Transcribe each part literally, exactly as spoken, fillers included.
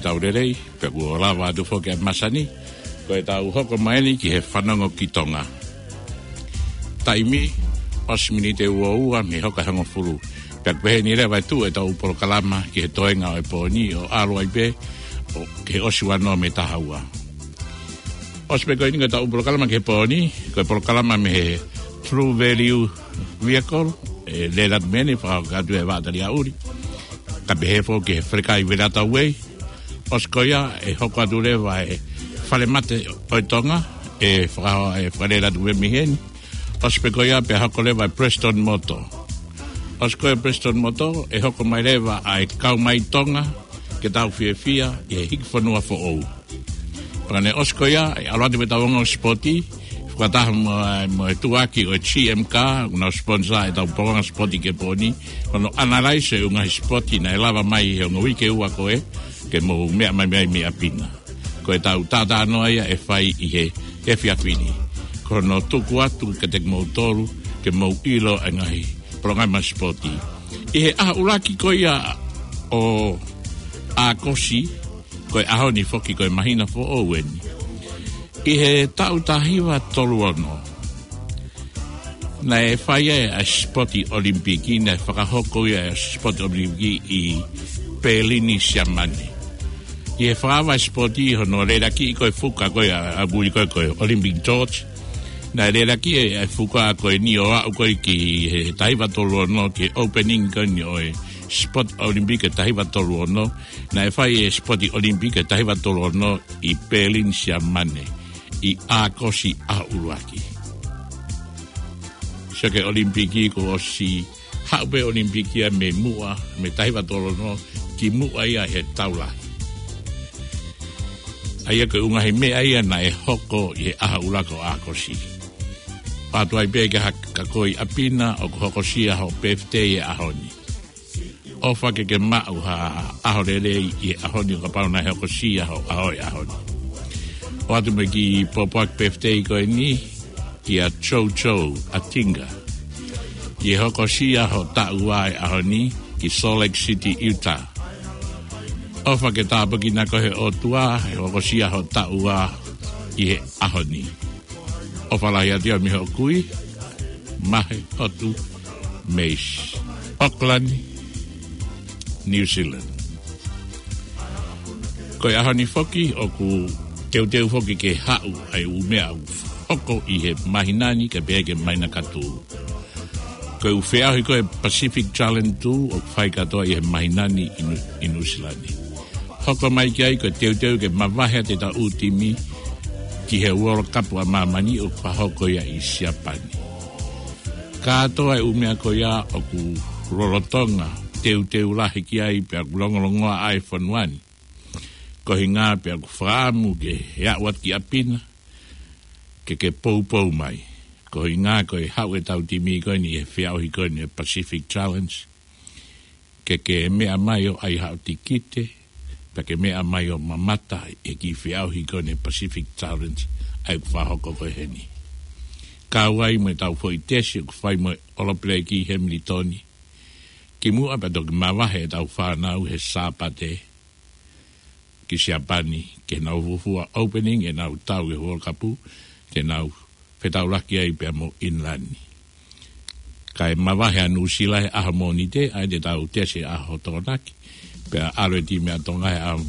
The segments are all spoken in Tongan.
Tau lelei, pea kuo lava atu foki ʻa e masani, ko ʻetau hoko mai eni ki he fanongo ki Tonga. Taimi, ʻosi miniti ʻe ua ua mei he hoko ʻa e hongofulu. Pea ʻoku pehē ni leva e tuʻu ʻetau polokalama ki he toenga ʻo e pō ni ʻo ʻalu ai pē, ʻo ki he ʻosi ua noa mei he taha ua. ʻOsi pē ko eni ko ʻetau polokalama ki he pō ni, ko e polokalama mei he True Value Vehicle, ʻe Lelatu Mene, fakahoko atu ʻe Vaʻa Taliaʻuli. Ka pehē foki ʻe he Falekai Velata Way. ʻOsi ko ia ʻe hoko atu leva e Falemate ʻo e Tonga, ʻe fakaho-, ʻe fakalelatu mei heni. ʻOsi pē ko ia pea hoko leva e Prestone Motor. ʻOsi ko ia Prestone Motor, ʻe hoko mai leva ʻa e Kau Mai Tonga, ke tau fiefia ʻi he hiki fonua foʻou. Pea ka ne ʻosi ko ia, ʻe ʻalu atu pē ʻetau ongo sipoti, fakataha mo, mo e tuʻuaki ʻo e G M Car, ʻoku nau sponsor ʻetau polokalama sipoti ki he pō ni, ko hono analyze e ngaahi sipoti naʻe lava mai he ongo uike ua ko ē, ke mou meʻa mai mei ai mei ʻapi na. Ko ʻetau talanoa ia ʻe fai ʻi he efiafi ni. Ko hono tuku atu kiate kimoutolu, ke mou ʻilo e ngaahi polokalama sipoti. ʻI he ʻaho ʻuluaki ko ia ʻo ʻAokosi, ko e ʻaho ni foki ko e māhina foʻou eni. ʻI he taʻu taha hiva tolu ono, naʻe fai ai ʻa e sipoti ʻOlimipiki, naʻe fakahoko ia ʻa e sipoti ʻOlimipiki ʻi Pelini, Siamane. ʻI he fakaava e sipoti, hono lelaki ko e fuka ko ia ʻa e ʻuli ko e, ko e Olympic torch. Naʻe lelaki e, e fuka ko eni ʻo aʻu ko ē ki he taha hiva tolu ono, ki he opening ko eni ʻo e sipoti ʻOlimipiki taha hiva tolu ono. Naʻe fai e sipoti ʻOlimipiki taha hiva tolu ono ʻi Pelini, Siamane, ʻi ʻAokosi ʻaho ʻuluaki. Sio ki he ʻOlimipiki kuo ʻosi haʻu pē ʻOlimipiki ia mei muʻa, mei taha hiva tolu ono, ki muʻa ia he tau lahi. ʻA ia ko e ʻū ngaahi meʻa ia naʻe hoko ʻi he ʻaho ʻuluaki ʻo ʻAokosi. Pea tuai pē ke ha-, ka ko ē ʻi ʻapi na ʻoku hokosia hoʻo birthday he ʻaho ni. ʻOfa ke ke maʻu ha ʻaho lelei ʻi he ʻaho ni ʻo kapau naʻe hokosia hoʻo ʻaho he ʻaho ni. ʻOatu mo e kiʻi pōpoaki birthday ko eni kia Jojo Atinga. ʻI he hokosia hoʻo taʻu ua he ʻaho ni ki Salt Lake City, Utah. ʻOfa ke tāpuekina koe he ʻOtua he hokosia hoʻo taʻu ua ʻi he ʻaho ni. ʻOfa lahi atu ia mei hoʻo kui, Mahe Hotu Meisi, Auckland, New Zealand. Ko e ʻaho ni foki ʻoku teuteu foki ke haʻu ʻa e ʻū meʻa ʻoku hoko ʻi he māhina ni kae pehē ki he māhina kahaʻu. Ko e ʻū feʻauhi ko ē Pacific Challenge Tour ʻoku fai kātoa ʻi he māhina ni ʻi Nu-, ʻi Nuʻusila ni. Hoko mai ki ai ko e teuteu ke mavahe atu ʻetau ʻū timi ki he World Cup ʻa māmani ʻoku fakahoko ia ʻi Siapani. Kātoa e ʻū meʻa ko ia ʻoku lolotonga teuteu lahi ki ai pea ʻoku longolongoaʻa e fonua ni. Ko e ʻuhinga pea ʻoku fakaʻamu ke ke aʻu atu ki ʻapi na, ke ke poupou mai. Ko e ʻuhinga ko e haʻu ʻetau timi ko eni he feʻauhi ko eni Pacific Challenge, ke ke meʻa mai ʻo ʻai haʻo tikite, pea ke meʻa mai ʻo mamata he kiʻi feʻauhi ko eni Pacific Challenge ʻa ia ʻoku fakahoko ko ē heni. Kau ai mo ʻetau foʻi tesi ʻoku fai mo e ʻolopeleki Hemilitoni. Kimuʻa pea toki mavahe ʻetau fānau he Sāpate ki Siapani, ke nau fuofua opening ʻenau tau he World Cup, ke nau fetaulaki ai pea mo ʻInilani. Kae mavahe ʻa Nuʻusila he ʻaho Mōnite, ʻa ia te tau tesi he ʻaho Tokonaki, pea ʻalu e timi ʻa Tonga he ʻaho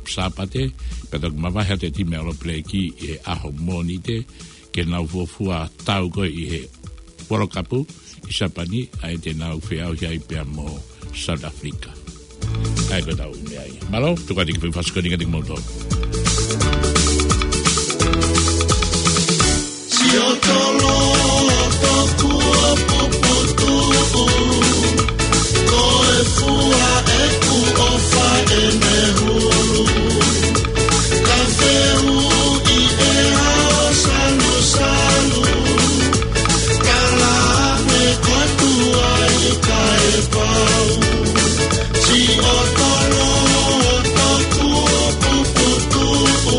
Sāpate, pea toki mavahe atu e timi ʻa ʻOlopeleki he ʻaho Mōnite, ke nau fuofua tau ko ē ʻi he World Cup ʻi Siapani, ʻa ia te nau feʻauhi ai pea mo South Africa. ʻA ia ko ʻetau meʻa ia. Mālō, tuku atu e kiʻi foʻi fasi ko eni kiate kimoutolu. Siotolo tokua puputuʻu, ko e fua ʻeku ʻofa ʻene hulu. Ka fehuʻi ʻe au salusalu, ka lave kotoa i kae pau. Siotolo tokua puputuʻu,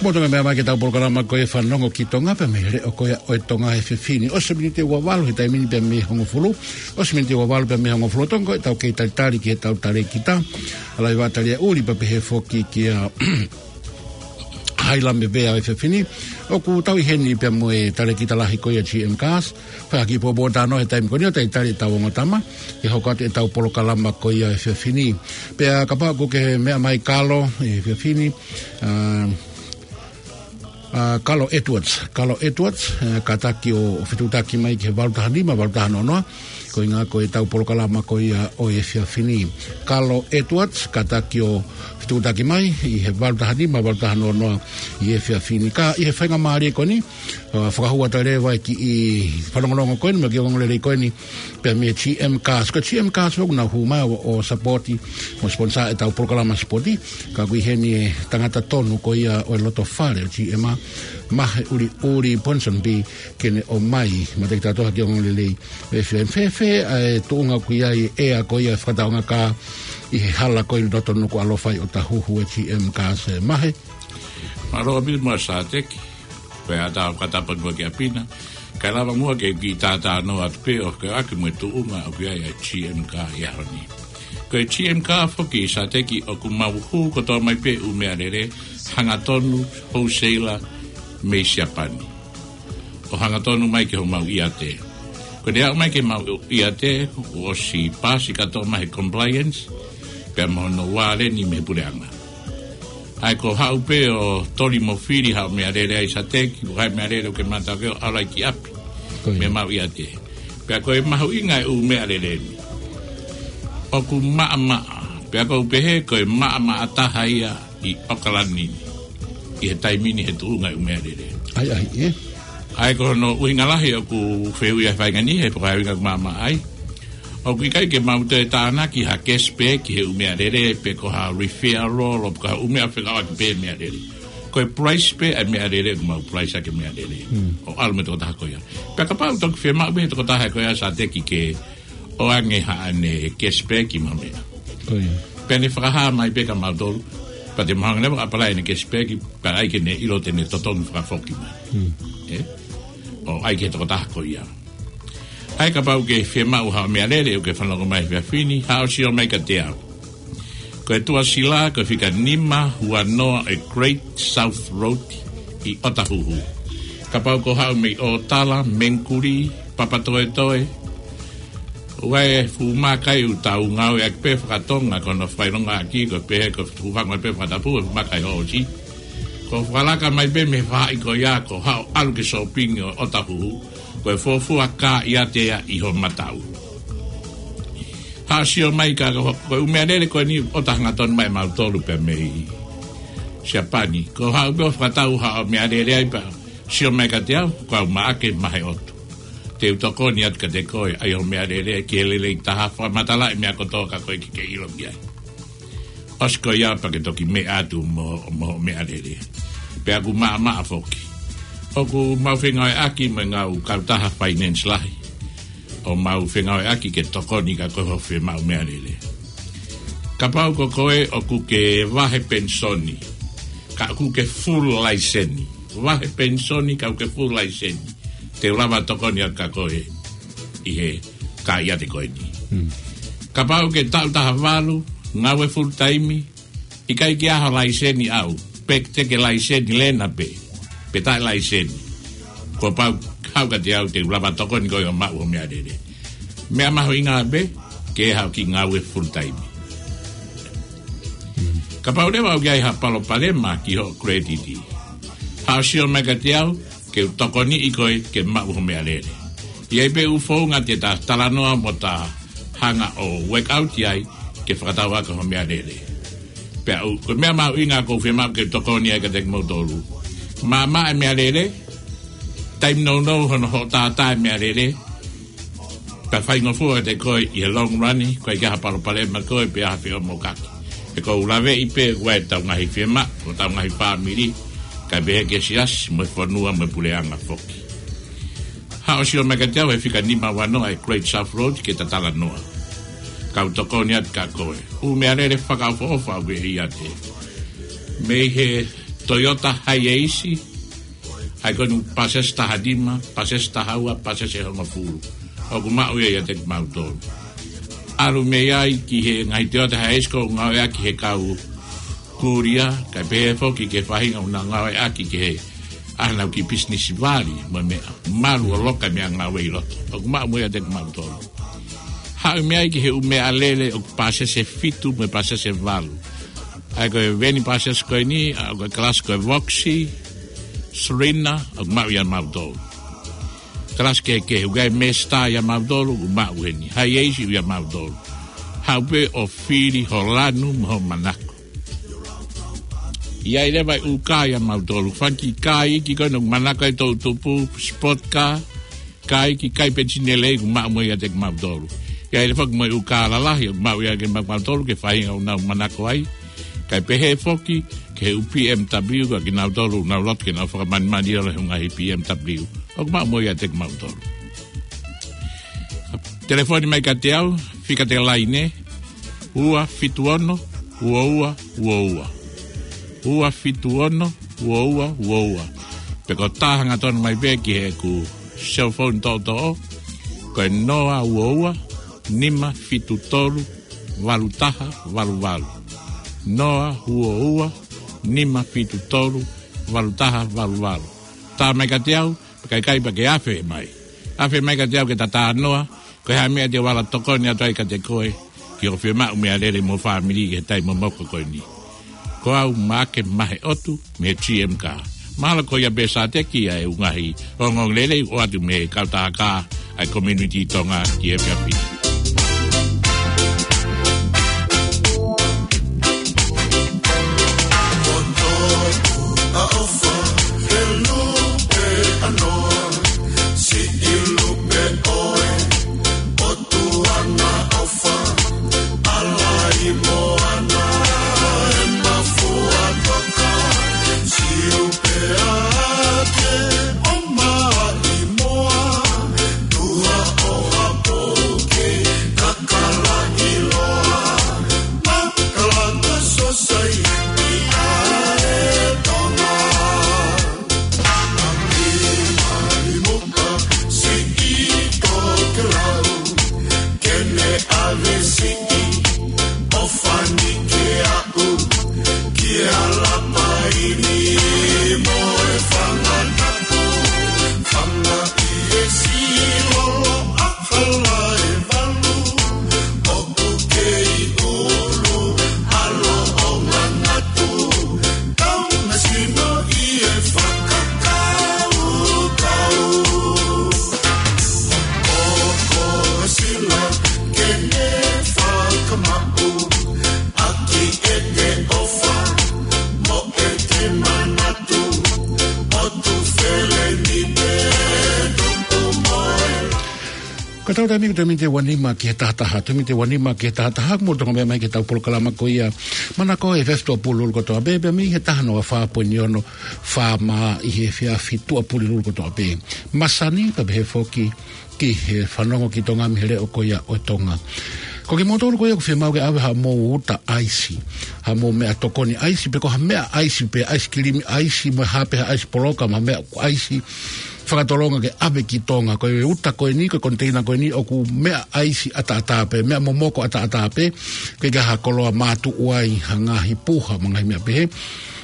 Mo Tonga, meʻa mai ki heʻetau polokalama ko e Fanongo ki Tonga, pea mei he leʻo ko ia ʻo e Tonga he efiafi ni. ʻOsi e miniti ʻe uavalu he taimi ni pea mei he hongofulu. ʻOsi e miniti ʻe uavalu pea mei he hongofulu. Tonga, ko ʻetau kei talitali ki heʻetau talēkita. ʻA e laiva talia ʻuli pea pehē foki kia Hailame Vea ʻo e efiafi ni. ʻOku tau ʻi heni pea mo e talēkita lahi ko ia G M Cars. Fai ha kiʻi pōpōtalanoa he taimi ko eni ʻo talitali ʻetau ongo tama ke hoko atu ʻetau polokalama ko ia he efiafi ni. Pea kapau ʻoku ke meʻa mai Kalo he efiafi ni, ʻa, ʻa, Kalo Edwards, Kalo Edwards, ʻa, kātaki ʻo, ʻo fetuʻutaki mai ki he valu taha nima, valu taha noa noa, ko e ʻuhinga ko ʻetau polokalama ko ia ʻo e efiafi ni. Kalo Edwards, kātaki ʻo fetuʻutaki mai ʻi he valu taha nima, valu taha noa noa ʻi he efiafi ni. Ka ʻi he faingamālie ko eni, ʻa, fakahū atu leva e kiʻi fanongonongo ko eni, mo e kiʻi ongoongolelei ko eni, pea mei he G M Cars. Ko e G M Cars ʻoku nau hū mai ʻo, ʻo sapoti, mo sponsor ʻetau polokalama sipoti. Ka ʻoku ʻi heni e tangata tonu ko ia ʻo e loto fale ʻo G M, Mahe ʻUliʻuli Ponsonby, ke ne ʻomai maʻa kitautolu ha kiʻi ongoongolelei. ʻE fēfē, fēfē ʻa e tuʻunga ʻoku ʻi ai e ʻea ko ia e fakataʻonga kā ʻi he hala ko ē ʻi loto Nukuʻalofa ʻi ʻŌtāhuhu, ʻe G M Cars, ʻe Mahe? Mālō ʻaupito mo Sateki, pea ʻatā ʻo fakatapu atu ki ʻapi na. Kae lava muʻa ke kiʻi talanoa atu pē ʻo ke ʻaki mo e tuʻunga ʻoku ʻi ai ʻa e G M Cars ʻi he ʻaho ni. Ko e G M Cars foki Sateki ʻoku mau hū kotoa mai pē ʻū meʻalele hangatonu wholesaler mei Siapani ʻo hangatonu mai ki homau ʻiate. Ko ʻene aʻu mai ki homau ʻiate, kuo ʻosi pasi kātoa mai he compliance, pea mo hono vāleni mei he puleʻanga. ʻA ia ko e haʻu pē ʻo toli mo fili haʻo meʻalele ai Sateki, ko e hā e meʻalele ʻoku ke mātā ke ʻalu ai ki ʻapi. Ko ia. Mei homau ʻiate. Pea ko e mahuʻinga e ʻū meʻalele ni, ʻoku maʻamaʻa. Pea ʻoku ou pehē ko e maʻamaʻa taha ia ʻi ʻAokalani ni ʻi he taimi ni he tuʻunga e ʻū meʻalele. ʻAi, ʻai, ē? ʻA ia ko hono ʻuhinga lahi ʻoku fehuʻi ai e faʻahinga ni, he ko e hā e ʻuhinga ʻoku maʻamaʻa ai. ʻOku ʻikai ke mau toe tānaki ha cashback ki he ʻū meʻalele, pe ko ha referral, pe ko ha ʻū meʻa fekauʻaki pē meʻalele. Ko e price pē ʻa e meʻalele, ʻoku mau price ʻaki e meʻalele. Hmm. ʻO ʻalu mo e tokotaha ko ia. Pea kapau ʻoku toki fiemaʻu pē he tokotaha ko ia Sateki ke ʻoange haʻane cashback mo e meʻa. Ko ia. Pea ne fakahā mai pē kia mautolu, pea te mau hanga leva ʻo apply ʻene cashback, pea ʻai ke ne ʻilo te ne totongi fakafoki mai. Hmm. Ē? ʻO ʻai ki he tokotaha ko ia. ʻA ia kapau ʻoku ke fiemaʻu haʻo meʻalele ʻoku ke fanongo mai he efiafi ni, haʻu ʻo sio mai kiate au. Ko e tuʻasila, ko e fika nima ua noa ʻo e Great South Road ʻi ʻŌtāhuhu. Kapau ʻoku ke haʻu mei ʻŌtala, Mengkuli, Papatoetoe, ʻoku ʻi ai e fuʻu maka ʻoku tau ngāueʻaki pē fakatonga, ko hono fakaʻilongaʻaki, ko e pehē ko e fuʻu fanga pē fakatapu, e fuʻu maka ʻi hoʻo ʻosi. Ko e fakalaka mai pē mei he faʻahi ko ia, ko e haʻu ʻo ʻalu ki he sōpingi ʻo ʻŌtāhuhu, ko e fuofua kā ʻiate ia ʻi ho mataʻu. Haʻu ʻo sio mai ka ko, ko e ʻū meʻalele ko eni ʻoku tau hangatonu mai mautolu pē mei Siapani. Ko e haʻu pē ʻo fakatau haʻo meʻalele ai pea sio mai kiate au, ko au Maʻake Mahe ʻOtu. Te u tokoni atu kiate koe, ʻai hoʻo meʻalele ki he lelei taha, fakamatalaʻi e meʻa kotoa kia koe ke ke ʻilo ki ai. ʻOsi ko ia pea ke toki meʻa atu mo, mo hoʻo meʻalele. Pea ʻoku maʻamaʻa foki. ʻOku mau fengāueʻaki mo e ngaahi kautaha finance lahi. ʻO mau fengāueʻaki ke tokoni kia koe hoʻo fiemaʻu meʻalele. Kapau ko koe ʻoku ke vahe penisoni, ka ʻoku ke full laiseni. Vahe penisoni ka ʻoku ke full laiseni. Te u lava ʻo tokoni atu kia koe ʻi he kā ʻiate ko eni. Hmm. Kapau ʻoku ke taʻu taha valu, ngāue full time, ʻikai ke ʻi ai ho laiseni ʻaʻau, pe te ke laiseni lena pē, pe taʻe laiseni. Kuo pau haʻu kiate au te u lava ʻo tokoni koe ʻo maʻu hoʻo meʻalele. Meʻa mahuʻinga pē, ke haʻu ki he ngāue full time. Kapau leva ʻoku ʻi ai ha palopalema ki hoʻo credit, haʻu ʻo sio mai kiate au, ke u tokoniʻi koe ke maʻu hoʻo meʻalele. ʻI ai pē ʻū founga te ta talanoa mo ta hanga ʻo work out ai ke fakatau ʻaki hoʻo meʻalele. Pea ʻoku, ko e meʻa mahuʻinga ʻoku ou fiemaʻu ke tokoni ai kiate kimoutolu. Maʻamaʻa e meʻalele, taimi nounou hono hoʻo tātā e meʻalele, pea faingofua kiate koe ʻi he long run, ʻoku ʻikai ke ʻi ai ha palopalema kia koe pe ʻi ai ha feʻomoʻokaki. He ʻoku ou laveʻi pē ʻoku ʻi ai ʻetau ngaahi fiemaʻu, ʻo ʻetau ngaahi fāmili, kae pehē ki he siasi, mo e fonua, mo e puleʻanga foki. Haʻu ʻo sio mai kiate au he fika nima ua noa ʻo e Great South Road ke ta talanoa. Kau tokoni atu kia koe. ʻŪ meʻalele fakaʻofoʻofa ʻoku ke ʻiate. Mei he Toyota Hiace, ʻa ia ko eni pāsese taha nima, pāsese taha ua, pāsese hongofulu. ʻOku maʻu ia ʻiate kimautolu. ʻAlu mei ai ki he ngaahi Toyota Hiace ʻoku ngāueʻaki he kau kulia, kae pehē foki ki he faʻahinga ʻoku nau ngāueʻaki ki he ʻenau kiʻi pisinisi vali, mo e meʻa malu ʻo loka e meʻangāue ʻi loto. ʻOku maʻu mo ia ʻiate kimautolu. Haʻu mei ai ki he ʻū meʻalele ʻoku pāsese fitu mo e pāsese valu. ʻA ia ko e veni pāsese ko eni, ʻa ia ko e kalasi ko e Voxy, Serena, ʻoku maʻu ia mautolu. Kalasi kehekehe, ʻoku ʻi ai e Mazda ia mautolu, ʻoku maʻu eni. Hiace ia mautolu. Haʻu pē ʻo fili ho lanu mo ho manako. ʻI ai leva e ʻū kā ia mautolu. Fanga kiʻi kā iiki ko eni ʻoku manako ai e toʻutupu, sport car, kā iiki, kā iiki penisini lelei, ʻoku maʻu mo ia ʻiate kimautolu. ʻI ai leva foki mo e ʻū kā lalahi, ʻoku maʻu ia ʻiate kimautolu, ki he faʻahinga ʻoku nau manako ai. Kae pehē foki, ki he ʻū B M W, ko kinautolu, nau loto ke nau fakamanimani ʻo lele he ngaahi B M W. ʻOku maʻu mo ia ʻiate kimautolu. Telefoni mai kiate au, fika te laine, ua fitu ono, ua ua, ua ua. Ua fitu ono, ua ua, ua ua. Pe ko e tā hangatonu mai pē ki heʻeku cell phone toʻotoʻo, ko e noa ua ua, nima fitu tolu, valu taha, valu valu. Noa ua ua, nima fitu tolu, valu taha, valu valu. Tā mai kiate au, pea ka ʻikai pea ke afe mai. Afe mai kiate au ke ta talanoa, ko e hā e meʻa te u ala tokoni atu ai kiate koe, ki hoʻo fiemaʻu meʻalele mo e fāmili ki he taimi momoko ko eni. Ko au Maʻake Maheʻotu, mei he G M Car. Mahalo ko ia pē Sateki ʻa e ʻū ngaahi ongoongolelei ʻoku ʻoatu mei he kautaha kā ʻa e community Tonga ki he efiafi ni. Ko ʻetau taimi ko e taimi ʻe ua nima ki he taha taha, taimi ʻe ua nima ki he taha taha, mou toki meʻa mai ki heʻetau polokalama ko ia. Manako ʻa e efiafi Tuʻapulelulu kotoa pē, pea mei he taha noa fā poini ono FM ʻi he efiafi Tuʻapulelulu kotoa pē. Masani, pea pehē foki ki he fanongo ki Tonga mei he leʻo ko ia ʻo Tonga. Ko kimoutolu ko ia ʻoku fiemaʻu ke ʻave haʻamou uta ʻaisi, haʻamou meʻatokoni ʻaisi, pe ko ha meʻa ʻaisi, pe ʻaisikilimi ʻaisi, mo e hā pē ha ʻaisi poloka, mo ha meʻa ʻaisi, fakatolonga ke ʻave ki Tonga. Ko e uta ko eni, ko e koniteina ko eni, ʻoku meʻa ʻaisi ʻataʻatā pē, meʻa momoko ʻataʻatā pē, ʻikai ke ʻi ai ha koloa mātuʻu ai, ha ngaahi puha, mo e ngaahi meʻa pehē.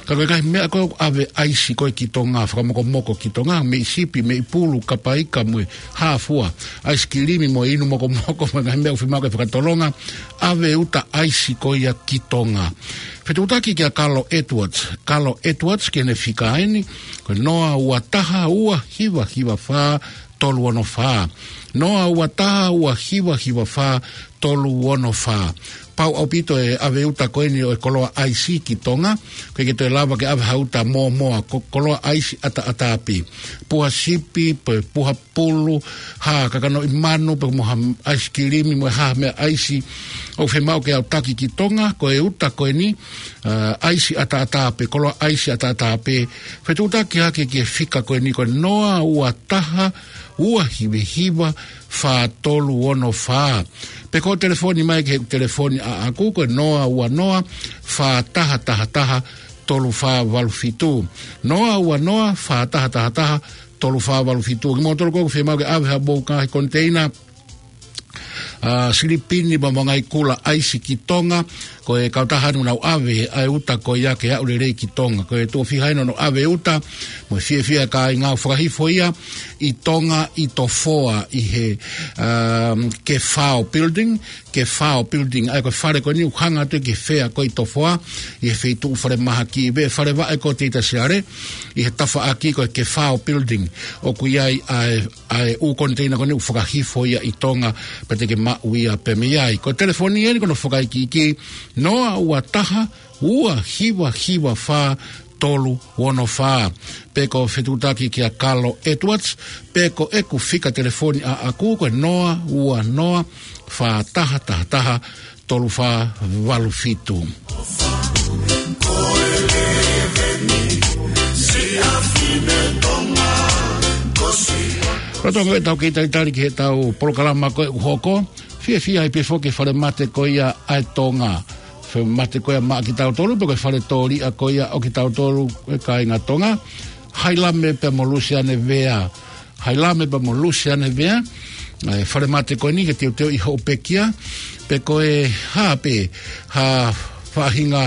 Ka ko e ngaahi meʻa ko ē ʻave ʻaisi ko ē ki Tonga, fakamokomoko ki Tonga, meʻi sipi, meʻi pulu, kapa ika mo e hā fua, ʻaisikilimi mo e inu mokomoko, mo e ngaahi meʻa ʻoku fiemaʻu ke fakatolonga, ʻave uta ʻaisi ko ia ki Tonga. Fetuʻutaki kia Kalo Edwards. Kalo Edwards ki heʻene fika eni, ko e noa ua taha ua hiva hiva fā tolu ono fā. Noa ua taha ua hiva hiva fā tolu ono fā. Pau ʻaupito e ʻave uta ko eni ʻo e koloa ʻaisi ki Tonga, ʻoku ʻikai ke toe lava ke ʻave ha uta mōmoa, ko e koloa ʻaisi ʻataʻatā pē. Puha sipi, pe puha pulu, ha kakanoʻi manu, pe mo ha ʻaisikilimi, mo ha meʻa ʻaisi ʻoku fiemaʻu ke aʻutaki ki Tonga, ko e uta ko eni, ʻa, ʻaisi ʻataʻatā pē, koloa ʻaisi ʻataʻatā pē. Fetuʻutaki hake ki he fika ko eni ko e noa ua taha ua hiva hiva fā tolu ono fā. Pe ko e telefoni mai ki he telefoni ʻaʻaku ko e noa ua noa fā taha taha taha tolu fā valu fitu. Noa ua noa, fā taha taha taha, tolu fā valu fitu. Kimoutolu ʻoku fiemaʻu ke ʻave haʻamou ngaahi koniteina, ʻa, silipini pea mo e ngaahi kula ʻaisi ki Tonga, ko e kautaha ʻoku nau ʻave ʻa e uta ko ia ke aʻu lelei ki Tonga. Ko e tuʻo fiha eni hono ʻave uta, mo e fiefia e kāinga ʻo fakahifo ia ʻi Tonga ʻi Tofoa ʻi he, um, Kefao Building, Kefao Building, ʻa ia ko e fale ko eni ʻoku hanga atu ki he fea ko ē ʻi Tofoa, ʻi he feituʻu falemahaki, pea fale vaʻe ko Teita Siale, ʻi he tafaʻaki ko e Kefao Building, ʻoku ʻi ai ʻa e ʻa e ʻū koniteina ko eni ʻoku fakahifo ia ʻi Tonga, pea te ke maʻu ia pē mei ai. Ko e telefoni eni ko hono fakaikiiki, noa ua taha, ua hiva hiva fā, tolu ono fā. Pe ko e fetuʻutaki kia Kalo Edwards, pe ko ʻeku fika telefoni ʻaʻaku ko e noa ua noa, fā taha taha taha, tolu fā valu fitu. Lolotonga ʻetau kei talitali ki heʻetau polokalama ko ē ʻoku hoko, fiefia ai pē foki e falemate ko ia ʻa e Tonga. Falemate ko ia maʻa kitautolu, pe ko e fale tōliʻa ko ia ʻo kitautolu e kāinga Tonga. Hailame pea mo Lusiane Vea. Hailame pea mo Lusiane Vea, ʻa e falemate ko eni ke teuteuʻi hoʻo pekia, pe ko e hā pē ha faʻahinga,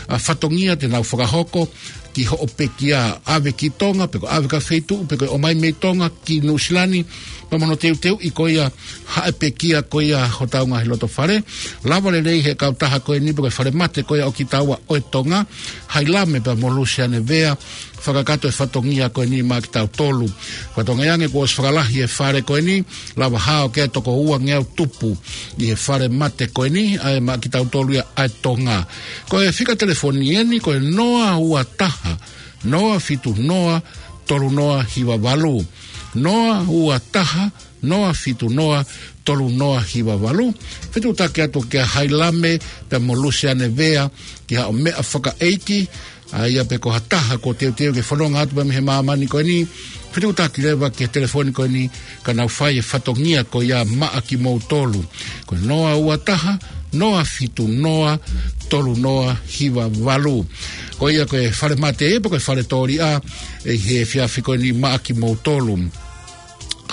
ʻa, fatongia te nau fakahoko ki hoʻo pekia, ʻave ki Tonga, pe ko e ʻave ki ha feituʻu, pe ko e ʻomai mei Tonga ki Nuʻusila ni, pea mo hono teuteuʻi ko ia ha pekia ko ia hotau ngaahi loto fale. Lava lelei ʻe he kautaha ko eni pe ko e falemate ko ia ʻo kitaua ʻo e Tonga, Hailame pea mo Lusiane Vea, fakakakato e fatongia ko eni maʻa kitautolu. Fatongia ange kuo ʻosi fakalahi e fale ko eni, lava hao ki he toko ua ngeau tupu ʻi he falemate ko eni, ʻa ia maʻa kitautolu ia ʻa e Tonga. Ko e fika telefoni eni, ko e noa ua taha, noa fitu noa, tolu noa hiva valu. Noa ua taha, noa fitu noa, tolu noa hiva valu. Fetuʻutaki atu kia Hailame pea mo Lusiane Vea ki haʻo meʻa fakaʻeiki, ʻa ia pe ko ha taha kuo teuteu ke fononga atu pē mei he māmani ko eni, fetuʻutaki leva ki he telefoni ko eni, ka nau fai e fatongia ko ia maʻa kimoutolu. Ko e noa ua taha, noa fitu noa, tolu noa hiva valu. Ko ia ko e falemate ia, pe ko e fale tōliʻa, ʻi he efiafi ko eni maʻa kimoutolu.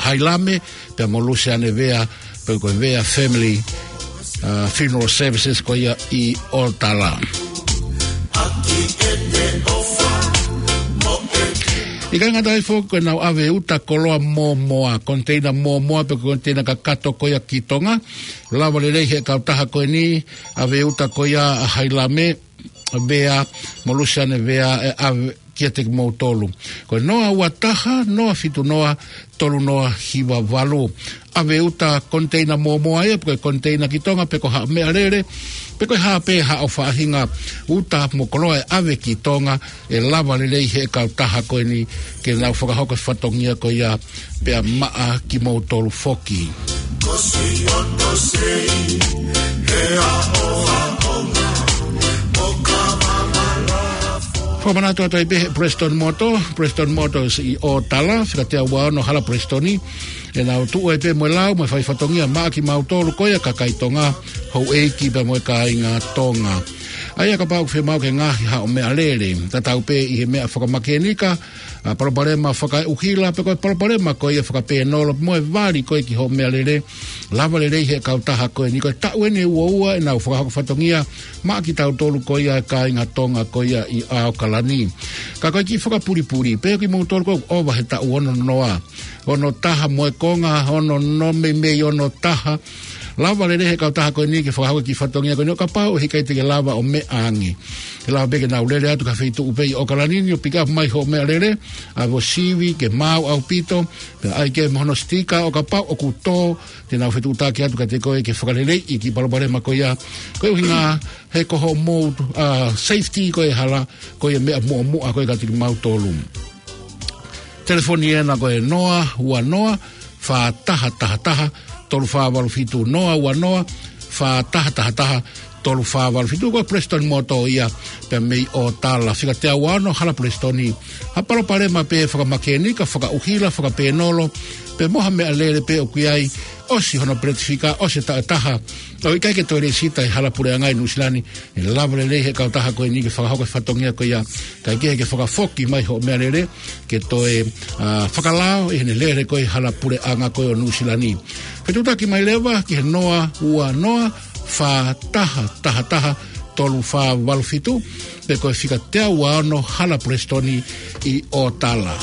Hailame pea mo Lusiane Vea, pe ko e Vea Family, ʻa, Funeral Services ko ia ʻi Otala. ʻIkai ngata ai foki ko ʻenau ʻave uta koloa mōmoa, koniteina mōmoa pe koniteina kakato ko ia ki Tonga. Lava lelei ʻe he kautaha ko eni ʻave uta ko ia ʻa Hailame Vea mo Lusiane Vea ʻe ʻave kiate kimoutolu. Ko e noa ua taha, noa fitu noa, tolu noa hiva valu. ʻAve uta koniteina mōmoa ia, pe ko e koniteina ki Tonga, pe ko ha meʻalele, pe ko e hā pē haʻo faʻahinga uta mo koloa ʻe ʻave ki Tonga, ʻe lava lelei ʻe he kautaha ko eni ke nau fakahoko e fatongia ko ia pea maʻa kimoutolu foki. Fakamanatu atu ai pē ʻe he Preston Motor, Preston Motors ʻi Otala, fika teau ua ono Hala Preston, ʻenau tuʻu ai pē mo e lau mo e fai fatongia maʻa kimautolu ko ia kakai Tonga, houʻeiki pea mo e kāinga Tonga. ʻA ia kapau ʻoku fiemaʻu ke ngaahi haʻo meʻalele, tatau pē ʻi he meʻa fakamākenika, ʻa, palopalema fakaʻuhila, pe ko e palopalema ko ia fakapēnolo, mo e vali ko ia ki hoʻo meʻalele, lava lelei ʻe he kautaha ko eni. Ko e taʻu eni ʻe ua ua ʻenau fakahoko fatongia maʻa kitautolu ko ia kāinga Tonga ko ia ʻi ʻAokalani. Ka ko e kiʻi fakapulipuli, pe ko kimoutolu ʻoku ʻova he taʻu ono noa, ono taha mo e konga, ono noa meimei ono taha, lava lelei ʻe he kautaha ko eni ke fakahoko e kiʻi fatongia ko eni ʻo kapau ʻe ʻikai te ke lava ʻo meʻa ange. ʻE lava pē ke nau lele atu ki ha feituʻu pē ʻi ʻAokalani ni ʻo pick up mai hoʻo meʻalele, ʻave ʻo sivi ke maau ʻaupito, pea ʻai ke mo hono sitika ʻo kapau ʻoku tō, te nau fetuʻutaki atu kiate koe ke fakaleleiʻi e kiʻi palopalema ko ia. Ko e ʻuhinga he ko hoʻomou, ʻa, safety ko e hala, ko e meʻa muʻomuʻa ko ia kiate kimautolu. Telefoni ena ko e noa ua noa, fā taha taha taha, tolu fā valu fitu, noa ua noa, fā taha taha taha, tolu fā valu fitu. Ko e Preston Motor ia, pea mei ʻOtala, fika teau ua ono Hala Pulesitoni. Ha palopalema pē fakamakenika, fakaʻuhila, fakapēnolo, pe mo ha meʻalele pē ʻoku ʻi ai, ʻosi hono peleti fika, ʻosi e taʻu ʻe taha, ʻo ʻikai ke toe lēsisita ʻi he Hala Puleʻanga ʻi Nuʻusila ni, ʻe lava lelei ʻe he kautaha ko eni ke fakahoko e fatongia ko ia, kae kehe ke fakafoki mai hoʻo meʻalele, ke toe, ā, fakalao ʻi heʻene lele ko ē ʻi he Hala Puleʻanga ko ē ʻo Nuʻusila ni. Fetuʻutaki mai leva ki he noa ua noa fā taha taha taha tolu fā valu fitu, pe ko e fika teau ua ono Hala Pulesitoni ʻi ʻOtala.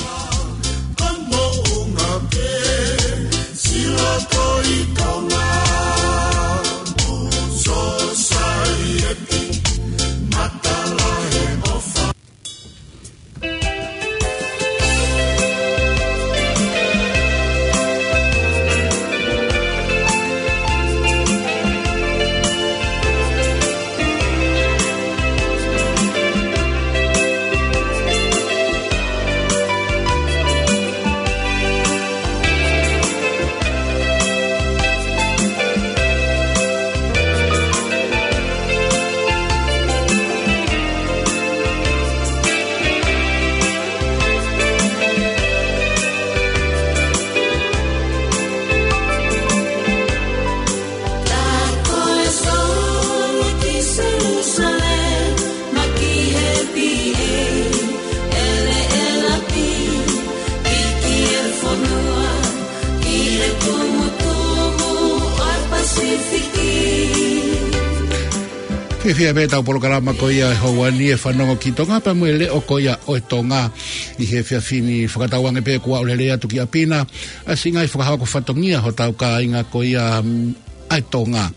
Fiefia pē ʻetau polokalama ko ia he houa ni, e Fanongo ki Tonga, pea mo e Leʻo ko ia ʻo e Tonga. ʻI he efiafi ni, fakatauange pē kuo aʻu lelei atu ki ʻapi na ʻa siʻi ngaahi fakahoko fatongia hotau kāinga ko ia, mm, ʻa e Tonga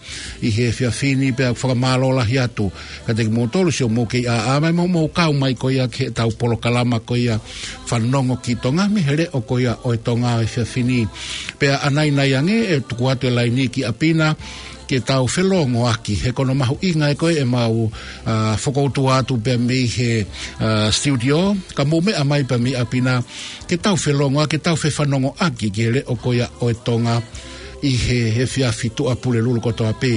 ʻi he efiafi ni, pea fakamālō lahi atu kiate kimoutolu siʻo mou kei ʻaʻa mai mo mou kau mai ko ia ki heʻetau polokalama ko ia Fanongo ki Tonga mei he Leʻo ko ia ʻo e Tonga he efiafi ni. Pea ʻanainai ange ʻe tuku atu e laini ki ʻapi na ke tau felongoaki, he ko hono mahuʻinga ē ko ē ʻemau, ā, fokoutua atu pea mei he, ā, studio, ka mou meʻa mai pea mei ʻapi na ke tau felongoaki, ke tau fefanongoaki ki he Leʻo ko ia ʻo e Tonga ʻi he efiafi, Tuʻapulelulu kotoa pē.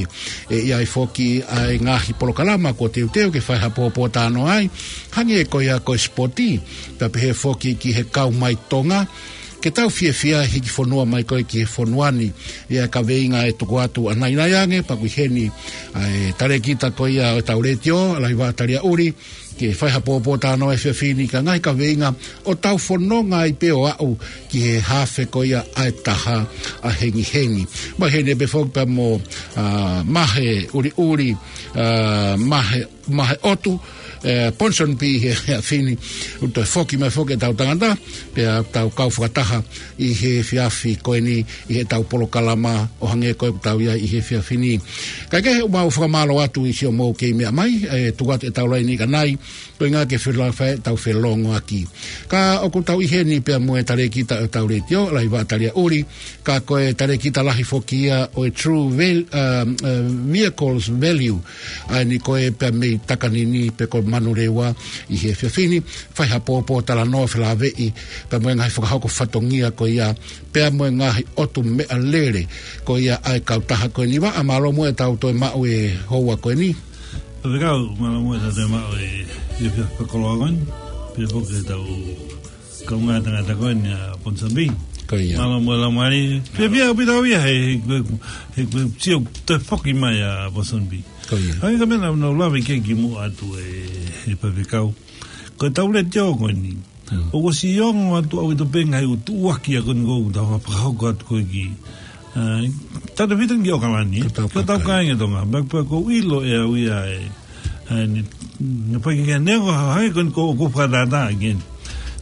ʻE ʻi ai foki ʻa e ngaahi polokalama kuo teuteu ke fai ha pōpōtalanoa ai, hangē ko ia ko e sipoti, pea pehē foki ki he kau mai Tonga, ke tau fiefia he hiki fonua mai ko ē ki he fonua ni. ʻI ai e kaveinga ʻe tuku atu ʻanainai ange, pea ʻoku ʻi heni ʻa e talēkita ko ia ʻo ʻetau letiō, Laiva Taliaʻuli, ke fai ha pōpōtalanoa he efiafi ni ki he ngaahi kaveinga ʻoku tau fononga ai pē ʻo aʻu ki he hafe ko ia ʻa e taha ʻa hengihengi. Mai heni pē foki pea mo, ā, Mahe ʻUliʻuli, ā, Mahe, Mahe ʻOtu, ē, Ponsonby he efiafi ni, ʻoku toe foki mai foki ʻetau tangata, pea tau kau fakataha ʻi he efiafi ko eni ʻi heʻetau polokalama ʻo hangē ko ē ʻoku tau ʻi ai ʻi he efiafi ni. Kae kehe, ʻoku mau fakamālō atu ʻi siʻo mou kei meʻa mai, ē, tuku atu ʻetau laini ʻanai, ko e ʻuhinga ke felafai ʻetau felongoaki. Ka ʻoku tau ʻi heni pea mo e talēkita ʻo ʻetau letiō, Laiva Taliaʻuli, ka ko e talēkita lahi foki ia ʻo e True Val-, um, uh, Vehicles Value, ʻa eni ko ē pea mei Takanini pe ko Manurewa ʻi he efiafi ni, fai ha pōpōtalanoa felāveʻi pea mo e ngaahi fakahoko fatongia ko ia, pea mo e ngaahi ʻotu meʻalele ko ia ʻa e kautaha ko eni. Vaʻa, mālō muʻa ʻetau toe maʻu e houa ko eni. Faifekau, mālō muʻa ʻetau toe maʻu e, e efiafi fakakoloa ko eni. Pea foki ʻetau kaungā tangata ko eni ʻa Ponsonby. Ko ia. Mālō muʻa e laumālie. Fiefia ʻaupito au ia he, he, he, he sio toe foki mai ʻa Ponsonby. Ko ia. Hangē ko e meʻa naʻa, naʻa ku lave ki ai kimuʻa atu ē, ē Faifekau. Ko ʻetau letiō ko eni. Hmm. ʻOku ʻosi ongo atu ʻaupito pē ngaahi ʻū tuʻuaki ʻa ko eni ʻoku tau fakahoko atu ko ē ki, ā, tautefito ki ʻAokalani, ki hotau kāinga Tonga. Pea, pea ʻoku ou ʻilo ʻe au ia ē, ē, ne, ne fai ki he, neongo hangē ko eni ʻoku ou fakatātā ki heni.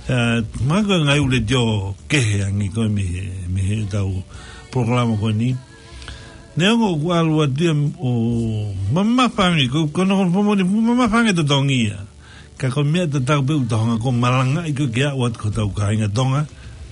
Ā, mahalo ko e ngaahi ʻū letiō kehe ange ko ē mei he, mei heʻetau polokalama ko eni. Neongo ʻoku ʻalu atu ia ʻo mamafa ange, ko, ko hono, ko hono fakamoʻoni, mamafa ange e totongi ia. Ka ko e meʻa tatau pē ʻoku tau hanga ʻo malangaʻi ko ē ke aʻu atu ki hotau kāinga Tonga,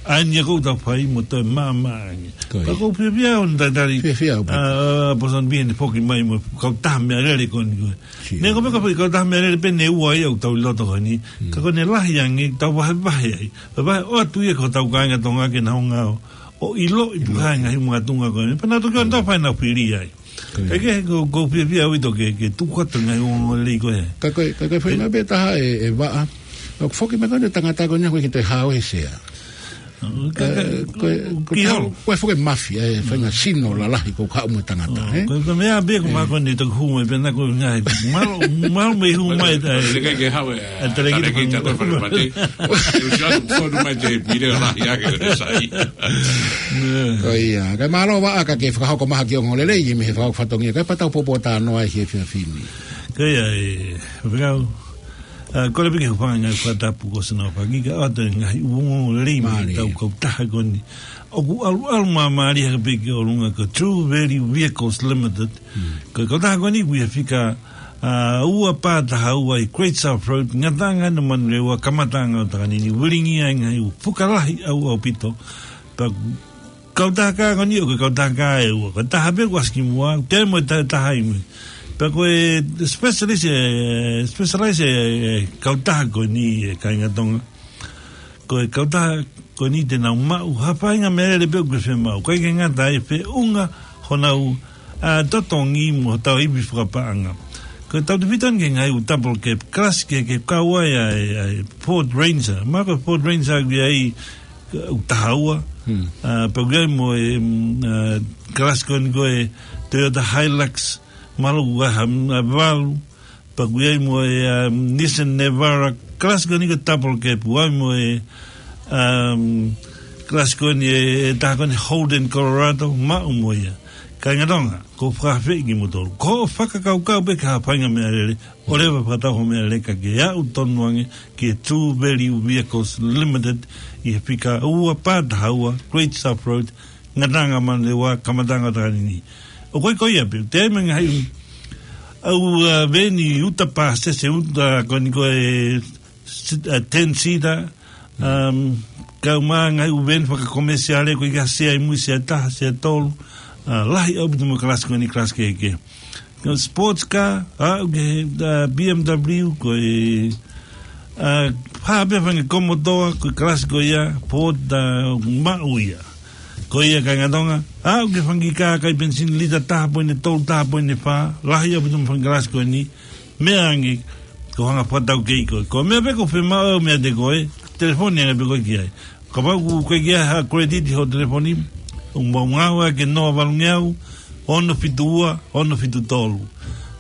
ʻa eni ia ʻoku tau fai mo toe maʻamaʻa ange. Ko ia. Ka ʻoku ou fiefia hono talitali, fiefia ʻaupito, ā, Ponsonby heʻene foki mai mo e kautaha meʻalele ko eni ko ē. Sio. Neongo pē ko e foʻi kautaha meʻalele pē ʻe ua ia ʻoku tau ʻi loto ko eni. Mm. Ka ko ʻene lahi ange, tau vahevahe ai. Vahevahe ʻo ʻoatu ia ki hotau kāinga Tonga ke nau hanga ʻo ʻiloʻi, ʻiloʻi e ngaahi makatuʻunga ko eni. Pea nau toki ō ʻo fai ʻenau fili ai. Kae kehe, ko, ko e fiefia ʻaupito ke, ke tuku atu e ngaahi ongoongolelei ko ē. Ka ko e, ka ko e faʻahinga pē taha ʻe, ʻe vaʻa. ʻOku foki mai ko eni e tangata ko eni ʻoku ʻikai ke toe hao he sea. Ka, ka, ʻE, ko e, ko e ki taha, hao. Ko e foki e mafia, e faʻahinga sino lalahi ko e kau mo e tangata, ʻO, ē? ko e, ko e meʻa pē ko ē. ʻE. Mākoni toki hū mai pē naʻa ko e ngaahi. Mālō, mālō mei hū mai, ʻe. Lele ke hao e, ʻe, tele ki tele ki te te ko e fale pate. ʻE usi atu fonu mai te pile lahi ake ko e sai. Ko ia, kae mālō vaʻa ka ke fakahoko mai ha kiʻi ongoongolelei, ʻi he meʻa ʻoku fatongia, kae pea tau poupou talanoa ai he efiafi ni. Ko ia, ʻe, fekau. ʻA, kole pē ke u hūfanga he ngaahi fakatapu ko ē naʻa ku fai, kae ʻoatu e ngaahi ongoongolelei mei Mālie. Heʻetau kautaha ko eni. ʻOku ʻalu, ʻalu māmālie hake pē ki ʻolunga ko e True Value Vehicles Limited. Mm. Ko e kautaha ko eni ʻoku ʻi he fika, ʻa, ua pā taha ua ʻi Great South Road, Ngataʻanga ʻi Manurewa, kamataʻanga ʻo Takanini, Uelingia, ʻi he ngaahi ʻū fuka lahi ʻau ʻaupito. Pea ko e kautaha ko eni ʻoku ʻi ai e kautaha ʻe ua. Ko e taha pē ʻoku ʻasi kimuʻa, toe mo e ta-, taha ʻi mui. Pea ko e specialist, ʻe, specialist e, e kautaha ko eni, ʻe kāinga Tonga. Ko e kautaha ko eni te nau maʻu ha faʻahinga meʻalele pē ʻoku ke fiemaʻu. ʻIkai ke ngata ai, feʻunga honau, ʻa, totongi mo hotau ivi fakapaʻanga. Ko e tautefito eni ki he ngaahi ʻū double cab, kalasi kehekehe, kau ai ʻa e, ʻa e Ford Ranger. Mahalo ko e Ford Ranger ʻoku ʻi ai, ʻa, ʻoku taha ua. Hmm. ʻA, pea ʻoku ʻi ai mo e, mm, ʻa, kalasi ko eni ko e Toyota Hilux, mahalo ʻoku ʻi ai ha, mm, ʻa, valu. Pea ʻoku ʻi ai mo e, um, Nissan Navara, kalasi ko eni ko e double cab, ʻoku ʻi ai mo e, um, kalasi ko eni e, e taha ko eni Holden Colorado, maʻu mo ia. Kāinga Tonga, ʻoku ou fakaafeʻi kimoutolu. Ko hoʻo fakakaukau pē ki ha faʻahinga meʻalele, ʻoleva fakatau hoʻo meʻalele kae ke aʻu tonu ange ki he True Value Vehicles Limited ʻi he fika ua pā taha ua, Great South Road, Ngataʻanga Manurewa, kamataʻanga ʻo Takanini. ʻOku ʻi ai ko ia pē, toe ʻi ai mo e ngaahi ʻū, ʻū, ʻa, veni uta pāsese uta ko eni ko e sit-, ʻa, ten seater, um, kau mo e ngaahi ʻū veni fakakomesiale ko e ʻikai ha sea ʻi mui, sea ʻe taha, sea ʻe tolu, ʻa, lahi ʻaupito mo e kalasi ko eni, kalasi kehekehe. Ko e sports car, ʻa, ʻoku ʻi ai, ʻa, B M W, ko e, ʻa, hā pē faʻahinga komotoa, ko e kalasi ko ia, Ford, ʻa, maʻu ia. Ko ia kāinga Tonga, ʻa, ʻoku ʻi ai faʻahinga kā ʻikai penisini, lita taha poini tolu, taha poini fā, lahi ʻaupito mo e faʻahinga kalasi ko eni, meʻa ange, ko e hanga ʻo fakataukei koe. Ko e meʻa pē ʻoku fiemaʻu meiate koe, telefoni ange pē koe ki ai. Kapau ʻoku ʻikai ke ʻi ai ha credit ʻi hoʻo telefoni, ʻoku mou ngāue ki he noa valungeau, ono fitu ua, ono fitu tolu.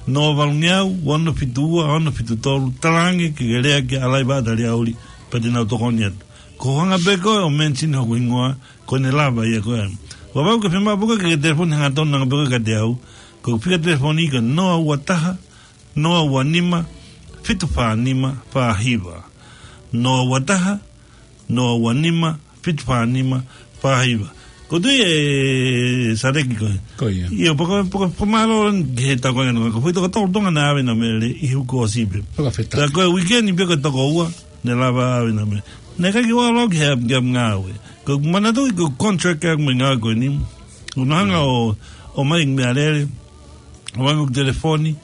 Noa valungeau, ono fitu ua, ono fitu tolu. Talaange ke ke lea kia Alaiva ʻAtaliauli, pea te nau tokoni atu. Ko e hanga pē koe ʻo mention hoku hingoa, ko ʻene lava ia ko ē. Kapau ʻoku ke fiemaʻu pē koe ke ke telefoni hangatonu ange pē koe kiate au, ko e fika telefoni ko e noa ua taha, noa ua nima, fitu fā nima, fā hiva. Noa ua taha, noa ua nima, fitu fā nima, fā hiva. ʻOku ou tui ʻe Saleki ko ē. Ko ia. ʻIo, pea ko e, pea ko e fakamālō ki he tau kāinga Tonga. Ko e foʻi toko tolu Tonga naʻe ʻave ʻenau meʻalele ʻi he uike kuo ʻosi pē. Fakafetaʻi. Pea ko e weekend pē ko e toko ua, naʻe lava ʻave ʻenau meʻalele. Naʻe ʻikai ke u ʻalu au ki he, ki he ngāue. Ko e manatuʻi ko e contract ʻa e ngāue ko eni. ʻOku nau hanga ʻo, ʻomai meʻalele, ʻomai mo e telefoni,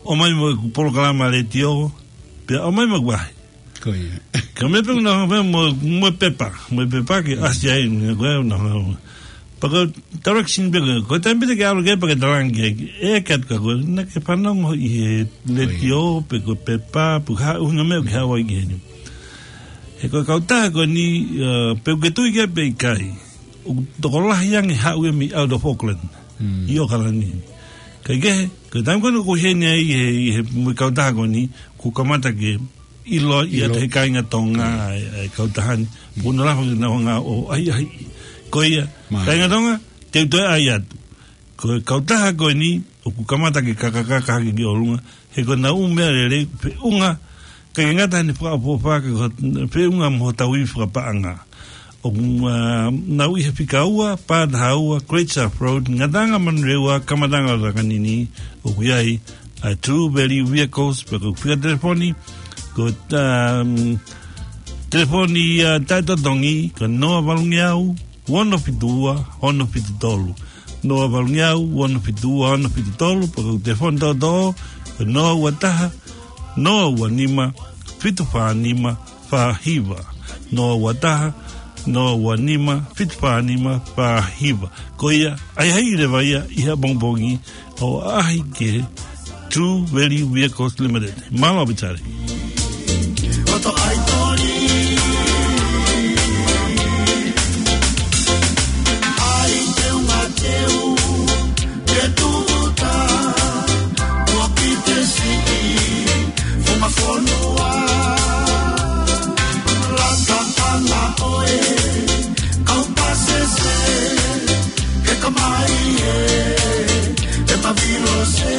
ʻomai mo e polokalama letiō, pea ʻomai mo e vahe. Ko ia. Ka meʻa pē ʻoku nau hanga pē mo, mo e pepa, mo e pepa ke ʻasi ai, ko ē ʻoku nau hanga. Pea ko e direction pē ko ē, ko e taimi pē te ke ʻalu ki ai pea ke talaange ki ai, ʻeke atu kia koe, naʻa ke fanongo ʻi he letiō, pe ko e pepa, pe ko e hā ʻuhinga meʻa ʻoku ke haʻu ai ki heni. He ko e kautaha ko eni, ʻa, pe ʻoku ke tui ki ai pe ʻikai, ʻoku tokolahi ange haʻu ia mei out of Auckland, ʻi ʻOkalani. Kae kehe, ko e taimi ko ē ʻoku ʻi heni ai ʻi he, ʻi he mo e kautaha ko eni, ʻoku kamata ke ʻilo ia ʻe he kāinga Tonga ʻa e, ʻa e kautaha ni. Puna lafa ke nau hanga ʻo ʻai, ʻai. Ko ia, kāinga Tonga, te u toe ʻai atu. Ko e kautaha ko eni, ʻoku kamata ke kakakaka hake ki ʻolunga, he ko ʻenau ʻū meʻalele, feʻunga, ʻikai ke ngata heʻene fakaʻofoʻofa, ka ko e feʻunga mo hotau ivi fakapaʻanga. ʻOku, ʻa, nau ʻi he fika ua pā taha ua, Great South Road, Ngataʻanga Manurewa, kamataʻanga ʻo Takanini, ʻoku ʻi ai ʻa e True Value Vehicles, pea ko e fika telefoni, ko e, um, telefoni, ʻa, taʻetotongi, ko e noa valungeau, ono fitu ua, ono fitu tolu. Noa valungeau, ono fitu ua, ono fitu tolu, pea ko e telefoni toʻotoʻo, ko e noa ua taha, noa ua nima, fitu fā nima, fā hiva. Noa ua taha, noa ua nima, fitu fā nima, fā hiva. Ko ia, ʻai hai leva ia ʻi he pongipongi ʻo ʻaʻahi ki he True Value Vehicles Limited. Mālō Pita Tali. Koto ai toli. Ai teu ma teu. Ke tuta. Ua ki te siʻi. Funga fonua. Laka ʻana ʻoe. Kau pasese. Ke kamai e. E ma vilose.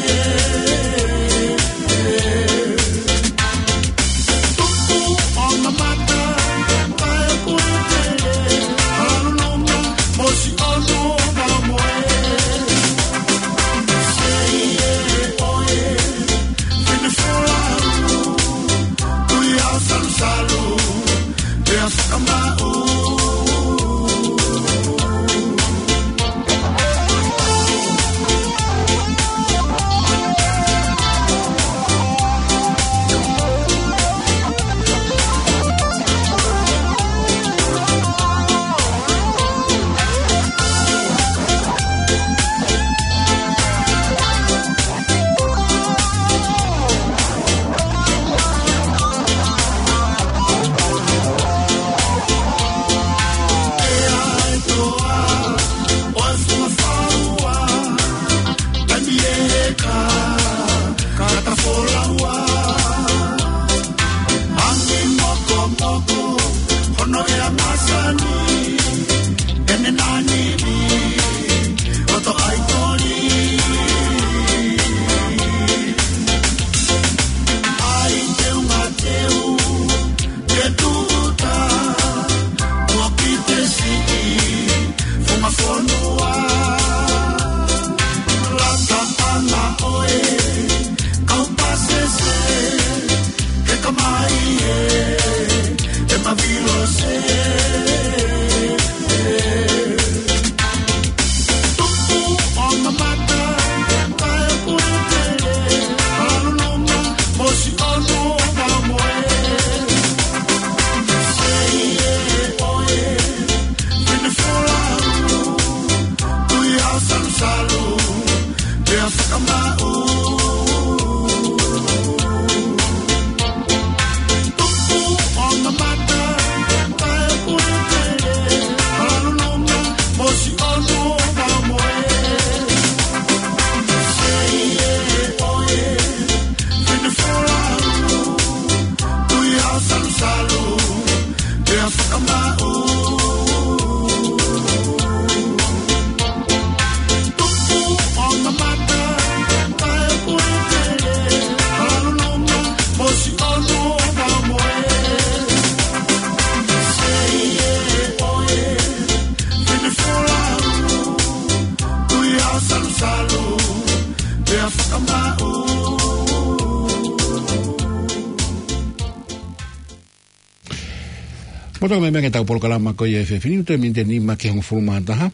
Moto me menge tau polokalama ko ia he efiafi ni, toe miniti ʻe nima ki he hongofulu mā taha.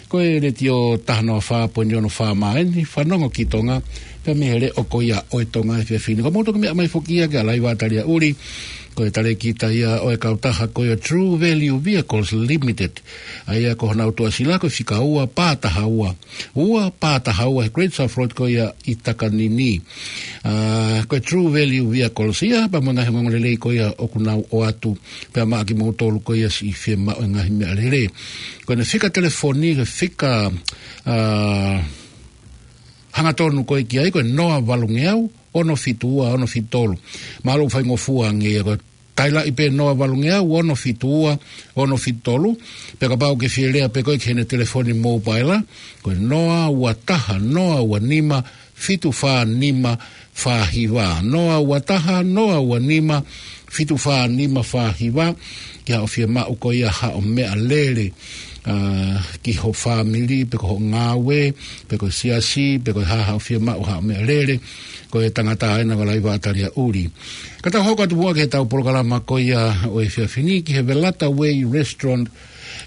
Ko e Letiō taha noa fā poini ono FM ʻeni, fanongo ki Tonga, pea mei he leʻo ko ia ʻo e Tonga he efiafi ni. Ko moto ke meʻa mai foki ia ki a Laiva Talia Uli, ko e talēkita ia ʻo e kautaha ko ia True Value Vehicles Limited. ʻA ia ko honau tuʻasila ko e fika ua pā taha ua. Ua pā taha ua he Great South Road ko ia ʻi Takanini. ʻA, ko e True Value Vehicles ia, pea mo e ngaahi ongoongolelei ko ia ʻoku nau ʻoatu. Pea maʻa kimoutolu ko ia siʻi fiemaʻu e ngaahi meʻalele. Ko ʻena fika telefoni, ko e fika, ʻa, hangatonu ko ē ki ai, ko e noa valungeau, ono fitu ua, ono fitu tolu. Mālō faingofua ange ia ko e tailaʻi pē noa valungeau, ono fitu ua, ono fitu tolu. Pea kapau ʻoku ke fie lea pē ko ē ki heʻena telefoni mōpaila, ko e noa ua taha, noa ua nima, fitu fā nima, fā hiva. Noa ua taha, noa ua nima, fitu fā nima, fā hiva. Ki haʻo fiemaʻu ko ia haʻo meʻalele, ʻa, ki ho fāmili, pe ko hoʻo ngāue, pe ko e siasi, pe ko e hā haʻo fiemaʻu haʻo meʻalele, ko e tangata ʻena ko Laiva Talia Uli. Ka tau hoko atu muʻa ki he tau polokalama ko ia ʻo e efiafi ni ki he Velata Way Restaurant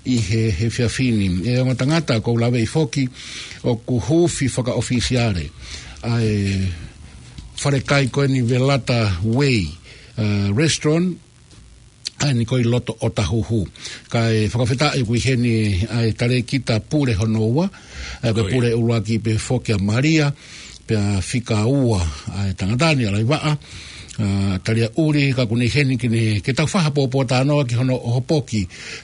ʻi he, he efiafi ni. ʻE ongo tangata ʻoku ou laveʻi foki ʻoku huufi fakaʻofisiale ʻa e falekai ko eni Velata Way, ʻa, Restaurant, ʻa eni ko ē ʻi loto ʻo Tahuhu. Kae fakafetaʻi ʻoku ʻi heni ʻa e talēkita pule hono ua, ʻa ia ko e pule ʻuluaki pē foki ʻa Malia, pea fika ua ʻa e tangata ni ʻa Laivaʻa, ʻa Talia ʻUli, ka ʻoku ne ʻi heni ke ne, ke tau fai ha pōpōtalanoa ki hono ʻohopoki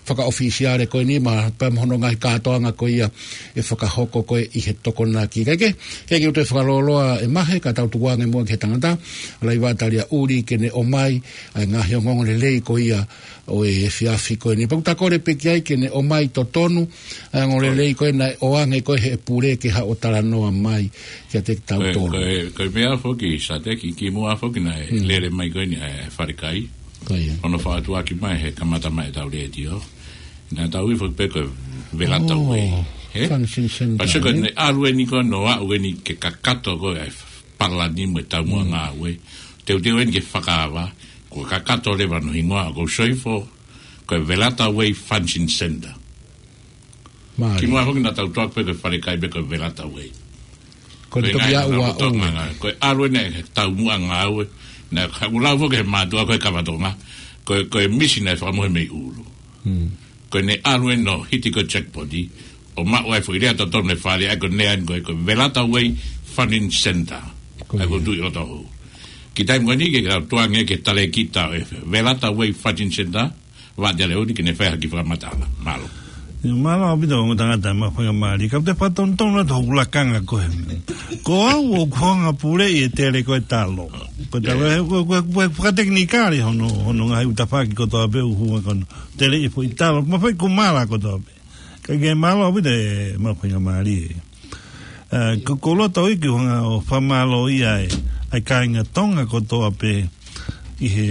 fakaʻofisiale ko eni ma, pea mo hono ngaahi kātoanga ko ia ʻe fakahoko ko ē ʻi he Tokonaki. Kae kehe, he ʻoku ou toe fakalōloa ʻe Mahe, ka tau tukuange muʻa ki he tangata, Laivaʻa Talia ʻUli, ke ne ʻomai ʻa e ngaahi ongoongolelei ko ia ʻo e efiafi ko eni. Pea ʻoku ta kole pē ki ai ke ne ʻomai totonu ʻa e ongoongolelei ko ē naʻe ʻoange ko ē he pule ke haʻu ʻo talanoa mai kiate kitautolu. Ko e, ko e, ko e meʻa foki, Sateki, kimuʻa foki naʻe lele mai ko eni ʻa e falekai. Ko ia. Hono fakatuʻaki mai he kamata mai ʻetau letiō. Naʻa tau ui foki pē ko e Velata Way. He? Function Center, pea sio ko ē, ne ʻalu eni ko ē ʻo aʻu eni ke kakato ko ē ʻa e palani mo e taumuʻa ngāue. Teuteu eni ke fakaava, ko e kakato leva hono hingoa, ko e soifo, ko e Velata Way Function Center. Mālie. Kimuʻa foki naʻa tau toʻo pē ko e falekai pē ko e Velata Way. Ko e toki ngaahi ʻalu ʻa e ʻū. Ko e ʻalu eni he taumuʻa ngāue, naʻa ku lau foki he mātuʻa ko e Kavatonga, ko e, ko e misi naʻe fakamohe mei ʻulu. Ko ʻene ʻalu eni ʻo hiti ko e jackpot, ʻo maʻu ai foʻi lea totonu e fale, ʻa ia ko e lea eni ko e, ko e Velata Way Funding Center. Ko ia. ʻA ia ko e tuʻi loto hou. Ki he taimi ko eni ke tau tukuange ki he talēkita ʻo e Velata Way Funding Center, Vaʻa Talia ʻUli, ke ne fai ha kiʻi fakamatala. Mālō. ʻIo, mālō ʻaupito ongo tangata, maʻu faingamālie. Ka u toe fakatonutonu atu hoku lakanga ko ē. Ko au ʻoku ou hanga ʻo puleʻi e tele ko e talo. Ko e talo, ʻe, ko e, ko e, ko e fakatekinikale hono, hono ngaahi ʻū tafaʻaki kotoa pē ʻoku hū ai ko hono teleʻi e foʻi talo. Mo e foʻi kumala kotoa pē. Ka ke mālō ʻaupito e maʻu faingamālie. ʻE, ko, ko e loto ʻoku ou hanga ʻo fakamālōʻia ai ʻa e kāinga Tonga kotoa pē ʻi he,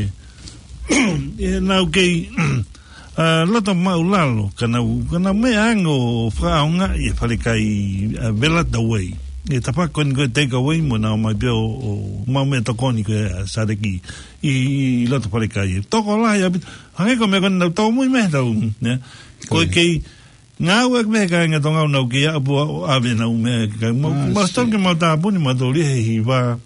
ʻi heʻenau kei, ʻa, loto māʻulalo, ka nau, ka nau meʻa ange ʻo fakaʻaongaʻi e falekai, ʻa, Velata Way. ʻI he tafaʻaki ko eni ko e take away mo nau ō mai pē ʻo, ʻo maʻu meʻatokoni ko ē ʻa Sateki ʻi, ʻi loto falekai. Tokolahi ʻaupito, hangē ko e meʻa ko eni naʻa tau tōmui mei he taʻu, ne? Ko e kei ngāueʻaki mei he kāinga Tonga ʻoku nau kei ʻapu ʻo ʻave ʻenau meʻa ki he kāinga. Mau, mau sio ki heʻemau tāpuni, mau tō lia he hiva.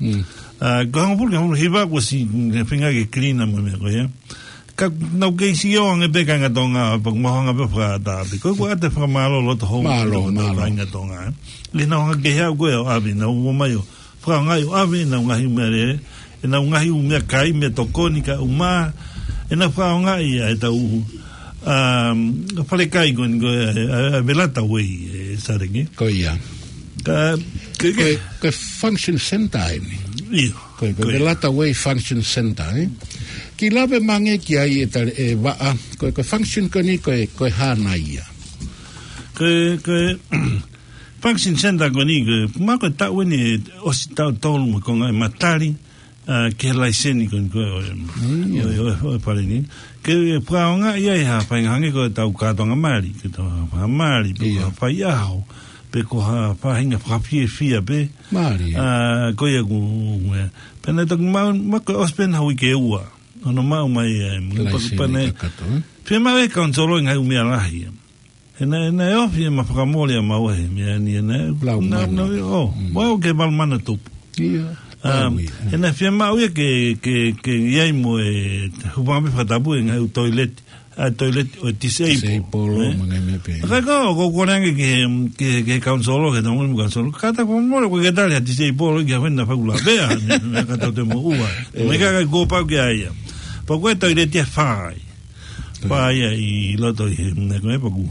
ʻA, ko e hongofulu ki he hongofulu hiva kuo ʻosi, ne feinga ke clean mo e meʻa ko ia. Ka nau kei sio ange pē kāinga Tonga, pea mau hanga pē ʻo fakaʻatā pē. Ko e, ko e ʻoatu e fakamālō loto hou, mālō, mālō. Kāinga Tonga, ē. ʻI heʻenau hanga ki he ʻaho ko ē ʻo ʻave, nau ō mai ʻo fakaʻaongaʻi ʻo ʻave ʻenau ngaahi meʻalele, ʻenau ngaahi ʻū meʻakai, meʻatokoni kae ʻumaʻā ʻenau fakaʻaongaʻi ʻa e tau, um, falekai ko eni ko e, ʻa, ʻa Velata Way, ʻe Sateki. Ko ia. Ka, ko e, ko e function center eni. ʻIo. Ko e, ko e Velata Way Function Center, ē. Kiʻi lave mai ange ki ai ʻe Tale, ʻe Vaʻa, ko e, ko e function ko eni, ko e, ko e hā nai ia? Ko e, ko e, Function Center ko eni, ko e, ma ko e taʻu eni ʻosi taʻu tolu mo e konga ʻe matali, ʻa, ki he laiseni ko eni ko e, ʻo e, ʻo e, ʻo e, ʻo e fale ni. Ke fakaʻaongaʻi ai ha faʻahinga hangē ko e tau kātoanga mali, ke tau ha mali, pe ko ha faiʻaho, pe ko ha faʻahinga fakafiefia pē. Mālie. ʻA, ko ia ʻoku, ʻe, pea naʻe toki maʻu, ma ko e ʻosi pē ʻena uike ua hono maʻu mai, ʻe, laiseni kakato, ē? Fiemaʻu ʻe he kaunisolo e ngaahi ʻū meʻa lahi. ʻE naʻe, ʻe naʻe ofi ʻema fakamole ʻa maua he meʻa ni, ʻe naʻe, lau na, mana. Na, ʻo, mau ke valu mana tupu. ʻIo. Um, ʻe naʻe fiemaʻu ia ke, ke, ke ʻi ai mo e hūfanga pē fakatapu e ngaahi ʻū toileti, ʻa e toileti ʻo e disabled. Disabled, ē? Mo e ngaahi meʻa pehē. Ka ko, ko, ko e kole ange ki he, ki he, ki he kaunisolo, ki he tangata mo e kaunisolo. Kātaki fakamole, ko e ke tali ha disabled, ki ha fena fakula. Pea, ne, ne, ka tau te mo ua. Mo e kakai kuo pau ke ʻai ia. Pea ko e toileti ʻe fai. Pea ia ʻi loto ʻi he, ne ko e paku.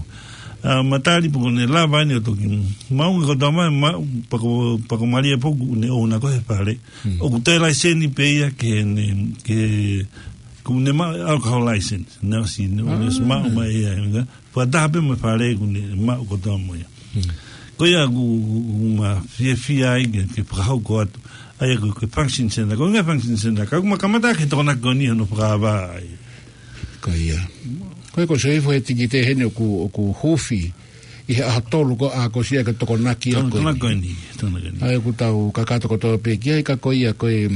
ʻA, matali pea kuo ne lava eni ʻo toki maʻu ange kotoa mai, ma, pea ko, pea ko Malia pea kuo ne ʻouna ko ē he fale. ʻOku toe laiseni pē ia ke ne, ke, kuo ne maʻu alcohol license. Naʻe ʻosi, ne ʻosi maʻu mai ia, ʻe, fakataha pē mo e fale kuo ne maʻu kotoa mo ia. Ko ia ʻoku, ʻoku ma fiefia ai ke, ke fakahoko atu. ʻA ia ko e, ko e function center. Ko e ngaahi function center. Ka ʻoku ma kamata ke tokona ko eni hono fakaava ai. Ko ia. Ko e ko se ifo he tikite heni ʻoku, ʻoku hufi ʻi he ʻaho tolu ko ē ʻa ko sia ke Tokonaki ʻa ko eni. Tokonaki ko eni, Tokonaki ko eni. ʻA ia ʻoku tau kakato kotoa pē ki ai ka ko ia ko e,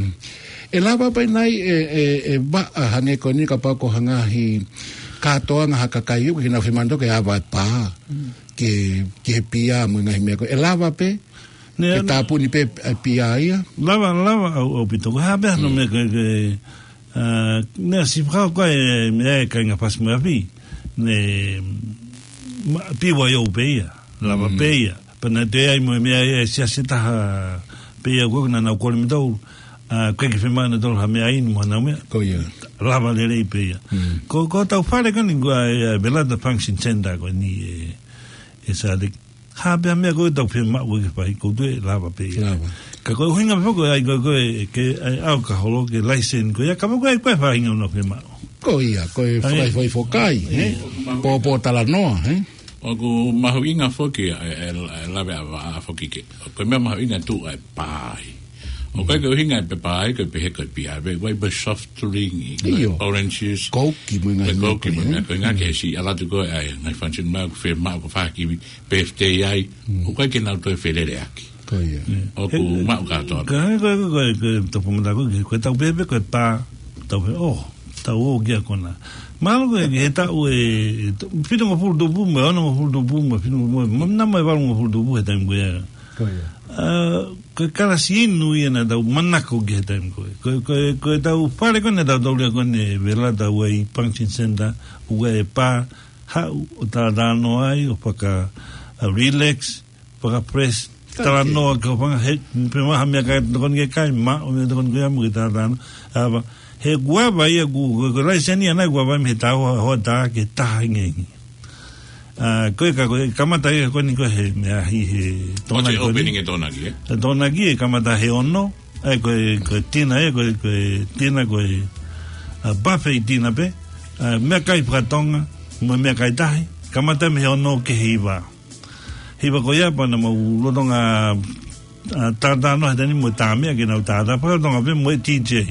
ʻe lava pē nai ʻe, ʻe, ʻe Vaʻa hangē ko eni kapau ko ha ngaahi kātoanga ha kakai ʻoku ke nau fiemaʻu ke ava e pā. Ke, ke he pia mo e ngaahi meʻa ko ē. ʻE lava pē, ne ke tāpuni pē e pia ia. Lava, lava ʻau, ʻaupito. Ko e hā pē hano meʻa ke, ke, ʻA, naʻe ʻosi fakahoko e meʻa ʻa e kāinga Fasi mo e Afi. Ne, ma, B Y O pē ia, lava pē ia. Pea naʻe toe ʻi ai mo e meʻa ia ʻa e siasi ʻe taha pē ia ko ē naʻa nau kole mei tautolu. ʻA, ʻoku ʻikai ke fiemaʻu ʻe nautolu ha meʻaʻi mo ha nau meʻa. Ko ia. Lava lelei pē ia. Ko, ko hotau fale ko eni ko e, ʻa e Velata Function Center ko eni ē, ʻe Sāleki. Ha pē ha meʻa ko ē ʻoku tau fiemaʻu ke fai, ʻoku toe lava pē ia. Lava. Ka ko e ʻuhinga foki ʻa e, ko e, ko e, ke, ʻa e ʻau ka holo ke laiseni ko ia, ka ko e, ko e faʻahinga ʻoku nau fiemaʻu. Ko ia, ko e fakafoki, foki, ē? Pōpōtalanoa, ē? ʻOku mahuʻinga foki ʻa e, ʻa e, ʻa e lave ʻa Vaʻa foki ke. Ko e meʻa mahuʻinga ʻoku tuʻu ai pā ai. ʻOku ʻikai ke ʻuhinga ʻa e pē pā ai, ko e pehē ko e pia, pe, ko e pē soft drink, ko e orange juice. Kouki mo e ngaahi meʻa ko ē, ko e ngaahi ke si, ʻalu atu ko ē ʻa e ngaahi function meʻa ʻoku fiemaʻu ko e fakakiwi, birthday ai, ʻoku ʻikai ke nau toe feleleʻaki. Ko ia. ʻOku maʻu kātoa. Ka, ko, ko, ko, ko, tau pōmata ko, ko, ko e tau pehē pē, ko e pā, tau pehē, ʻo, tau ō ki he kona. Mahalo ko e, he taʻu ē, e, to, fitungofulu tupu mo e onongofulu tupu mo e fitungofulu, mo, mo, nā mo e valungofulu tupu he taimi ko ia. Ko ia. ʻA, ko e kalasi inu ia naʻa tau manako ki he taimi ko ē. Ko, ko, ko e tau fale ko ē naʻa tau taulia ko eni Velata Way Function Center, ʻoku ʻi ai e pā, haʻu ʻo talatalanoa ai, ʻo faka, ʻa, relax, faka-fresh, talanoa ki hoʻo fanga, he, pē mo ha meʻakai ʻoku tokoni ke kai, maʻu meʻa ʻoku tokoni ke ʻamu ke talatalanoa. ʻA, he kuo ava ia ʻoku, ko, ko e laiseni ʻana kuo ava mei he taha ua hoʻatā ki he taha hengihengi. ʻA, ko e ka, ko e kamata ia ko eni ko e he meʻa ʻi he Tokonaki ko eni. Opening ʻe Tokonaki, ē? ʻE Tokonaki ʻe kamata he ono, ʻa ia ko e, ko e tina ia, ko e, ko e tina ko e, ʻa, buffet tina pē, ʻa, meʻakai faka-Tonga, mo e meʻakai tahi, kamata mei he ono ki he hiva. Hiva ko ia pea naʻa mau lolotonga, ʻa, talatalanoa he taimi ni mo e Tāmeʻa ke nau tātā faka-Tonga pē mo e D J.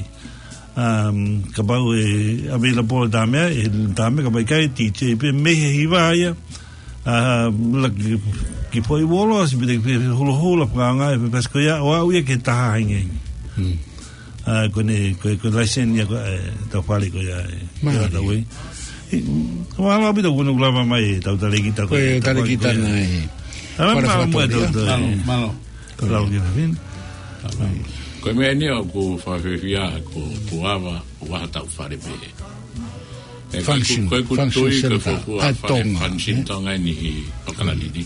Um, kapau ʻe available Tāmeʻa, ʻe Tāmeʻa, kapau ʻikai D J pē mei he hiva ia. ʻA, la ki, ki foʻi uolosi pē te ki holoholo fakaanga e pasi ko ia, ʻo aʻu ia ki he taha hengihengi. ʻA, ko eni, ko, ko e laiseni ia ko e, ʻa e tau fale ko ia ē. Mālie. Ia tau ē. ʻI, mālō ʻaupito kuo nau lava mai e tau talēkita ko e, talēkita ko ia. Ko e talēkita naʻe. ʻAla, mālō muʻa e tau, tau, mālō, mālō. Lau ki he fine. Ko e meʻa eni ʻoku fakafiefia, ko, ko ava, ʻoku ʻi ai hotau fale pē. Ē, function, ko e, ko e function tui, ko e center. Fōfua ʻa e fale Tonga, function ē? Tonga eni ʻi ʻAokalani ni.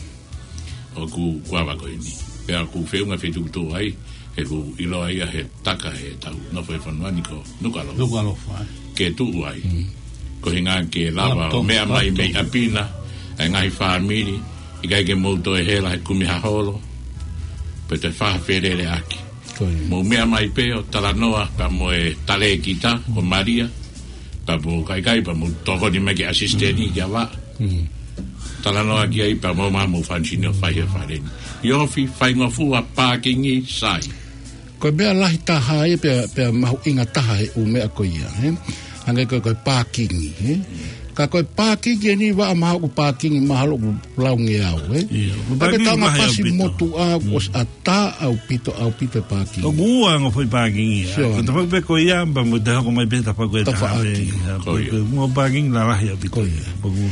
ʻOku, ʻoku ava ko eni. Pea ʻoku feʻunga fetuʻutuʻu ai, he ʻoku ʻiloa ia he taka he tau nofo he fonua ni ko Nukuʻalofa. Nukuʻalofa, ē. Ke tuʻu ai. Ko e ʻuhinga ke lava ʻo meʻa mai mei ʻapi na, ʻa e ngaahi fāmili, ʻikai ke mou toe hela he kumi ha holo, pe toe fakafeleleʻaki. Ko ia. Mou meʻa mai pē ʻo talanoa pea mo e talēkita, ko Malia, pea mou kaikai, pea mou tokoni mai ki he asisiteni, ki a Vaʻa. Talanoa ki ai, pea mou maʻu mo e function ʻo fai he fale ni. ʻIo, fai, faingofua pākingi sai. Ko e meʻa lahi taha ia pea, pea mahuʻinga taha he ʻū meʻa ko ia, ē? Hangē ko e, ko e pākingi, ē? Ka ko e pākingi eni Vaʻa mahalo ʻoku pākingi mahalo ʻoku laungeau, ē? ʻIo, ko e pākingi taonga maha pasi ʻaupito. Motuʻa ʻoku ʻosi ʻatā ʻaupito, ʻaupito e pākingi. ʻOku ua ongo foʻi pākingi ia. Sio. Ko e tafaʻaki pē ko ia, pea mo e te hoko mai pē tafaʻaki ko e taha pē. Tafaʻaki. Ko ia. Ko e, ko e ongo pākingi lalahi ʻaupito. Ko ia. Pea ʻoku,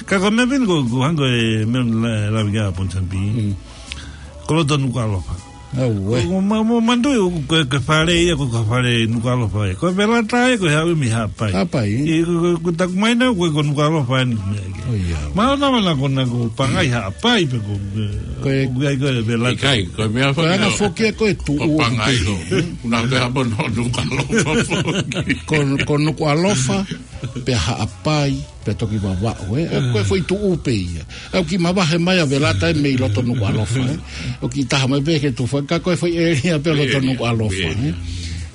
ka ko e meʻa pē eni ko, ko hangē ko e meʻa la, lave ki ai ʻa Ponsonby. Ko loto Nukuʻalofa. Au, ē. Ko, ko, ma, ma, manatuʻi, ko, ko e fale ia, ko, ko e fale Nukuʻalofa ia. Ko e Velata ia, ko e haʻu mei Haʻapai. Haʻapai, ē? ʻI, ko, ko, ko taku mai na, ko, ko Nukuʻalofa eni ko e meʻa ia. ʻO ia. Mahalo naʻa, naʻa ko, naʻa ko Pangai Haʻapai pē ko, ko e, ko e, ko e Velata. ʻIkai, ko e meʻa ko e anga foki ia ko e tuʻu ko Pangai ko. ʻOku na te hapo no Nukuʻalofa foki. Ko, ko Nukuʻalofa, pea Haʻapai, pea toki Vavaʻu, ē. ʻA, ko e foʻi tuʻu pē ia. ʻA, ʻoku kiʻi mavahe mai ʻa Velata ē mei loto Nukuʻalofa, ē. ʻOku kiʻi taha mai pē ke tufa, ka ko e foʻi ʻēlia pē loto Nukuʻalofa, ē.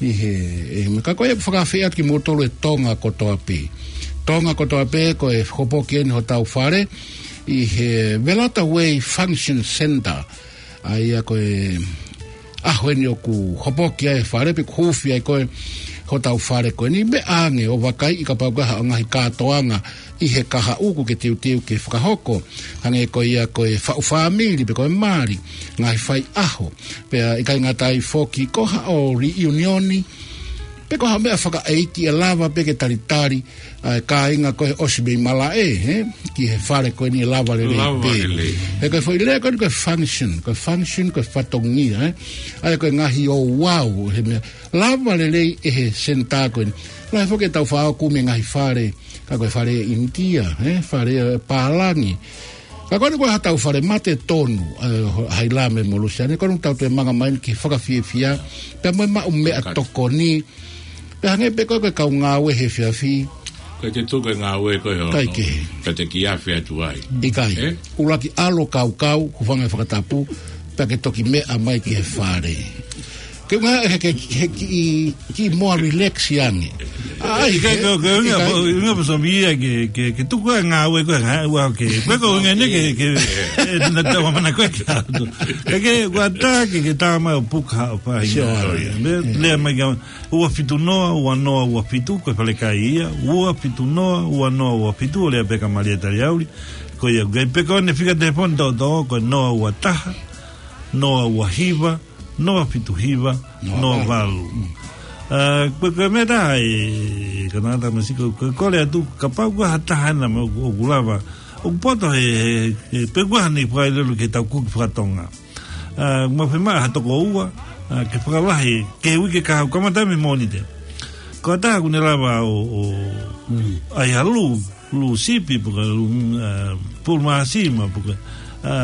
ʻI he, ē, meʻa ka ko e fakaafeʻi atu kimoutolu e Tonga kotoa pē. Tonga kotoa pē ko e hopoki eni hotau fale, ʻi he Velata Way Function Center. ʻA ia ko e ʻaho eni ʻoku hopoki ai e fale, pe ʻoku huufi ai ko ē hotau fale ko eni, meʻa ange ʻo vakaiʻi kapau ko e hā e ngaahi kātoanga ʻi he kahaʻu ʻoku ke teuteu ke fakahoko. Hangē ko ia ko e faʻu fāmili pe ko e mali, ngaahi faiʻaho. Pea ʻikai ngata ai foki ko haʻo reunion, pe ko ha meʻa fakaʻeiki ʻe lava pē ke talitali ʻa e kāinga ko ē ʻosi mei malaʻe, ē, ki he fale ko eni lava lelei pē. Lava lelei. He ko e foʻi lea ko eni ko e function, ko e function, ko e fatongia, ē. ʻA ia ko e ngaahi ouau, he meʻa, lava lelei ʻe he senitā ko eni. Lahi foki ʻetau faʻa kumi e ngaahi fale, ka ko e fale ʻInitia, ē, fale, ē, pālangi. Ka ko eni ko e haʻatau fale mate tonu, ē, Hailame mo Lusiane, ko eni ʻoku tau toe manga mai ki he fakafiefia, pea mo e maʻu meʻatokoni, pea hangē pē ko e kau ngāue he efiafi. Ko e te tuku e ngāue ko e hono. ʻIkai ke. Pea te kiafe atu ai. ʻIkai. Ē? ʻUluaki ʻalu ʻo kaukau, hūfanga he fakatapu, pea ke toki meʻa mai ki he fale. Ke ngā he, he, he kiʻi, kiʻi more relax ange. ʻAi, ʻIkai ke, ko, ko, ʻikai. ʻIkai, ʻikai, pasomia ke, ke, ke tuku e ngāue ko e ngāue ke. Ko e ko ngā ne ke, ke, ē, na tau mana ko e ke atu. Ke, ke, ʻoku ʻatā ke, ke tā mai ʻo puka ʻo pahi. Sio, ʻio. Mea, ʻio. Lea mai ka, ua fitu noa, ua noa, ua fitu, ko e fale kai ia, ua fitu noa, ua noa, ua fitu, ʻo lea pē kia Malia Taliauli, ko ia, ʻikai pē ko eni fika telefoni tōtō, ko e noa ua taha, noa ua hiva, noa fitu hiva, noa valu. Noa valu. Mm. Ā, ko e, ko e meʻa taha ē, ka nata masi ko, ko, kole atu, kapau ko ha taha ena mo, ʻoku lava, ʻoku poto he, he, he, pe ko ha ne fakailelo ke tau kuki fakatonga. Ā, mo fiemaʻu ha toko ua, ā, ke fakalahi, ke uike kahaʻu kamata mei Mōnite. Ko ha taha ʻoku ne lava ʻo, ʻo, Mm. ʻai ha lū, lū sipi, pe ko e lū, ā, pulu māsima, pe ko e, ā,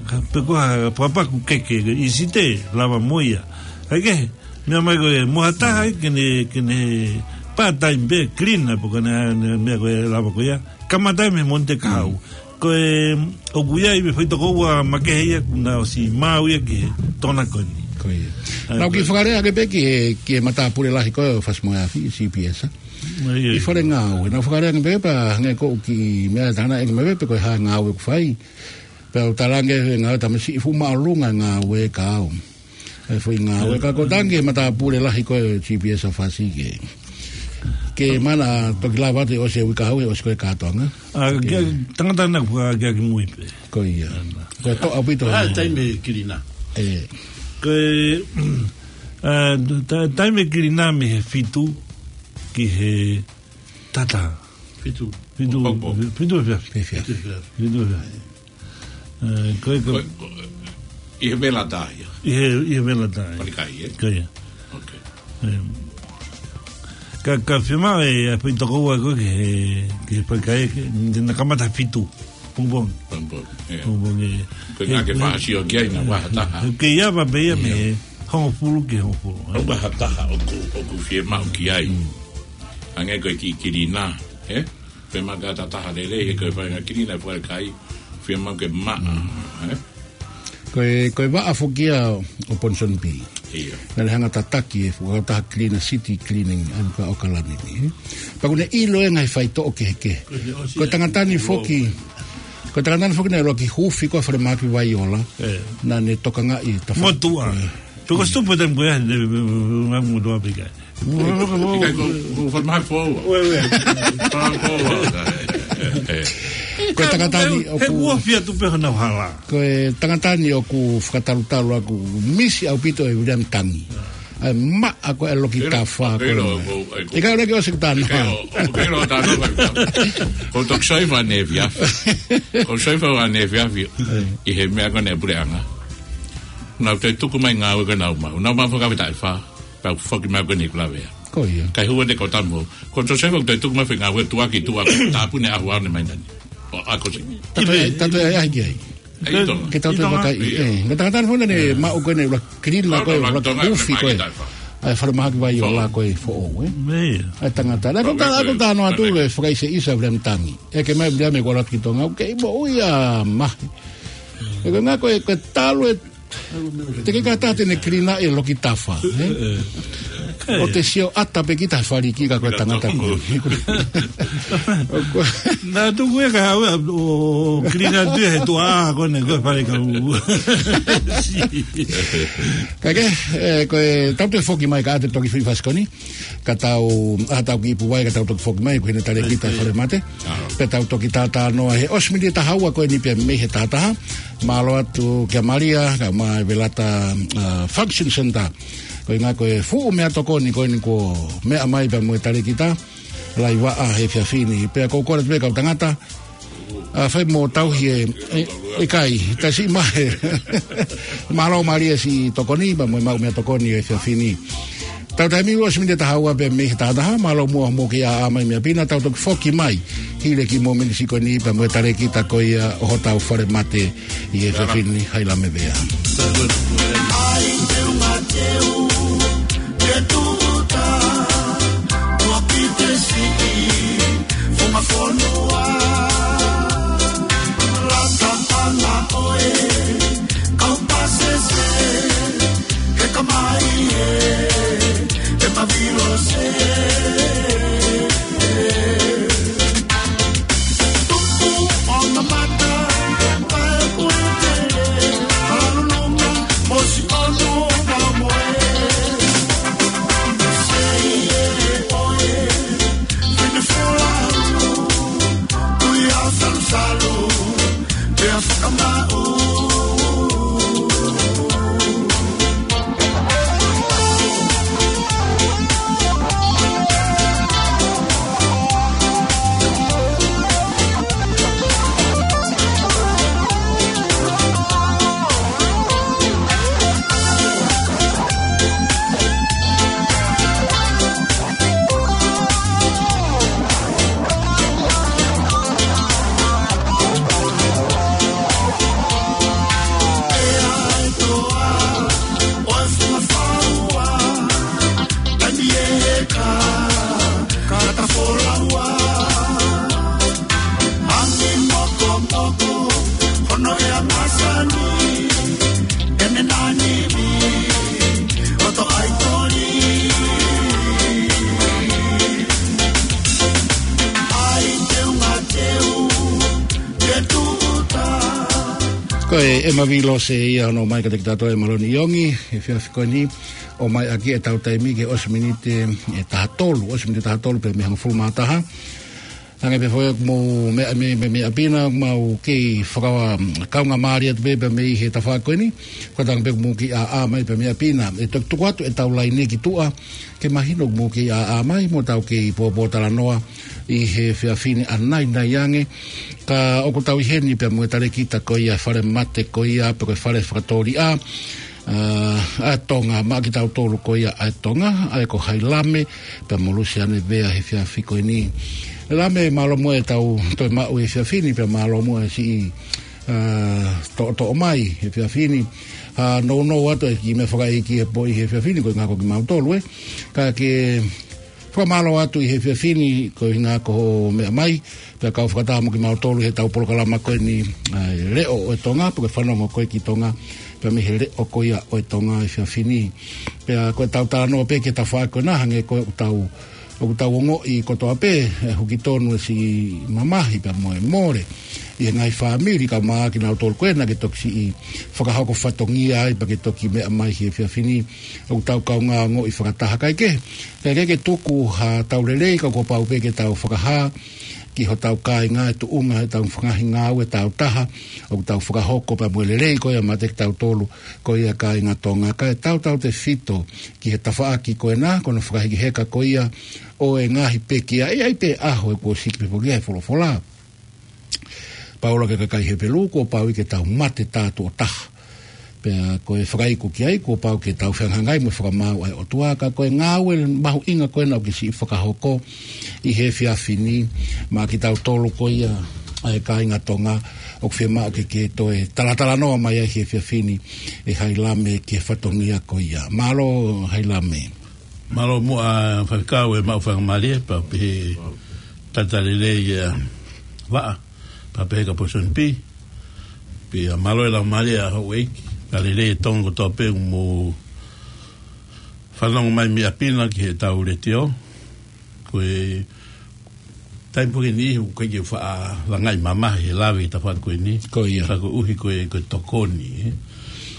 ka, pe ko ha papaku keke, ʻi Site, lava mo ia. ʻIkai ke, meʻa mai ko e, mo ha taha, ke ne, ke ne part-time pē, cleaner, pe ko e ne, ne, meʻa ko e lava ko ia. Kamata mei Mōnite kahaʻu. Mm. Ko e, ʻoku ʻi ai e foʻi toko ua makehe ia, kuo na ʻosi maʻu ia ki he tōnakoni. Ko ia. Ā, Naʻá ku ko kiʻi fakalea ange pē ki he, ki he matāpule lahi ko ē ʻo Fasi mo e Afi, C P S, ā. ʻIo, ʻio. ʻI fale ngāue. Naʻá ku fakalea ange pē pea hangē ko e kiʻi meʻa tana ʻeke mai pē pe ko e hā e ngāue ʻoku fai. Pea u talaange he ngāue tamasiʻi fuʻu māʻolunga e ngāue ka au. E foʻi ngāue ka ko tangi he matāpule lahi ko e G P S ʻo Fasi ke. Ke mana toki lava atu ʻosi e uike kahaʻu he ʻosi ko e kātoanga. Ā, ke, tangata na kua ke, ke mui pē. Ko ia. Ana. Ko e toʻa ʻaupito. Ā, taimi e kilinā. Ē. Ko e, ā, ta-, taimi e kilinā mei he fitu ki he taha taha. Fitu. Fitu, Hoko. Fitu he efiafi. Efiafi. Fitu he efiafi. Fitu he efiafi. Ē, ko e, ko e, Ko e, ko e, ʻi he vela tā ia. ʻI he, ʻi he vela tā ia. Fale kai, ē? Ko ia. Ok. Ē. Ka, ka fiemaʻu e, ʻa e foʻi toko ua ko ē ke, ke fale kai, ke, te na kamata fitu. Pongipongi. Pongipongi, ē. Pongipongi, ē. Ko e ngā ke fāsio ki ai na ua ha taha. Ke ia va pe ia mei he hongofulu ki he hongofulu, ē. ʻO ua ha taha ʻoku, ʻoku fiemaʻu ki ai. Mm. Hangē ko e kiʻi kilinā, ē? Pe maka ta taha lelei, he ko e fai ngā kilinā fale kai, fiemaʻu ke maʻa, ē? Ko e, ko e vaʻa foki ia ʻo Ponsonby. ʻIo. Naʻá ne hanga tataki e fuʻu taha kilinā, city cleaning, ʻa ia ko ʻAokalani ni, ē? Pea kuó ne ʻilo e ngaahi faitoʻo kehekehe. Ko e tangata ni foki, ko e tangata ni foki naʻe ʻuluaki huufi ko e falemahaki Vaiola. Ē. Naʻá ne tokangaʻi e tafa-, Motuʻa. Ē. Pea ko e stupa taimi ko ia, ne, ne, ne, ne, motuʻa pē kai. ʻIkai ko, ko falemahaki foʻou. Ue, ue. Falemahaki foʻou. Ē, ē. Ko e tangata ni ʻoku, he kuo fia tu pē honau hala. Ko e tangata ni ʻoku fakatalutalu ʻoku misi ʻaupito ʻe Viliami Tangi. ʻA e maʻa ko e loki tafa ko ē. ʻIkai ʻoku ʻikai ke ʻosi kutana. ʻIkai ʻo, ʻo, ʻikai ʻo tano ko e. Ko toki soifa ne fiafi. Ko soifa ua ne fiafi. ʻI he meʻa ko ē ne puleʻanga. Naʻá ku toe tuku mai ngāue ko ē naʻá ku maʻu. Naʻá ku maʻu fakafetaʻi fā. Pea u foki mai ko eni ʻeku lavea. Ko ia. Kai hua ne ko tamo. Ko Josefa ʻoku toe tuku mai foʻi ngāue tuʻaki tuʻa. Tāpuni ʻaho ʻaho ne mai nani. ʻO ako si. Tato e, tato e ai ki ai. ʻI Tonga. Ke tato e vakai. ʻIo. Ē, ko e tangata ni foki naʻá ne maʻu ko eni ʻuluaki kilinā ko ē, ʻuluaki huufi ko ē. ʻA e falemahaki Vaiola ko ē foʻou, ē. ʻA e tangata. Naʻá ku ta-, naʻá ku talanoa atu e fakaʻiseʻisa Viliami Tangi. ʻEke mai Viliami kuo ʻalu atu ki Tonga. ʻOku kei moʻui ʻa Mahe. ʻE ko e ngā ko e, ko e talu e Te ke kātaki te ne kilinā e loki tafa, ē? ʻO te sio ʻatā pē kita faliki ka ko e tangata ko ē. Naʻá tuku e ka hawe ʻo kilinā tu he tuʻa ko eni ko e fale ka u. Ka ke, ē, ko e tau toe foki mai ka te toki fifasi ko eni. Ka tau, ʻa tau ki Ipu Vai, ka tau toki foki mai, ko hena tale kita fale mate. Pea tau toki tātānoa he ʻosi miniti taha ua ko eni pea mei he taha taha. Mālō atu kia Malia, kae ʻumaʻā e Velata, ā, Function Center. Ko e ngā ko e fuʻu meʻatokoni ko eni kuo meʻa mai pea mo e tale kita. Laivaʻa he efiafi ni. Pea ko e kole atu pē kau tangata. ʻA, fai mo tauhi e, e, ʻikai, tasi mai. Mālō Malia siʻi tokoni, pea mo e maʻu meʻatokoni he efiafi ni. Tau taimi ʻosi miniti taha ua pē mei he taha taha, mālō muʻa hoʻomou kei ʻaʻā mai mei ʻapi na, tau toki foki mai hili e kiʻi mōmeniti ko eni pea mo e talēkita ko ia ʻo hotau fale mate ʻi he efiafi ni, Hailame Vea. Ko e ʻEma Vilose ia hono ʻomai kiate kitautolu ʻe Maloni ʻIongi he efiafi ko eni, ʻomai ʻaki ʻetau taimi ke ʻosi miniti ʻe taha tolu, ʻosi miniti taha tolu pē mei he hongofulu mā taha. Hangē pē foki ʻoku mou meʻa mai mei ʻapi na, mau kei fakakaungāmālie atu pē pea mei he tafaʻaki ko eni, ko e ʻuhinga pē ʻoku mou kei ʻaʻā mai pē mei ʻapi na. ʻE toki tuku atu ʻetau laine ki tuʻa, ke mahino ʻoku mou kei ʻaʻā mai mo tau kei pōpōtalanoa ʻi he efiafi ni ʻanainai ange. Ka ʻoku tau ʻi heni pea mo e talēkita ko ia fale mate ko ia pe ko e fale fakatōliʻa, ʻa, ʻa Tonga, maʻa kitautolu ko ia ʻa Tonga, ʻa ia ko Hailame pea mo Lusiane Vea he efiafi ko eni. Lame, mālō muʻa ʻetau toe maʻu he efiafi ni pea mālō muʻa e siʻi, ʻa, toʻotoʻo mai he efiafi ni. ʻA, nounou atu e kiʻi meʻa fakaʻeiki he poʻi he efiafi ni, ko e ʻuhinga ko kimautolu, ē. Ka ke fakamālō atu ʻi he efiafi ni, ko e ʻuhinga ko hoʻo meʻa mai, pea kau fakataha mo kimautolu heʻetau polokalama ko eni, ʻa e Leʻo ʻo e Tonga, pe ko e Fanongo Koe ki Tonga, pea mei he Leʻo ko ia ʻo e Tonga he efiafi ni. Pea ko ʻetau talanoa pē ki he tafaʻaki ko ena, hangē ko ʻetau, ʻoku tau ongoʻi kotoa pē, ʻe huki tonu e siʻi mamahi pea mo e mole ʻi he ngaahi fāmili, kae ʻumaʻā kinautolu ko ena ke toki siʻi fakahoko fatongia ai pea ke toki meʻa mai he efiafi ni. ʻOku tau kaungā ongoʻi fakataha, kae kehe, kae kehe ke tuku haʻatau lelei, ka kuo pau pē ke tau fakahā ki hotau kāinga e tuʻunga heʻetau ngaahi ngāue tāutaha ʻoku tau fakahoko pea mo e lelei ko ia maʻa kitautolu ko ia kāinga Tonga, kae tautautefito ki he tafaʻaki ko ena, ko hono fakahekeheka ko ia ʻo e ngaahi pekia. ʻE ʻi ai pē ʻaho ʻe kuo siki pē foki ʻa e folofola Paula ki he kakai Hepelū, kuo pau ke tau mate tātuʻo taha. Pea ko e fakaiku ki ai, kuo pau ke tau fehangahangai mo e fakamaau ʻa e ʻOtua, ka ko e ngāue mahuʻinga ko ena ʻoku ke siʻi fakahoko ʻi he efiafi ni maʻa kitautolu ko ia ʻa e kāinga Tonga, ʻoku fiemaʻu ke ke toe talatalanoa mai ai he efiafi ni ʻe Hailame ki he fatongia ko ia. Mālō Hailame. Mālō muʻa Faifekau e maʻu faingamālie, pea pehē talitali lelei ia Vaʻa, pea pehē kia Posoni Pi. Pea mālō e laumālie ʻa houʻeiki, pea lelei e Tonga kotoa pē ʻoku mou fanongo mai mei ʻapi na ki heʻetau letiō. Ko e taimi pē ko eni ʻoku ʻikai ke u faʻa langaʻi mamahi he lave he tafaʻaki ko eni. Ko ia. Ka koeʻuhi ko e, ko e tokoni, ē.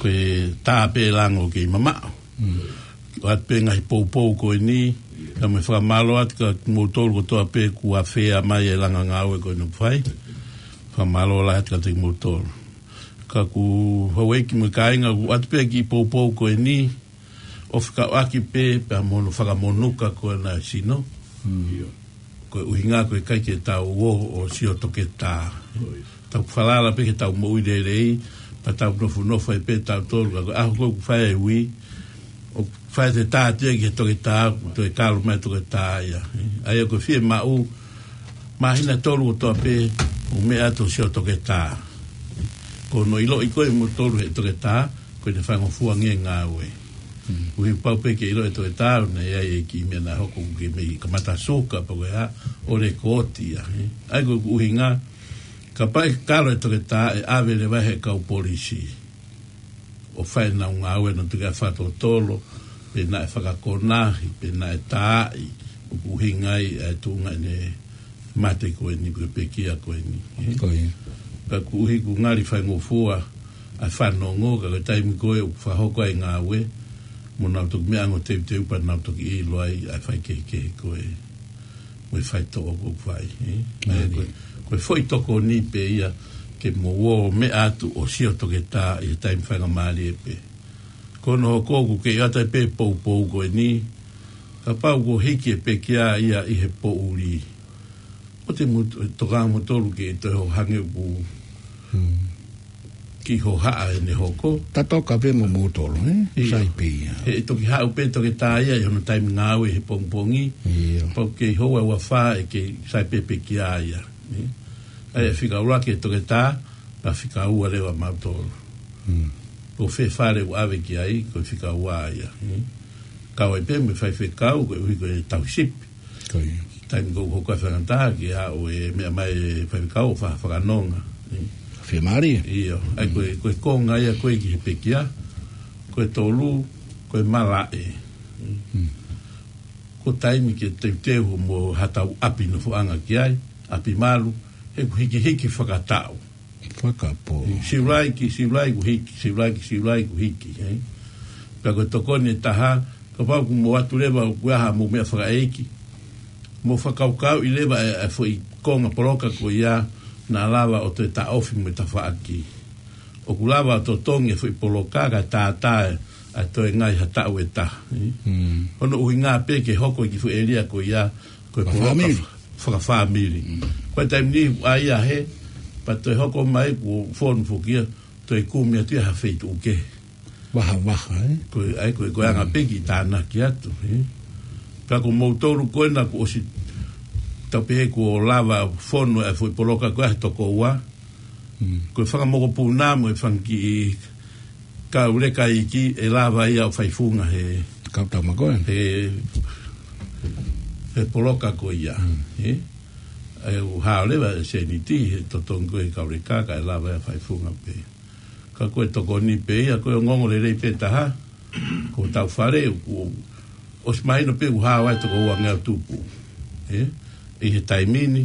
Ko e tā pē lango kei mamaʻo. Mm. ʻOatu pē ngaahi poupou ko eni, ka mau fakamālō atu kia kimoutolu kotoa pē kuo afea mai e langa ngāue ko eni ʻoku fai. Fakamālō lahi atu kiate kimoutolu. Ka ko houʻeiki mo e kāinga, ʻoatu pē kiʻi poupou ko eni, ʻo fekauʻaki pē pea mo hono fakamonuka ko ena e sino. Mm. Ko e ʻuhinga ko e ʻikai ke tau ō ʻo sio toketā. Ko ia. Tau falala pē ke tau moʻui lelei, pea tau nofonofo ai pē tautolu, ka ko e ʻaho ko ē ʻoku fai ai e ui, ʻOku fai ʻete tā atu ia ki he toketā, toe kalo mai toketā ia. ʻA ia ko e fiemaʻu, māhina ʻe tolu kotoa pē, ʻoku meʻa atu ʻo sio toketā. Ko hono ʻiloʻi ko ē ʻe moutolu ʻe he toketā, ko ʻene faingofua ange e ngāue. Koeʻuhi pau pē ke ʻilo ʻe he toketā, ʻoku ʻi ai e kiʻi meʻa naʻe hoko ʻoku ke mei kamata suka, pe ko e hā, ʻo lekooti ia. ʻA ia ko e ʻuhinga, kapau ʻe kalo e toketā ʻe ʻave leva he kau polisi ʻo fai ʻenau ngāue ʻo nau tuku ʻa e fakatotolo, pe naʻe fakakonahi, pe naʻe taaʻi, ʻoku ʻuhinga ai ʻa e tuʻunga ʻene mate ko eni, ko e pekia ko eni. Ko ia. Ka koeʻuhi ʻoku ngali faingofua ʻa e fanongo, ka ko e taimi ko ē ʻoku fakahoko ai e ngāue, mo nau toki meʻa ange ʻo teuteu pea nau toki ʻilo ai ʻa e faikehekehe ko ē mo e faitoʻo ʻoku fai, ē? ʻA ia ko e, ko e foʻi tokoni pē ia ke mou ō meʻa atu ʻo sio toketā ʻi he taimi faingamālie pē. Ko hono hoko ʻoku kei ʻoatu ai pē poupou ko eni, kapau kuo hiki e pekia ia ʻi he poʻuli, ʻoua te mou tokanga moutolu ke toe hangē ʻoku kiʻi hohaʻa ʻene hoko. Tatoka pē mo moutolu, ē? ʻIo. Sai pē ia. He ʻe toki haʻu pē toketā ia ʻi hono taimi ngāue he pongipongi. ʻIo. Pau kei houa ʻe uofā ʻe kei sai pē pekia ia, ē? ʻA ia fika ʻuluaki e toketā, pea fika ua leva mautolu. Ko fē fale ʻoku ʻave ki ai, ko e fika ua ia, ē? Kau ai pē mo e faifekau, koeʻuhi ko e tauhi sipi. Ko ia. Taimi ko ē ʻoku hoko ai e faingataʻa ke aʻu e meʻa mai e faifekau ʻo fa-, fakanonga, ē? Fiemālie. ʻIo, ʻa ia ko e, ko e konga ia ko ē ki he pekia, ko e tolu, ko e malaʻe. Ko e taimi ke teuteu mo haʻatau ʻapi nofoʻanga ki ai, ʻapi malu, he ʻoku hikihiki fakataʻu. Fakapō. Siulai ki, siulai kuo hiki, siulai ki, siulai kuo hiki, ē? Pea ko e tokoni ʻe taha, kapau ʻoku mou ʻatu leva ʻoku ʻi ai haʻamou meʻa fakaʻeiki, mou fakakaukauʻi leva e, e foʻi konga poloka ko ia naʻa lava ʻo toe taʻofi mo e tafaʻaki. ʻOku lava ʻo totongi e foʻi poloka kae tātā ʻa e toe ngai ha taʻu ʻe taha, ē? Hono ʻuhinga pē ke hoko e kiʻi foʻi ʻēlia ko ia, ko e poloka fakafāmili. Ko e taimi ni ʻoku ʻai ia hē, pea toe hoko mai kuo fonu foki ia, toe kumi atu ia ha feituʻu kehe. Vaha, vaha, ē? Ko e, ʻa ia ko e, ko e anga pē kiʻi tānaki atu, ē? Pea ko moutolu ko ena kuo ʻosi, tau pehē kuo lava fonu e foʻi poloka ko ē he toko ua. Ko e fanga mokopuna mo e fanga kiʻi kau leka iiki ʻe lava ia ʻo faifunga he kau tau makoe. He, he poloka ko ia, ē? ʻA ia ʻoku hao leva e sēniti he totongi ko ē kau leka kae lava ia ʻo faifunga pē. Ka ko e tokoni pē ia, ko e ongoongo lelei pē taha, ko hotau fale, ʻoku ʻosi mahino pē ʻoku hao ai toko uangeau tupu, ē? ʻI he taimi ni,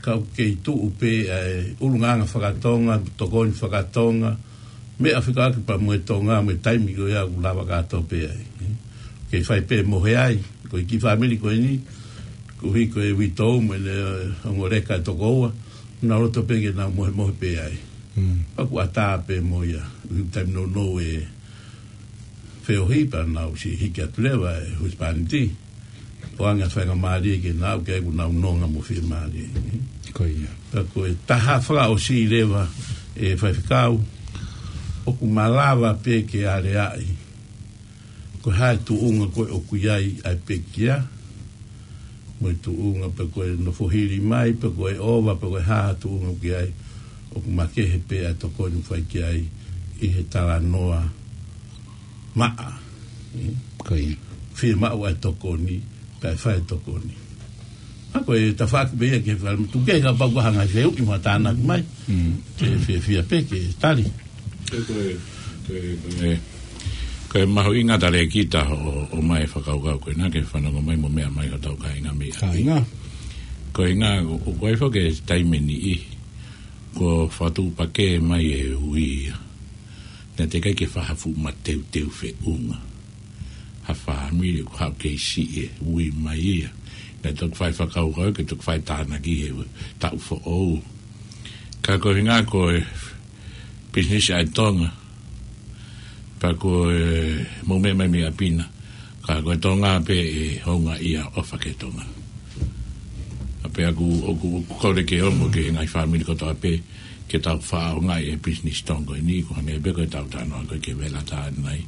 ka ʻoku kei tuʻu pē ʻa e ʻulungaanga fakatonga, tokoni fakatonga, meʻa fekauʻaki pea mo e Tonga, mo e taimi ko ia ʻoku lava kātoa pē ai, ē? Kei fai pē mohe ai, ko e kiʻi fāmili ko eni, koeʻuhi ko e uitou mo ʻene ongo leka ʻe toko ua, nau loto pē ke nau mohemohe pē ai. Pea ʻoku ʻatā pē mo ia, ʻi he taimi nounou e feohi pea nau ʻosi hiki atu leva e husepāniti. ʻOange ʻa e faingamālie ke nau, ke ʻoku nau nonga mo fiemālie. Ko ia. Pea ko e taha fakaʻosi leva e faifekau, ʻoku malava pē ke aleaʻi ko e hā e tuʻunga ko ē ʻoku ʻi ai ʻa e pekia, mo e tuʻunga pe ko e nofo hili mai, pe ko e ʻova, pe ko e hā e tuʻunga ʻoku ʻi ai, ʻoku makehe pē ʻa e tokoni ʻoku fai ki ai ʻi he talanoa maʻa. Ko ia. Fiemaʻu ʻa e tokoni, pea fai e tokoni. ʻA ko e tafaʻaki pē ia ke fai, tuku ke kapau ʻoku ʻi ai ha ngaahi fehuʻi mo ha tānaki mai. Ke fiefia pē ke tali. Ko e, ko e, ko e, ko e mahuʻinga talēkita ʻo, ʻomai e fakakaukau ko ena ke fanongo mai mo meʻa mai hotau kāinga mei ʻapi. Kāinga. Ko e ʻuhinga, ʻoku ʻi ai foki e taimi ʻe niʻihi, kuo fakatuʻupakē mai e ui ia. Naʻe teʻeki ai ke fai ha fuʻu mateuteu feʻunga. Ha fāmili ʻoku haʻu kei siʻi e ui mai ia. Naʻe toki fai fakakaukau ke toki fai tānaki he taʻu foʻou. Ka ko e ʻuhinga ko e pisinisi ʻa e Tonga, pea ko e mou meʻa mai mei ʻapi na, ka ko e Tonga pē ʻe houngaʻia ʻofa ki he Tonga. ʻA pē ʻoku, ʻoku, ʻoku kole ke ongo ki he ngaahi fāmili kotoa pē, ke tau fakaʻaongaʻi e pisinisi Tonga ko eni, ko e hangē pē ko ʻetau talanoa ko ē ki he vela tā nai.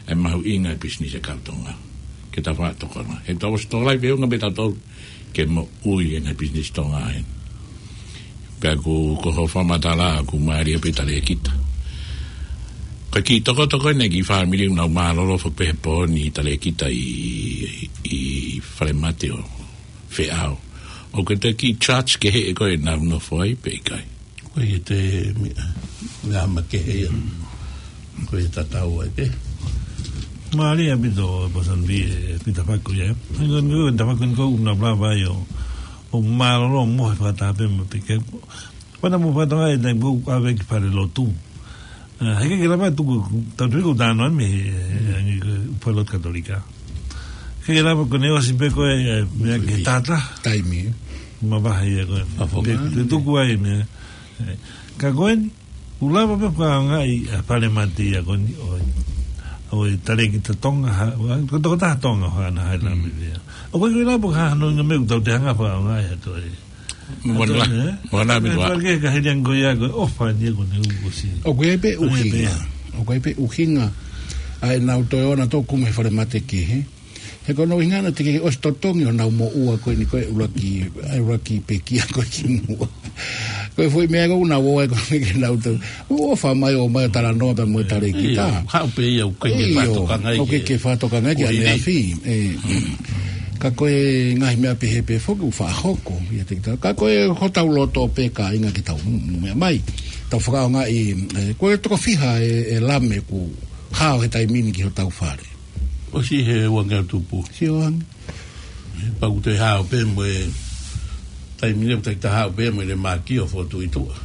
ʻE mahuʻinga e pisinisi ʻa e kau Tonga ke tau fakatokanga. He tau ʻosi tokolahi feʻunga pē tautolu ke moʻui ʻena e pisinisi Tonga ʻeni. Pea ko, ko hoʻo fakamatala ʻoku mālie pē talēkita. Ko e kiʻi tokoto ko eni e kiʻi fāmili ʻoku nau mālōlō foki pē he pooni talēkita ʻi, ʻi falemate ʻo Feʻao. ʻOku ʻi ai e kiʻi charge kehe ʻe koe ʻenau nofo ai pe ʻikai? Ko e te mi-, meʻa makehe ia. Ko e tatau ai pē. Mālie ʻaupito, Pastor Lee, e kiʻi tafaʻaki ia. Hangē ko e kiʻi tafaʻaki ko ʻoku nau lava ai ʻo, ʻo mālōlō mo e fakataha pē mo e peke. Pana mo fata ai, taimi ko ē ʻave ki falelotu. Ah, he ʻikai ke lava tuku, tau tui ko tano me, eh, angi ko falelotu Katolika. He ʻikai ke lava ko ʻene ʻosi pē ko e, eh, meʻa ke tata. Taimi. Mavahe ia ko e. Mafonga. Pe, pe tuku ai meʻa. Eh, ka ko eni, ʻoku lava pē fakaʻaongaʻi, eh, falemate ia ko eni, ʻo, ʻo e talēkita Tonga, ha, ʻo, ko e tokotaha Tonga, ha, na, ha, la, me, ia. ʻOku ʻikai ke lava ko ha, hano inga meʻa ʻoku tau te hanga fakaʻaongaʻi atu ai. Mona, mona mi tua. Pake ka heliang ko ia ko ʻofa ni ko ne uko si. ʻOku ʻi ai pē ʻuhinga. ʻOku ʻi ai pē ʻuhinga ʻa ʻenau toe ʻoua naʻa toe kumi he falemate kehe. He ko hono ʻuhinga naʻe teʻeki ke ʻosi totongi honau moʻua ko eni ko e ʻuluaki, ʻa e ʻuluaki pekia ko ē kimuʻa. Ko e foʻi meʻa ko ē ʻoku nau ō ai ko ē ke nau tau. ʻOfa mai ʻo mai ʻo talanoa pea mo e talēkita. Ia, haʻu pē ia ʻoku ʻikai ke fakatokangaʻi ʻoku ʻikai ke fakatokangaʻi ki ʻaneafi. ʻE, ka ko e ngaahi meʻa pehē pē foki ʻoku faʻa hoko ia te kita. Ka ko e hotau loto pē kāinga ke tau meʻa mai. Tau fakaʻaongaʻi, ʻe, ko e toko fiha e, e lame ʻoku hao he taimi ni ki hotau fale. ʻOsi he uangeau tupu. Sio ange. Pea ʻoku te hao pē mo e taimi ni ʻoku te hao pē mo e mākio fotu i tuʻa.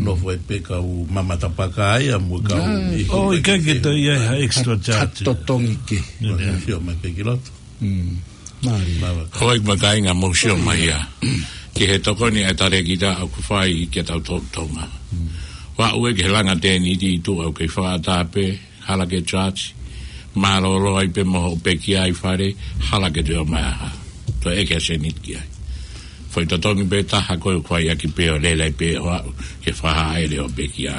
Nofo ai pē kau mamata paka ia mo e kau ʻihi. ʻOku ʻikai ke toe ʻi ai ha extra charge. Totongi ke. Sio mai pē ki loto. Mālie. Mālie. Hoi ma kāinga mou sio mai ia. Ki he tokoni ʻa e talēkita ʻoku fai ki he tau Tonga. Ua ue ki he langa tēniti i tuʻa ʻoku kei fakaʻatā pē. Hala ke charge, mālōlō ai pē mo hoʻo pekia ʻi fale, hala ke toe ʻomai ha. Toe ʻeke ha sēniti ki ai. Foʻi totongi pē taha ko e kuai ʻaki pē ʻo lele ai pē ʻo aʻu ke fakahā ai leva hoʻo pekia.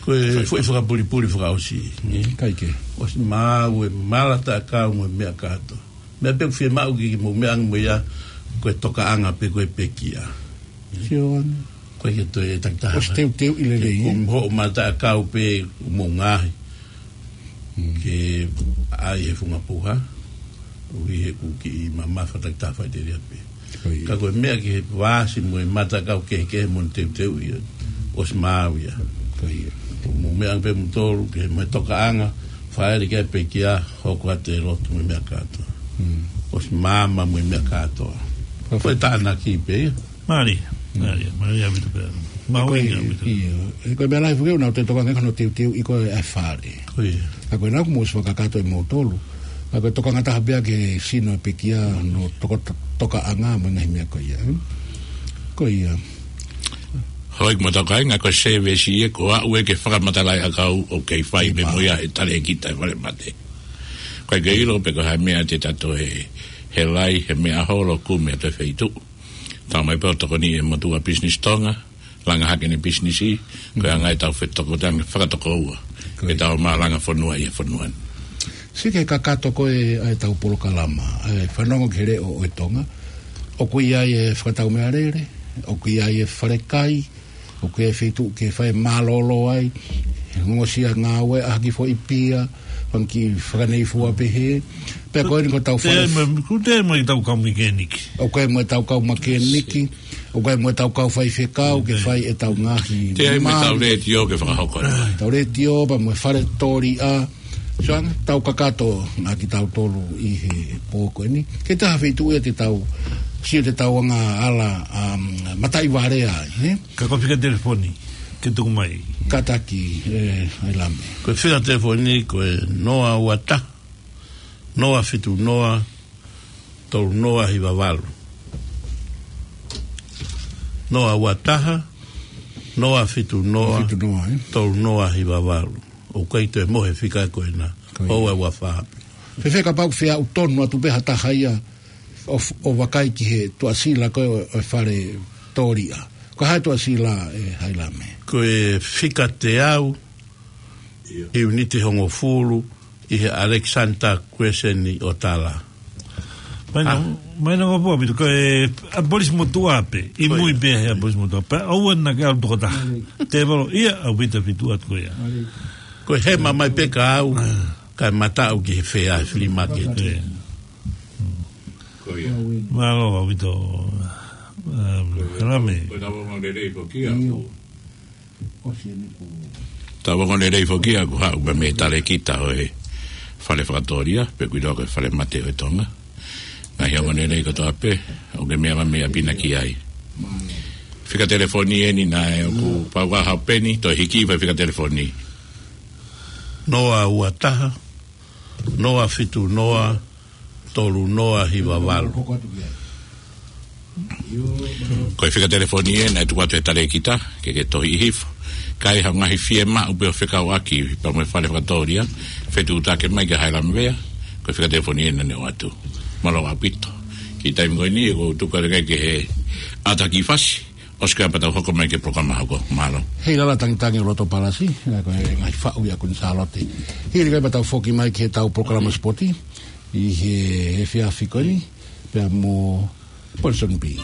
Ko e foʻi fakapulipuli fakaʻosi, ne? ʻIkai ke. ʻOsi maʻu e malataʻakau mo e meʻa kātoa. Meʻa pē ʻoku fiemaʻu ke mou meʻa ange mo ia, ko e tokaʻanga pē ko e pekia. Sio ange. Ko e ke toe takitaha. ʻOsi teuteuʻi lelei, ē? Ko hoʻo malataʻakau pē mo ngaohi. Ke ʻai he funga puha. ʻUhi he ʻoku kiʻi mamafa takitaha faʻiteliha pē. Ka ko e meʻa ki he vāsi mo e malataʻakau kehekehe mo teuteuʻi. ʻOsi maʻu ia. Ko ia. Mou meʻa ange pē moutolu ke mo e tokaʻanga. Fāʻele ki ai pekia, hoko atu e lotu mo e meʻa kātoa. ʻOsi maama mo e meʻa kātoa. Ko e tānaki pē ia. Mālie, mālie, mālie ʻaupito pē. Mālie ʻaupito. Ia, ko e meʻa lahi foki ʻoku nau toe tokaʻanga hono teuteuʻi ko e fale. Ko ia. Ka ko e nau mou ʻosi fakakakato ʻe moutolu. Ka ko e tokaʻanga taha pē ia ke sino e pekia hono toko-, tokaʻanga mo e ngaahi meʻa ko ia. Ko ia. Hoi mo tokaʻanga ko e service ia ko aʻu ē ke fakamatalaʻiʻakau ʻoku kei fai pē mo ia e talēkita ʻi falemate. Ko e ke ʻilo pē ko e hā e meʻa te ta toe he lai, he meʻa holo kumi atu e feituʻu. Tau mai pē ʻo tokoni e motuʻa pisinisi Tonga, langa hake ʻene pisinisi, ko e anga ʻetau fetoko tanga fakatokoua. Ko ia. ʻEtau mālanga fonua ʻi he fonua ni. Sio ki he kakato ko ē ʻa ʻetau polokalama, ʻa e fanongo ki he leʻo ʻo e Tonga. ʻOku ʻi ai e fakatau meʻalele, ʻoku ʻi ai e falekai, ʻoku ʻi ai e feituʻu ke fai mālōlō ai, he ongosia ngāue ʻaki foʻi pia, fanga kiʻi fakaneifua pehē. Pea ko eni ko ʻetau fale. Te mo, ku te mo ʻetau kau mekeniki. ʻOku ʻi ai mo ʻetau kau mekeniki, ʻoku ʻi ai mo ʻetau kau faifekau, ke fai ʻetau ngaahi. Te ai mo ʻetau letiō ke fakahoko. ʻEtau letiō, pea mo e fale tōliʻa. Sio ange, tau kakato ʻa kitautolu ʻi he pō ko eni. Ke taha feituʻu ia te tau, sio te tau anga ʻala, um, mataʻi vale ai, he? Ka ko e fika telefoni, ke tuku mai. Kātaki, ē, ʻAilame. Ko e fika telefoni, ko e noa ua taha, noa fitu noa, tolu noa hiva valu. Noa ua taha, noa fitu noa, Fitu noa, ē? tolu noa hiva valu. ʻOku ʻikai toe mohe fika ko ena. Ko ia. ʻOua ua fā pē. Fēfē kapau ʻoku feʻauʻau tonu atu pē ha taha ia ʻo f-, ʻo vakai ki he tuʻasila ko ē ʻo, ʻo e fale tōliʻa. Ko hai tuʻasila ʻe Hailame? Ko e fika teau, ʻiuniti hongofulu, ʻi he Alexander Crescent ʻi ʻOtala. Mai na, ah, mai na ngā pua pitu, ko e ʻapolisi motuʻa pē, ʻi mui pē he ʻapolisi motuʻa pē, ʻoua naʻa ke ʻalu tokotaha. Tēvolo, ia, ʻaupito fitu atu ko ia. Ko e hema mai pē ka au, ah, kae mataʻu ki he fea, flea market. Ko ia. Mālō, ʻaupito, um, Hailame. Ko e tau ongo lelei foki ia. Tau ongo lelei foki ia, ko haʻu pē mei he talēkita ʻo e fale fakatōlia, pe ko e ʻiloa ko e Fale Mate ʻo e Tonga. Ngaahi ongo lelei kotoa pē, ʻoku ke meʻa mai mei ʻapi na ki ai. Fika telefoni eni naʻe ʻoku pau ka hau peni, toe hiki fai fika telefoni. Noa ua taha, noa fitu noa, tolu noa hiva valu. Ko e fika telefoni ē naʻe tuku atu he talēkita, ke ke tohi hifo. Ka ʻi ai ha ngaahi fiemaʻu pē ʻo fekauʻaki pea mo e fale fakatōlia, fetuʻutaki mai kia Hailame Vea, ko e fika telefoni ē naʻa ne ʻoatu. Mālō ʻaupito. Ki he taimi ko eni, ʻoku ou tuku atu ki he ʻata ki fasi, ʻosi ko ia pea tau hoko mai ki he polokalama hoko. Mālō. Hei lala tangitangi ʻo loto palasi, ē, ko e ngaahi faʻu ia ʻa Kuini Sālote. Hili ko ia pea tau foki mai ki heʻetau polokalama sipoti ʻi he, he efiafi ko eni, pea mo Ponsonby.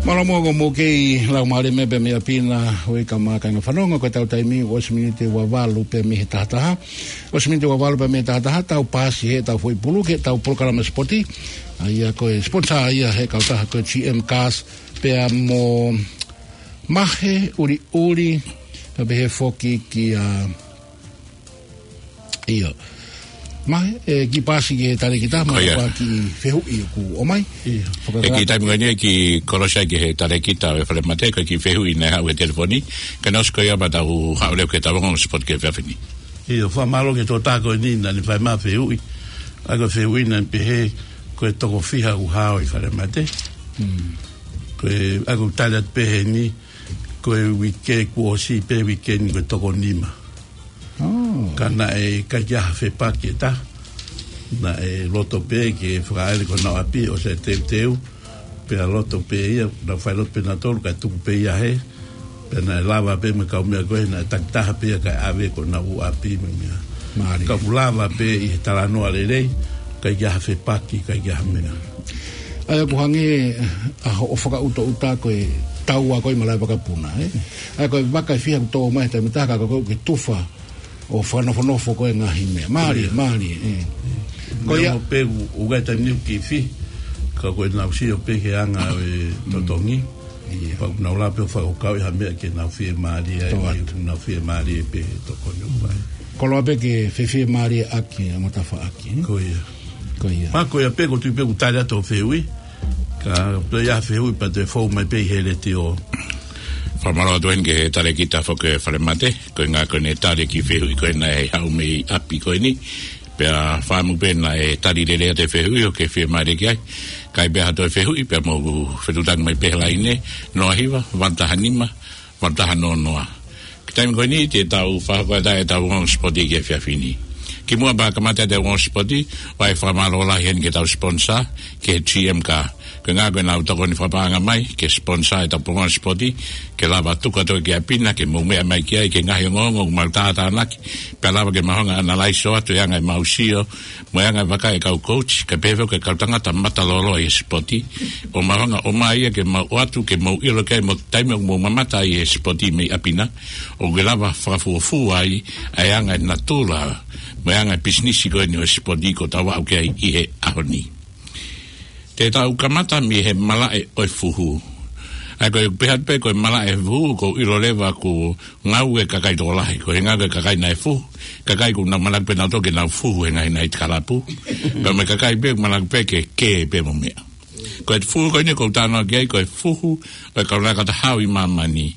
Mālō muʻa, ko e mou kei lau mālie mai pē mei ʻapi na, ʻoi ka mākanga fanongo, ko ʻetau taimi ʻosi miniti ua valu pē mei he taha taha. ʻOsi miniti ua valu pē mei he taha taha, tau paasi heʻetau foʻi pulu ki heʻetau polokalama sipoti. ʻA ia ko e sponsor ia he kautaha ko e G M Cars, pea mo Mahe ʻUliʻuli, pea pehē foki kia, ʻio. Mahe, ē, kiʻi paasi ki he talēkita, mālō ʻaupito ki he fehuʻi ʻoku ʻomai. ʻIo. Fakaʻatā. Ki he taimi ko eni kiʻi kolosi ai ki he talēkita ʻo e Fale Mate, ko e kiʻi fehuʻi naʻe haʻu he telefoni, kae ʻosi ko ia pea tau haʻu leva ki heʻetau ongo sipoti ki he efiafi ni. ʻIo, fakamālō ki he tokotaha ko eni naʻa ne fai mai e fehuʻi. ʻA ia ko e fehuʻi naʻe pehē, ko e toko fiha ʻoku hao ʻi Fale Mate. Mm. Ko e, ʻa ia ʻoku tali atu pē heni, ko e uike kuo ʻosi pē uike ni ko e toko nima. Oh. Ka naʻe ʻikai ke ʻi ai ha fepaki ʻe taha. Naʻe loto pē ke fakaʻaʻele ki honau ʻapi ʻosi e teuteu. Pea loto pē ia, naʻa nau fai loto pē nautolu, kae tuku pē ia hē. Pea naʻe lava pē mo e kaumeʻa ko ē, naʻe takitaha pē ia kae ʻave ki honau ʻapi mo e meʻa. Mālie. Ka ʻoku lava pē ʻi he talanoa lelei, ʻikai ke ʻi ai ha fepaki, ʻikai ke ʻi ai ha meʻa. ʻA ia ʻoku hangē, ʻa hoʻo fakaʻutoʻuta ko e taua ko ē malaʻe vakapuna, ē? ʻA ia ko e vaka ʻe fiha ʻoku tō mai he taimi ʻe taha ka ko e tufa ʻo fakanofonofo ko ē ngaahi meʻa. Mālie, mālie, ē. Ko ia. Meʻa mo pē ʻoku, ʻoku ʻikai taimi ni ʻoku kiʻi fihi, ka ko ʻenau sio pē ki he anga ʻo e totongi. ʻIo. Pea ʻoku nau lava pē ʻo fakakaukauʻi ha meʻa ke nau fiemālie ai, ʻoku nau fiemālie pē he tokoni ʻoku fai. Koloa pē ke fefiemālie ʻaki, ʻa e ngataʻanga ʻaki, ē? Ko ia. Ko ia. Pea ko ia pē ʻoku ou tui pē ʻoku tali atu hoʻo fehuʻi. Ka toe ʻi ai ha fehuʻi pea toe fou mai pē ʻi he letiō. Fakamālō atu heni ki he talēkita foki ʻo e Fale Mate, ko e ʻuhinga ko ʻene tali e kiʻi fehuʻi ko ē naʻe haʻu mei ʻapi ko eni. Pea fakaʻamu pē naʻe tali lelei atu e fehuʻi ʻoku ke fiemālie ki ai. Ka ʻi ai pē ha toe fehuʻi, pea mou fetuʻutaki mai pē he laine, noa hiva, valu taha nima, valu taha noa noa. Ki he taimi ko eni, te tau fakahoko atu ʻetau ongo sipoti ki he efiafi ni. Kimuʻa pea kamata ʻetau ongoongo sipoti, ʻoku ʻi ai e fakamālō lahi heni ki heʻetau sponsor, ki he G M Car. Ko e ʻuhinga ko ʻenau tokoni fakapaʻanga mai ke sponsor ʻetau ongoongo sipoti, ke lava tuku atu ki ʻapi na ke mou meʻa mai ki ai ki he ngaahi ongoongo ʻoku mau tātānaki, pea lava ke mau hanga ʻo analyze atu e anga ʻemau sio, mo e anga e vakai ʻa e kau coach, kae pehē foki ki he kau tangata matalolo ʻi he sipoti, ʻo mau hanga ʻo ʻomai ia ke mau ʻoatu, ke mau ʻilo ki ai mo e taimi ʻoku mou mamata ai he sipoti mei ʻapi na, ʻoku lava fakafuofua ai ʻa e anga e natula mo e anga e pisinisi ko eni ʻo e sipoti ʻoku tau aʻu ki ai ʻi he ʻaho ni. Te tau kamata mei he malaʻe ʻo e fuhu. ʻA ia ko e pehē atu pē ko e malaʻe ʻo e fuhu, ʻoku ou ʻilo leva ʻoku ngāue e kakai tokolahi. Ko e ʻuhinga ko e kakai naʻe fuhu, kakai ʻoku nau manako pē nautolu ke nau fuhu he ngaahi night club. Pea mo e kakai pē ʻoku manako pē ke kē pē mo meʻa. Ko e fuhu ko eni ʻoku ou talanoa ki ai, ko e fuhu ʻo e Kau Lakata Hau ʻi māmani.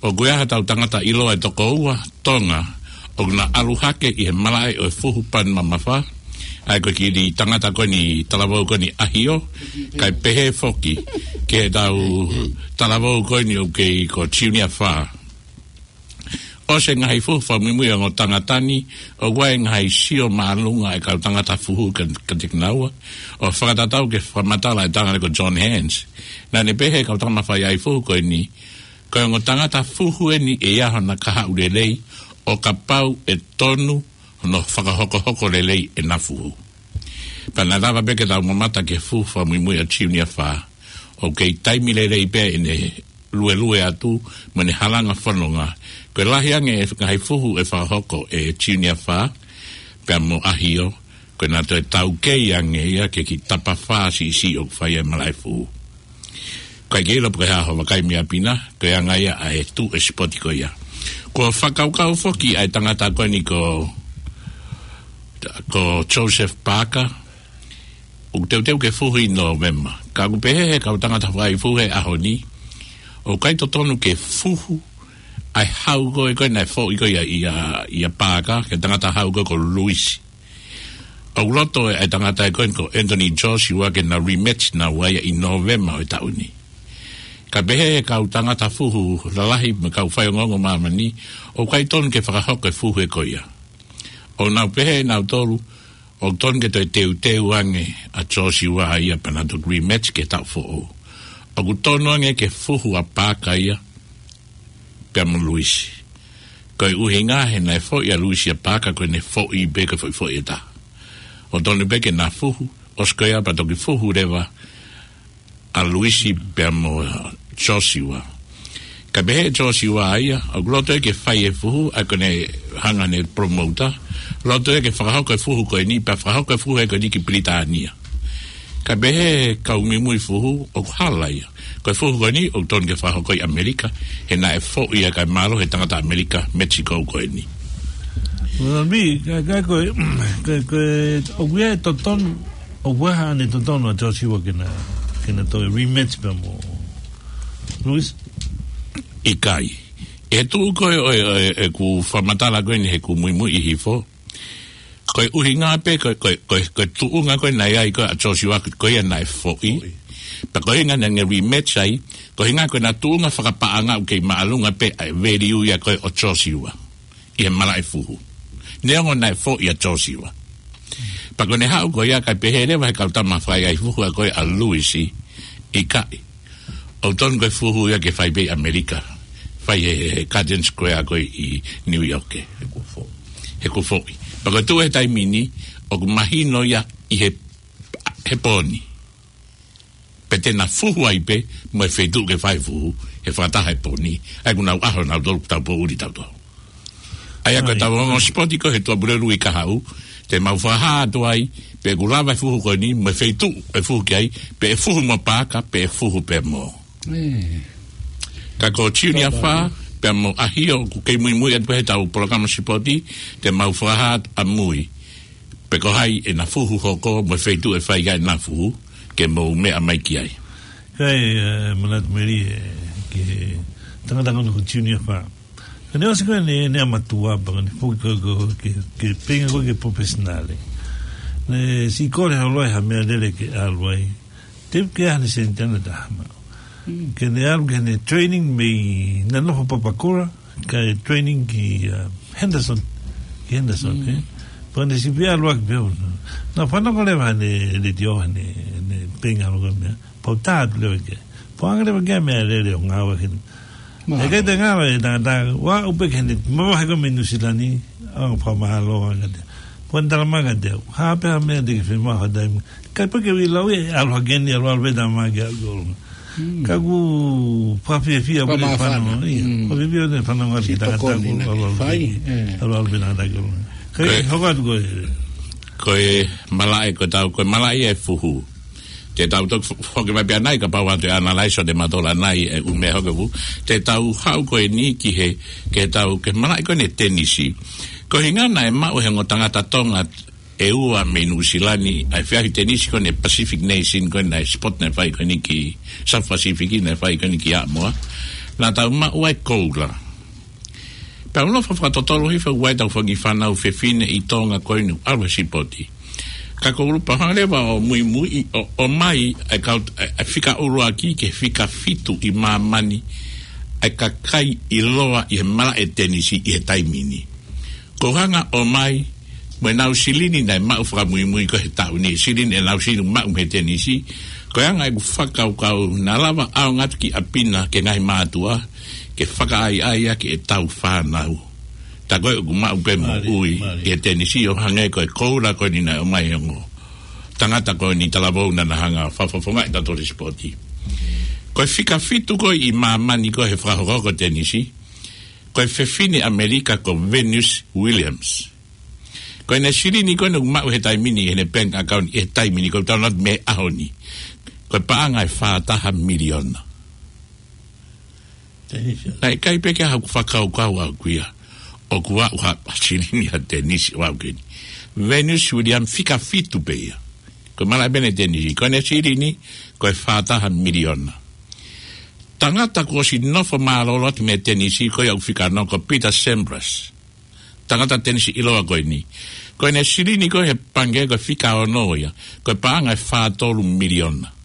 ʻOku ʻi ai haʻatau tangata ʻiloa ʻe toko ua Tonga ʻoku na ʻalu hake ʻi he malaʻe ʻo e fuhu pani mamafa. ʻA ia ko e kiʻi tangata ko eni, talavou ko eni ʻAhio, kae pehē foki ki heʻetau talavou ko eni ʻoku kei ko Junior Fa. ʻOsi e ngaahi fuhu fakamuimui ʻa e ongo tangata ni, ʻoku ʻi ai e ngaahi sio māʻolunga ʻa e kau tangata fuhu ka, kiate kinaua, ʻo fakatatau ki he fakamatala ʻa e tangata ko John Hands. Naʻá ne pehē ki he kau tangata faiʻai fuhu ko eni, ko e ongo tangata fuhu eni ʻe ʻi ai hano kahaʻu lelei, ʻo kapau ʻe tonu hono fakahokohoko lelei ʻena fuhu. Pea naʻe lava pē ke tau mamata ki he fuhu fakamuimui ʻa Junior Fa, ʻoku kei taimi lelei pē ʻene luelue atu mo ʻene halanga fononga. Ko e lahi ange e ngaahi fuhu ʻe fakahoko ʻe Junior Fa pea mo ʻAhio, ko ʻena toe taukei ange ia ki he kiʻi tapa fā siʻisiʻi ʻoku fai ai e malaʻe fuhu. Ko e ʻikai ke ʻilo pe ko e hā hoʻo vakai mei ʻapi na, ko e anga ia ʻa e tuʻu e sipoti ko ia. Kuo fakakaukau foki ʻa e tangata ko eni ko, ko Joseph Parker, ʻoku teuteu ke fuhu ʻi Nōvema. Ka ʻoku pehē ʻe he kau tangata faiʻai fuhu he ʻaho ni, ʻoku ʻikai totonu ke fuhu ʻa e hau ko ē ko ē naʻe foʻi ko ia ʻia, ʻia Parker, ki he tangata hau ko ē ko Luisi. ʻOku loto ʻa e tangata ko eni ko Anthony Joshua ke na rematch naua ia ʻi Nōvema ʻo e taʻu ni. Ka pehē ʻe he kau tangata fuhu lalahi mo e kau faiongoongo ʻo māmani, ʻoku ʻikai tonu ke fakahoko e fuhu ko ia. ʻOku nau pehē ʻe nautolu, ʻoku tonu ke toe teuteu ange ʻa Joshua ia pea na toki rematch ki he taʻu foʻou. ʻOku tonu ange ke fuhu ʻa Parker ia pea mo Luisi. Ko e ʻuhinga he naʻe foʻi ʻa Luisi ʻia Parker, ko ʻene foʻi pē, ko e foʻi foʻi ʻe taha. ʻOku tonu pē ke na fuhu, ʻosi ko ia pea toki fuhu leva ʻa Luisi pea mo Joshua. Ka pehē ʻe Joshua ia, ʻoku loto ia ke fai e fuhu, ʻa ia ko ʻene hanga ʻe he promoter, loto ia ke fakahoko e fuhu ko eni, pea fakahoko e fuhu ko eni ki Pilitānia. Ka pehē ʻe he kau muimui fuhu, ʻoku hala ia. Ko e fuhu ko eni, ʻoku tonu ke fakahoko ʻi ʻAmelika, he naʻe foʻi ia kae mālohi ʻe he tangata ʻAmelika, Mexico ko eni. Well, me, ka, ka, ko e, ko e, ko e, ʻoku ʻi ai e totonu, ʻoku ʻi ai haʻane totonu ʻa Joshua ke na, ke na toe rematch pea mo Luisi? ʻIkai. ʻI he tuʻu ko ē ʻo e, ʻo e, ʻeku fakamatala ko eni heʻeku muimui ʻi Hifo, ko e ʻuhinga pē, ko, ko, ko, ko e tuʻunga ko ē naʻe ʻi ai ko ē ʻa Joshua, ko ia naʻe foʻi. Foʻi. Pea ko e ʻuhinga naʻá ne rematch ai, ko e ʻuhinga ko ʻena tuʻunga fakapaʻanga ʻoku kei māʻolunga pē ʻa e value ia ko ē ʻo Joshua ʻi he malaʻe fuhu, neongo naʻe foʻi ʻa Joshua. Pea ko ʻene haʻu ko ia, kae pehē leva ʻe he kau tama faiʻai fuhu ko ē ʻa Luisi, ʻikai. ʻOku tonu ko e fuhu ia ke fai pē ʻi ʻAmelika. Fai he, he, he Garden Square ko ē ʻi New York. He kuo foʻi. He kuo foʻi. Pea ko e tuʻu he taimi ni, ʻoku mahino ia ʻi he, he pō ni. Pea te na fuhu ai pē mo e feituʻu ke fai fuhu, he fakataha he pō ni. ʻA ia ʻoku nau ʻaho nautolu, tau poʻuli tautolu. ʻA ia ko ʻetau ongoongo sipoti ko ē he Tuʻapulelulu ʻi Kahaʻu, te mau fakahā atu ai pe ʻoku lava e fuhu ko eni mo e feituʻu ʻe fuhu ki ai, pe ʻe fuhu mo Parker, pe ʻe fuhu pē mo. Ka ko Junior Fa pea mo ʻAhio ʻoku kei muimui atu pē heʻetau polokalama sipoti, te mau fakahā atu ʻamui pe ko hai ʻena fuhu hoko mo e feituʻu ʻe fai ai ʻena fuhu, ke mou meʻa mai ki ai. Kae, ē, manatu meli, ē, ki he tangata ko eni ko Junior Fa. Ka ne ʻosi ko ē ʻene, ʻene ʻamatua pea ka ne foki ko ē, ko ē, ke, ke feinga ko ē ke professional. Ne siʻi kole holo ai ha meʻalele ke ʻalu ai. Te u ke ʻi ai haʻane seniti ʻe taha maʻu. Ke ne ʻalu ki heʻene training mei, naʻe nofo Papakura, kae training ki, ā, Henderson. Ki Henderson, ē. Ko ne sipi ʻalu ʻaki pē ʻo na. Na fanongo leva ne, ne tio ne, ne penga lo ka mea. Pau tā atu leva ke. Pau anga leva ke mea lele ʻo ngāue ke. E kai te ngāue e tangata, ʻoku ou pehē ke ne, mavahe ko ē mei Nuʻusila ni, ʻo fakamālō anga te. Pau tala mai ka te, ha pē ha meʻa te ke fiemaʻu ha taimi. Kai pē ke ui lau e, ʻalu hake ni, ʻalu ʻalu pē tā mai ke ʻalu. Ka ʻoku fakafiefia pē ne fanongo, ia. Fakafiefia pē ne fanongo ki he tangata ʻoku ʻalu ʻalu pē. ʻAlu ʻalu pē tangata ʻoku. Kai hoko atu ko e. Ko e malaʻe ko e tau, ko e malaʻe ʻa e fuhu. Te tau toki fo-, foki mai pē ʻanai kapau ʻe ʻatu e analyze ʻo te matola nai e ʻū meʻa hoko fuhu. Te tau haʻu ko eni ki he, ke tau, ke malaʻe ko eni tenisi. Ko e ʻuhinga naʻe maʻu he ongo tangata Tonga ʻe ua mei Nuʻusila ni, ʻa e feʻauhi tenisi ko eni Pacific Nation ko eni, ʻa e sport naʻe fai ko eni ki South Pacific naʻe fai ko eni ki ʻAʻamoa. Naʻa tau maʻu ai e koula. Pea ʻoku nofo fakatotolo hifo ʻa e tau fanga kiʻi fānau fefine ʻi Tonga ko eni ʻalu he sipoti. Ka ko ʻulupa hanga leva ʻo muimui ʻo, ʻomai ʻa e kau, ʻa e, ʻa e fika ʻuluaki ki he fika fitu ʻi māmani ʻa e kakai ʻiloa ʻi he malaʻe tenisi ʻi he taimi ni. Ko e hanga ʻo ʻomai, mo ʻenau silini naʻe maʻu fakamuimui ko ē he taʻu ni, silini ʻenau silini maʻu mei he tenisi, ko e anga ʻeku fakakaukau naʻa lava ʻaonga atu ki ʻapi na ki he ngaahi mātuʻa, ke fakaʻaiʻai ʻaki ʻetau fānau. Tā ko ē ʻoku maʻu pē moʻui ʻi he tenisi ʻo hangē ko e koula ko eni naʻe ʻomai he ongo tangata ko eni talavou naʻa na hanga ʻo fakafofongaʻi ʻetau tole sipoti. Ko e fika fitu ko ē ʻi māmani ko ē he fakahokohoko tenisi, ko e fefine ʻAmelika ko Venus Williams. Ko ʻene silini ko eni ʻoku maʻu he taimi ni, ʻene bank account he taimi ni, ko e tau nat me ʻaho ni. Ko e paʻanga ʻe fā taha miliona. Naʻe ʻikai pē ke haʻaku fakakaukau au kuia. ʻOku ʻi ai ha silini ʻa tenisi ʻo aʻu ki heni. Venus Williams fika fitu pē ia. Ko e malaʻe pē ʻene tenisi. Ko ʻene silini, ko e fā taha miliona. Tangata kuo ʻosi nofo mālōlō atu mei he tenisi ko ia ʻoku fika ono ko Peter Sampras. Tangata tenisi ʻiloa ko eni. Ko ʻene silini ko ē he pangikē ko e fika ono ia. Ko e paʻanga ʻe fā tolu miliona.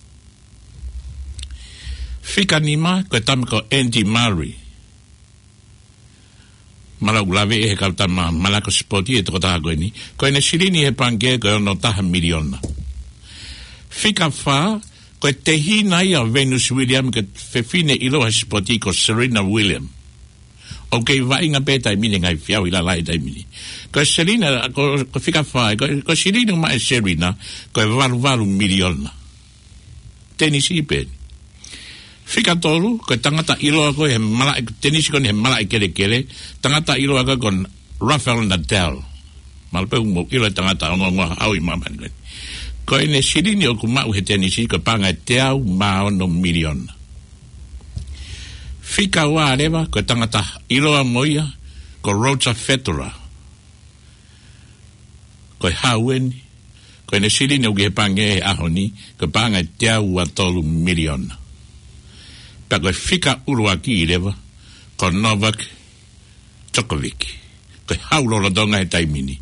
Fika nima ko e tama ko Andy Murray. Mālō ʻoku lave ʻe he kau tama malanga sipoti e tokotaha ko eni. Ko ʻene silini he pangikē ko e ono taha miliona. Fika fā, ko e tehina ia ʻo Venus Williams, ko e fefine ʻiloa he sipoti ko Serena Williams. ʻOku kei vaʻinga pē taimi ni ngaahi feʻauhi lalahi taimi ni. Ko Serena, ko, ko fika fā, ko, ko silini ʻoku maʻu ʻe Serena, ko e valu valu miliona. Tenisi pē. Fika tolu, ko e tangata ʻiloa ko ē he malaʻe, tenisi ko eni he malaʻe kelekele, tangata ʻiloa ko ē ko Rafael Nadal. Mālō pē ʻoku mou ʻilo e tangata ongoongo ʻaʻau ʻi māmani ko eni. Ko ʻene silini ʻoku maʻu he tenisi, ko e paʻanga ʻe teau mā ono miliona. Fika ua leva, ko e tangata ʻiloa mo ia, ko Roger Federer. Ko e hau eni, ko ʻene silini ʻoku ʻi he pangikē he ʻaho ni, ko e paʻanga ʻe teau ua tolu miliona. Pea ko e fika ʻuluaki leva, ko Novak Djokovic. Ko e hau lolotonga he taimi ni.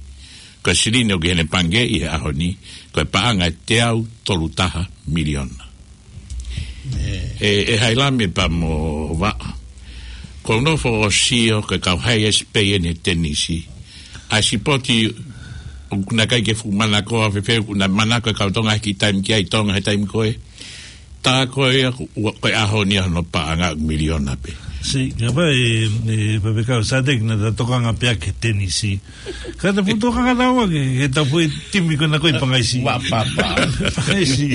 Ko e silini ʻoku ʻi heʻene pangikē ʻi he ʻaho ni, ko e paʻanga ʻe teau tolu taha miliona. ʻE, ʻe Hailami pea mo Vaʻa. Ko u nofo ʻo sio ko e kau highest pay eni he tenisi. ʻA e sipoti ʻoku na ʻikai ke fuʻu manako ʻa fēfē ʻoku na manako e kau Tonga he kiʻi taimi ki ai Tonga he taimi ko ē. Tā ko ia ko, ko e ʻaho ni ʻa hono paʻanga miliona pē. Si, ngā pā e, e, pā pē kau sāteki na ta tokanga pē ʻaki he tenisi. Ka ta fuʻu tokanga tau ake, ke ta fuʻu timi ko ena ko e pangaisi. Wa papa. Pangaisi.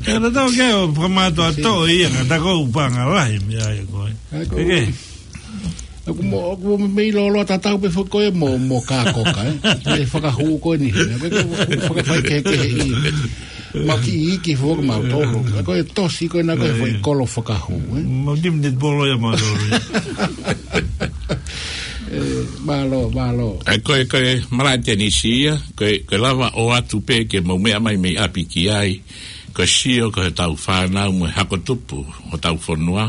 Ka ta tau ke o fakamātoa tō ia, ka ta ko u panga lahi mea ia ko e. Ke ke. Aku mo, aku mo mei lolo ta tau pē foki ko e mo, mo ka koka, eh. Ke fakahū ko eni. Ke ke fakafai ke ke i. Mau ki i ki foki mau tolo. Ko e tosi ko ena ko e foʻi kolo fakahū, eh. Mau timi netball ia mau tolo. Eh, mālō, mālō. ʻE ko e, ko e malaʻe tenisi ia, ko e, ko e lava ʻo ʻatu pē ke mau meʻa mai mei ʻapi ki ai, ko e sio ko e tau fānau mo e hako tupu ʻo tau fonua,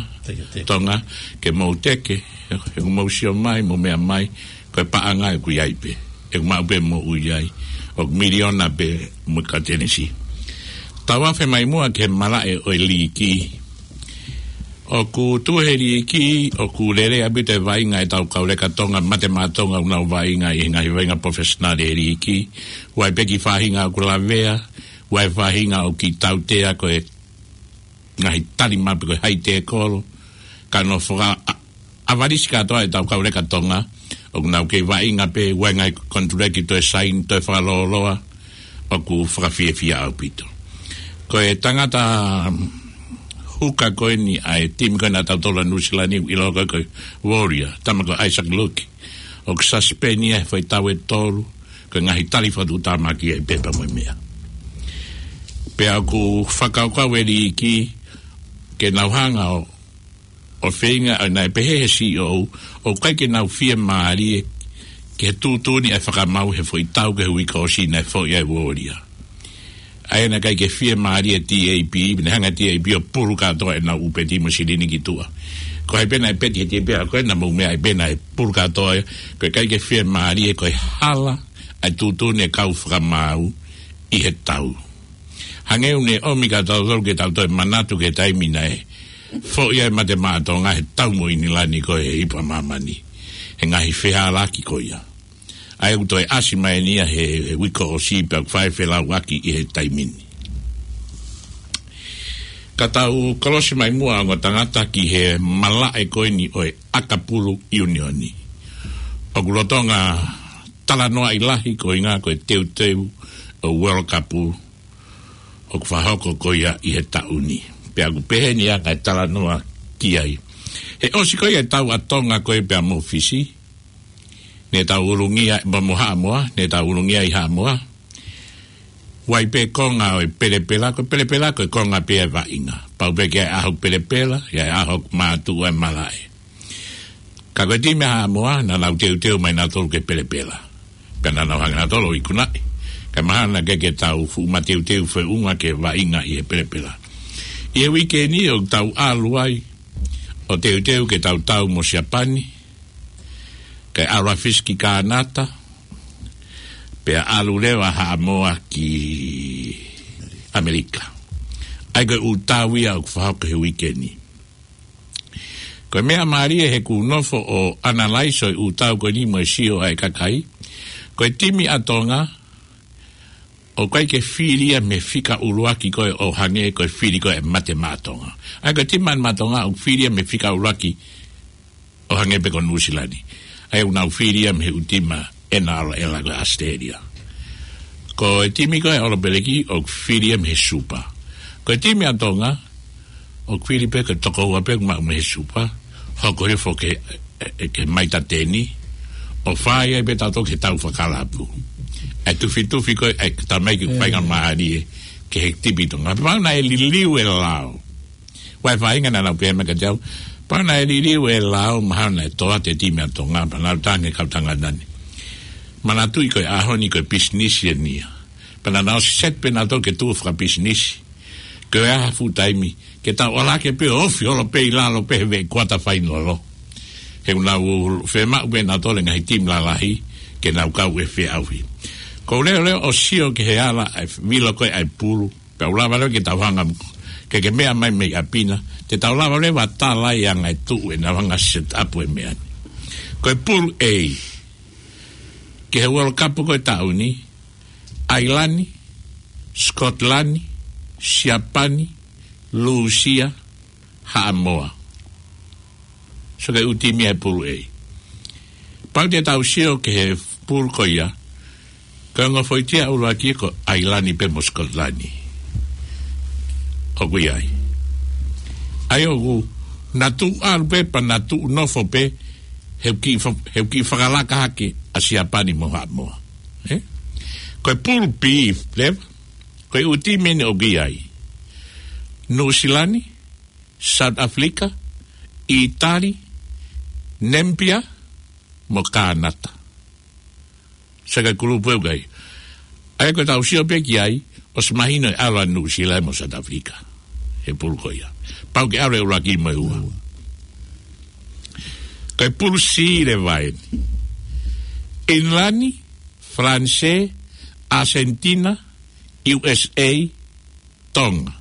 Tonga, ke mau teke, he ʻoku mau sio mai, mau meʻa mai, ko e paʻanga ʻoku ʻi ai pē, ʻoku maʻu pē moʻui ai, ʻoku miliona pē mo ka tenisi. Tau afe mai muʻa ki he malaʻe ʻo e līki, ʻOku tuʻu he liiki, ʻoku lelei ʻaupito e vaʻinga ʻetau kau leka Tonga, Mate Maʻa Tonga, ʻoku nau vaʻinga ʻi he ngaahi vaʻinga professional he liiki. ʻOku ʻi ai pē e kiʻi faʻahinga ʻoku lavea, ʻoku ʻi ai e faʻahinga ʻoku kiʻi tautea ko e ngaahi tali mape ko e haʻi tēkolo, ka nau faka-, a-, ʻavalisi kātoa ʻetau kau leka Tonga, ʻoku nau kei vaʻinga pē, ʻoku ʻi ai e ngaahi konituleki toe saini, toe fakalōloa, ʻoku fakafiefia ʻaupito. Ko e tangata, mm, huka ko eni ʻa e timi ko ena ʻa tautolu ʻa Nuʻu Sila ni, ʻoku ʻiloa ko e, ko e Warrior, tama ko Isaac Luke, ʻoku suspend ia he foʻi tau ʻe tolu, ko e ngaahi tali fakatuʻutāmaki ʻa e pepa mo e meʻa. Pea ʻoku fakakaukau e liiki ke nau hanga ʻo, ʻo feinga, ʻo naʻe pehē he C E O, ʻoku ʻikai ke nau fiemālie ke tuʻutuʻuni e fakamaau he foʻi tau ki he uike ʻosi naʻe foʻi ai e Warrior. ʻA ia naʻe ʻikai ke fiemālie e T A B, ne hanga e T A B ʻo pulu kātoa ʻenau ʻūpeti mo e silini ki tuʻa. Ko hai pē naʻe peti he T A B, ko ena mou meʻa ai pē naʻe pulu kātoa ia, ko e ʻikai ke fiemālie, ko e hala ʻa e tuʻutuʻuni e kau fakamaau ʻi he tau. Hangē ʻoku ne ʻomi kia tautolu ke tau toe manatu ki he taimi naʻe foʻi ai e Mate Maʻa Tonga he tau mo ʻIngilani ko e Ipu ʻa Māmani. He ngaahi fehālaaki ko ia. ʻA ia ʻoku toe ʻasi mai eni ia he, he uike ʻosi pea ʻoku fai e felauʻaki ʻi he taimi ni. Ka tau kolosi mai muʻa ongo tangata ki he malaʻe ko eni ʻo e ʻakapulu ʻiunioni. ʻOku lolotonga talanoaʻi lahi ko e ʻuhinga ko e teuteu ʻo e World Cup ʻoku fakahoko ko ia ʻi he taʻu ni. Pea ʻoku pehē ni ʻa e talanoa ki ai. He ʻosi ko ia e tau ʻa Tonga ko ē pea mo Fisi, ne tau ulungia, mo, mo Haʻamoa, ne tau ulungia ʻi Haʻamoa. ʻOku ʻi ai pē konga ʻo e pelepela, ko e pelepela ko e konga pē ʻa e vaʻinga. Pau pē ke ʻi ai e ʻaho pelepela, ʻi ai e ʻaho mātuʻu ʻa e malaʻe. Ka ko e timi ʻa Haʻamoa, naʻa nau teuteu mai nautolu ki he pelepela. Pea naʻa nau hanga nautolu ʻo ikunaʻi. Kae mahalo naʻe ʻikai ke tau fuʻu mateuteu feʻunga ki he vaʻinga ʻi he pelepela. ʻI he uike ni ʻoku tau ʻalu ai ʻo teuteu ke tau tau mo Siapani, kae ʻalu ʻa Fisi ki Kānata, pea ʻalu leva ʻa Haʻamoa ki ʻAmelika. ʻA ia ko e ʻū tau ia ʻoku fakahoko he uike ni. Ko e meʻa mālie he ʻoku ou nofo ʻo analyze ʻo e ʻū tau ko eni mo e sio ʻa e kakai. Ko e timi ʻa Tonga, ʻoku ʻikai ke fili ia mei he fika ʻuluaki ko ē ʻo hangē ko e fili ko ē ʻa e Mate Maʻa Tonga. ʻA ia ko e timi Mate Maʻa Tonga ʻoku fili ia mei he fika ʻuluaki ʻo hangē pē ko Nuʻu Sila ni. ʻA ia ʻoku nau fili ia mei he ʻū timi ʻena ʻalu ʻela ko ʻAositelēlia. Ko e timi ko ē ʻa ʻOlopeleki ʻoku fili ia mei he Super. Ko e timi ʻa Tonga, ʻoku fili pē ko e toko ua pē ʻoku maʻu mei he Super. Hoko hifo ki he, e, e, ki he maita teni. ʻO fai ai pē tautolu ki he tau fakakalapu. ʻA e tufitufi ko ē, ʻa e tamaiki ʻoku faingamālie ki he timi Tonga. Pea naʻe liliu e lao. ʻOku ʻi ai e faʻahinga naʻa nau pehē mai kiate au, pea naʻe liliu e lao, mahalo naʻe tō atu e timi ʻa Tonga, pea nau tangi kau tangata ni. Manatuʻi ko e ʻaho ni ko e pisinisi eni ia. Pea naʻa nau set pē nautolu ke tuʻu fakapisinisi. Ko e hā ha fuʻu taimi, ke tau ʻalu hake pē ʻo ofi holo pē ʻi lalo pē he veʻe kuata fainolo. He ʻoku nau fiemaʻu pē nautolu e ngaahi timi lalahi, ke nau kau he feʻauhi. Ko e leʻoleʻo ʻo sio ki he ala ʻa e vilo ko ē ʻa e pulu, pea ʻoku lava leva ke tau hanga, ke ke meʻa mai mei ʻapi na, te tau lava leva ʻo tala ai e anga e tuʻu ʻenau hanga set up e meʻa ni. Ko e Pool A, ki he World Cup ko e taʻu ni, ʻAilani, Scotland, Siapani, Lūsia, Haʻamoa. So ko e ʻū timi ia he Pool A. Pau te tau sio ki he pool ko ia, ko e ongo foʻi timi ʻuluaki ko ʻAilani pē mo Scotland. ʻOku ʻi ai. ʻA ia ʻoku nau tuʻu ʻalu pē, pea nau tuʻu nofo pē, he ʻoku kiʻi fa-, he ʻoku kiʻi fakalaka hake ʻa Siapani mo Haʻamoa. Ē? Ko e Pool B, leva, ko e ʻū timi eni ʻoku ʻi ai. Nuʻu Sila ni, South Africa, ʻItali, Namibia, mo Kānata. So ko e kulupu ʻoku ʻi ai. ʻA ia ko ʻetau sio pē ki ai, ʻosi mahino e ʻalu ʻa Nuʻu Sila mo South Africa he pool ko ia. Pau ke ʻalu e ʻuluaki mo e ua. Ko e Pool C leva eni. ʻIngilani, Falanisē, ʻAsentina, U S A, Tonga.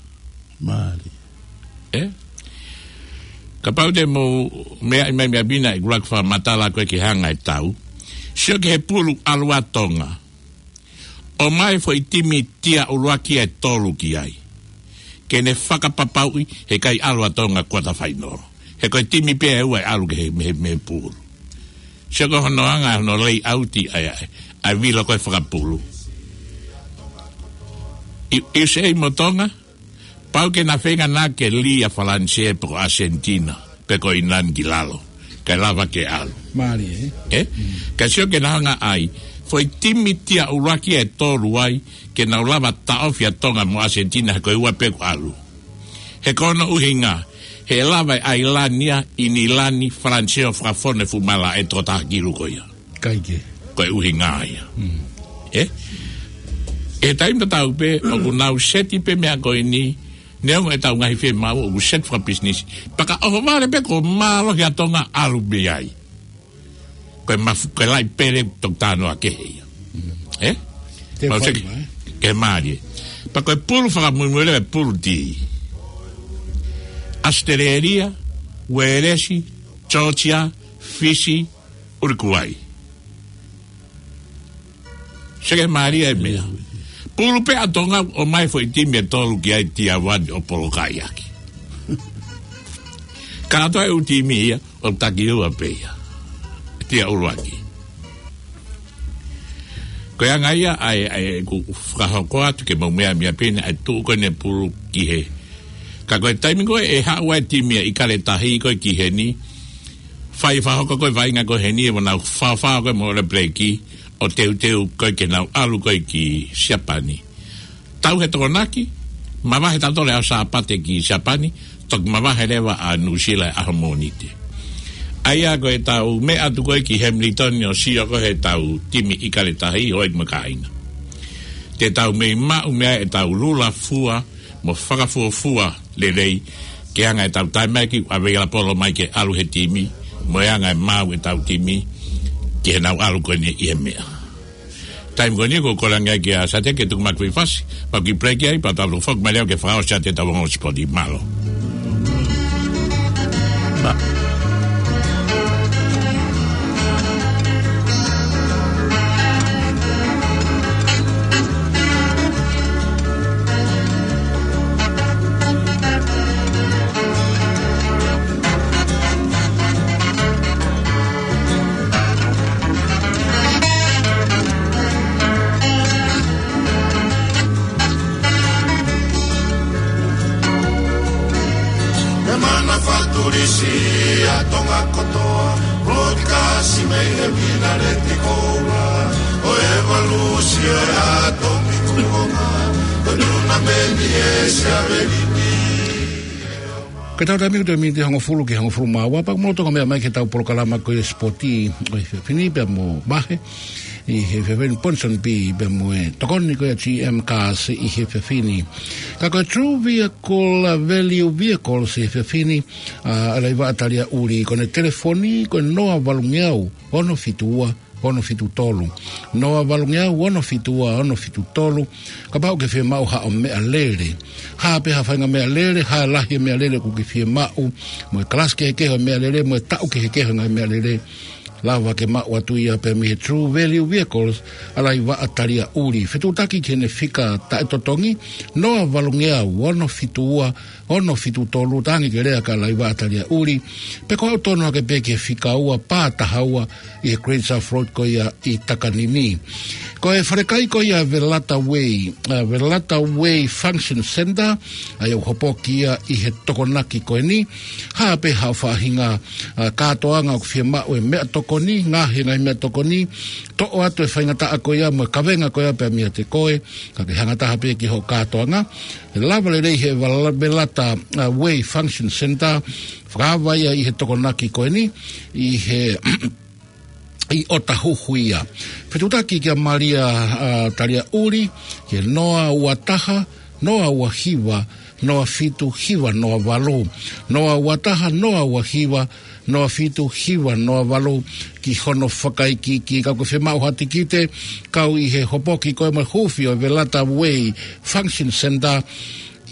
Mālie. Ē? Kapau te mou meaʻi mai meʻa pē naʻe ʻuluaki fakamatala ko ē ki he anga e tau. Sio ki he pulu ʻalu ʻa Tonga. ʻOmai foʻi timi tia ʻuluaki ʻe tolu ki ai. Ke ne fakapapauʻi he ʻikai ʻalu ʻa Tonga kuata fainolo. He ko e timi pē ʻe ua ʻe ʻalu ki he mei he, mei he pulu. Sio ko hono anga, hono layout ʻa e, ʻa e, ʻa e vilo ko ē fakapulu. ʻI, ʻi se ʻi mo Tonga, pau ke na feinga na ke lī ʻa Falanisē pe ko ʻAsentina, pe ko ʻIngilani ki lalo. Kae lava ke ʻalu. Mālie, ē? Ē? Mm. Ka sio ke na hanga ai. Foʻi timi tia ʻuluaki ʻe tolu ai, ke nau lava taʻofi ʻa Tonga mo ʻAsentina he ko e ua pē kuo ʻalu. He ko hono ʻuhinga, he lava ʻe ʻIngilani, ʻIngilani, Falanisē ʻo fakafonu e fuʻu malaʻe ʻe toko taha kilu ko ia. ʻIkai ke. Ko e ʻuhinga ia. Mm. Ē? ʻI he taimi tatau pē, ʻoku nau seti pē meʻa ko eni, neongo ʻetau ngaahi fiemaʻu, ʻoku seti fakapisinisi. Pea ka ʻohovale pē kuo mālohi ʻa Tonga ʻalu mei ai. Ko e mafu-, ko e laʻi pele toki tānoa kehe ia. Mm. Ē? Te Mau fai seki, mai. Ke mālie. Pea ko e pulu fakamuimui leva e pulu D. ʻAositelēlia, Uēlesi, Georgia, Fisi, ʻUlukuai. Seke mālie e meʻa. Pulu pē ʻa Tonga ʻomai foʻi timi ʻe tolu ki ai tia ua ʻo polokaʻi ʻaki. Kātoa e ʻū timi ia ʻo taki ua pē ia. Tia ʻuluaki. Ko e anga ia ʻa e, ʻa e ʻeku fakahoko atu ke mau meʻa meʻa pē naʻe tuʻu ko eni e pulu ki he. Ka ko e taimi ko ē ʻe haʻu ai e timi ia ʻIkale Tahi ko ē ki heni. Fai fakahoko ko ē vaʻinga ko ē heni ʻe ua nau fafao ko ē mo Ole Peleki ʻo teuteu ko ē ke nau ʻalu ko ē ki Siapani. Tau he Tokonaki, mavahe tautolu ʻa Sāpate ki Siapani, toki mavahe leva ʻa Nuʻusila he ʻaho Mōnite. ʻA ia ko ʻetau meʻa atu ko ē ki Hamilton ʻo sio ko ē heʻetau timi ʻIkale Tahi, houʻeiki mo e kāinga. Te tau mei maʻu meʻa ʻetau lula fua, mo fakafuofua lelei, ke anga ʻetau taimi mai ki ʻave ʻa e polo mai ke ʻalu he timi, mo e anga e maʻu ʻetau timi, ke nau ʻalu ko eni ʻi he meʻa. Taimi ko eni ko e kole ange kia Sate ke tuku mai ki fasi, mau kiʻi break ai, pea tau foki mai leva ke fakaʻosi atu ʻetau ongo sipoti. Mālō. He mana faturisi ʻa Tonga kotoa, broadcast mei he Minareti Koula, ʻo e valusi ʻo e ʻAtomi Kuonga, ʻo e tunameni ʻe Siavenini. Ko ʻetau taimi ko e miniti hongofulu ki he hongofulu mā ua, pea mou toki meʻa mai ki heʻetau polokalama ko e sipoti ʻo e efiafi ni pea mo Mahe ʻi he efiafi ni, Ponsonby pea mo e tokoni ko ia G M Cars ʻi he efiafi ni. Ka ko e True Vehicle, uh, Value Vehicles ʻi he efiafi ni, uh, ʻa Laivaʻa Taliaʻuli, ko ʻene telefoni ko e noa valungeau ono fitu ua ono fitu tolu. Noa valungeau ono fitu ua ono fitu tolu. Kapau ʻoku ke fiemaʻu haʻo meʻalele, hā pē ha faʻahinga meʻalele, hā e lahi e meʻalele ʻoku ke fiemaʻu, mo e kalasi kehekehe ʻo e meʻalele, mo e taʻu kehekehe ʻo e ngaahi meʻalele, lava ke maʻu atu ia pē mei he True Value Vehicles ʻa Laivaʻa Taliaʻuli. Fetuʻutaki ki heʻene fika taʻetotongi, noa valungeau ono fitu ua ono fitu tolu, tangi ke lea kia Laivaʻa Taliaʻuli, pe ko e aʻu tonu hake pē ki he fika ua pā taha ua ʻi he Great South Road ko ia ʻi Takanini. Ko e falekai ko ia Velata Way, uh, Velata Way Function Center, ʻa ia ʻoku hopoki ia ʻi he Tokonaki ko eni, hā pē haʻo faʻahinga, uh, kātoanga ʻoku fiemaʻu e meʻatokoni, ngaahi, ngaahi meʻatokoni, toʻo atu e faingataʻa ko ia mo e kavenga ko ia pea meiate koe, ka ke hanga taha pē ki hoʻo kātoanga. ʻE lava lelei he Vala-, Velata, uh, Way Function Center, fakaava ia ʻi he Tokonaki ko eni, ʻi he, ʻi ʻOtahuhu ia. Fetuʻutaki kia Malia, uh, Taliaʻuli, ki he noa ua taha, noa ua hiva, noa fitu hiva noa valu. Noa ua taha, noa ua hiva, noa fitu hiva noa valu ki hono fakaikiiki. Ka ʻoku ke fiemaʻu ha tikite, kau ʻi he hopoki ko ē mo e huufi ʻo e Velata Way Function Center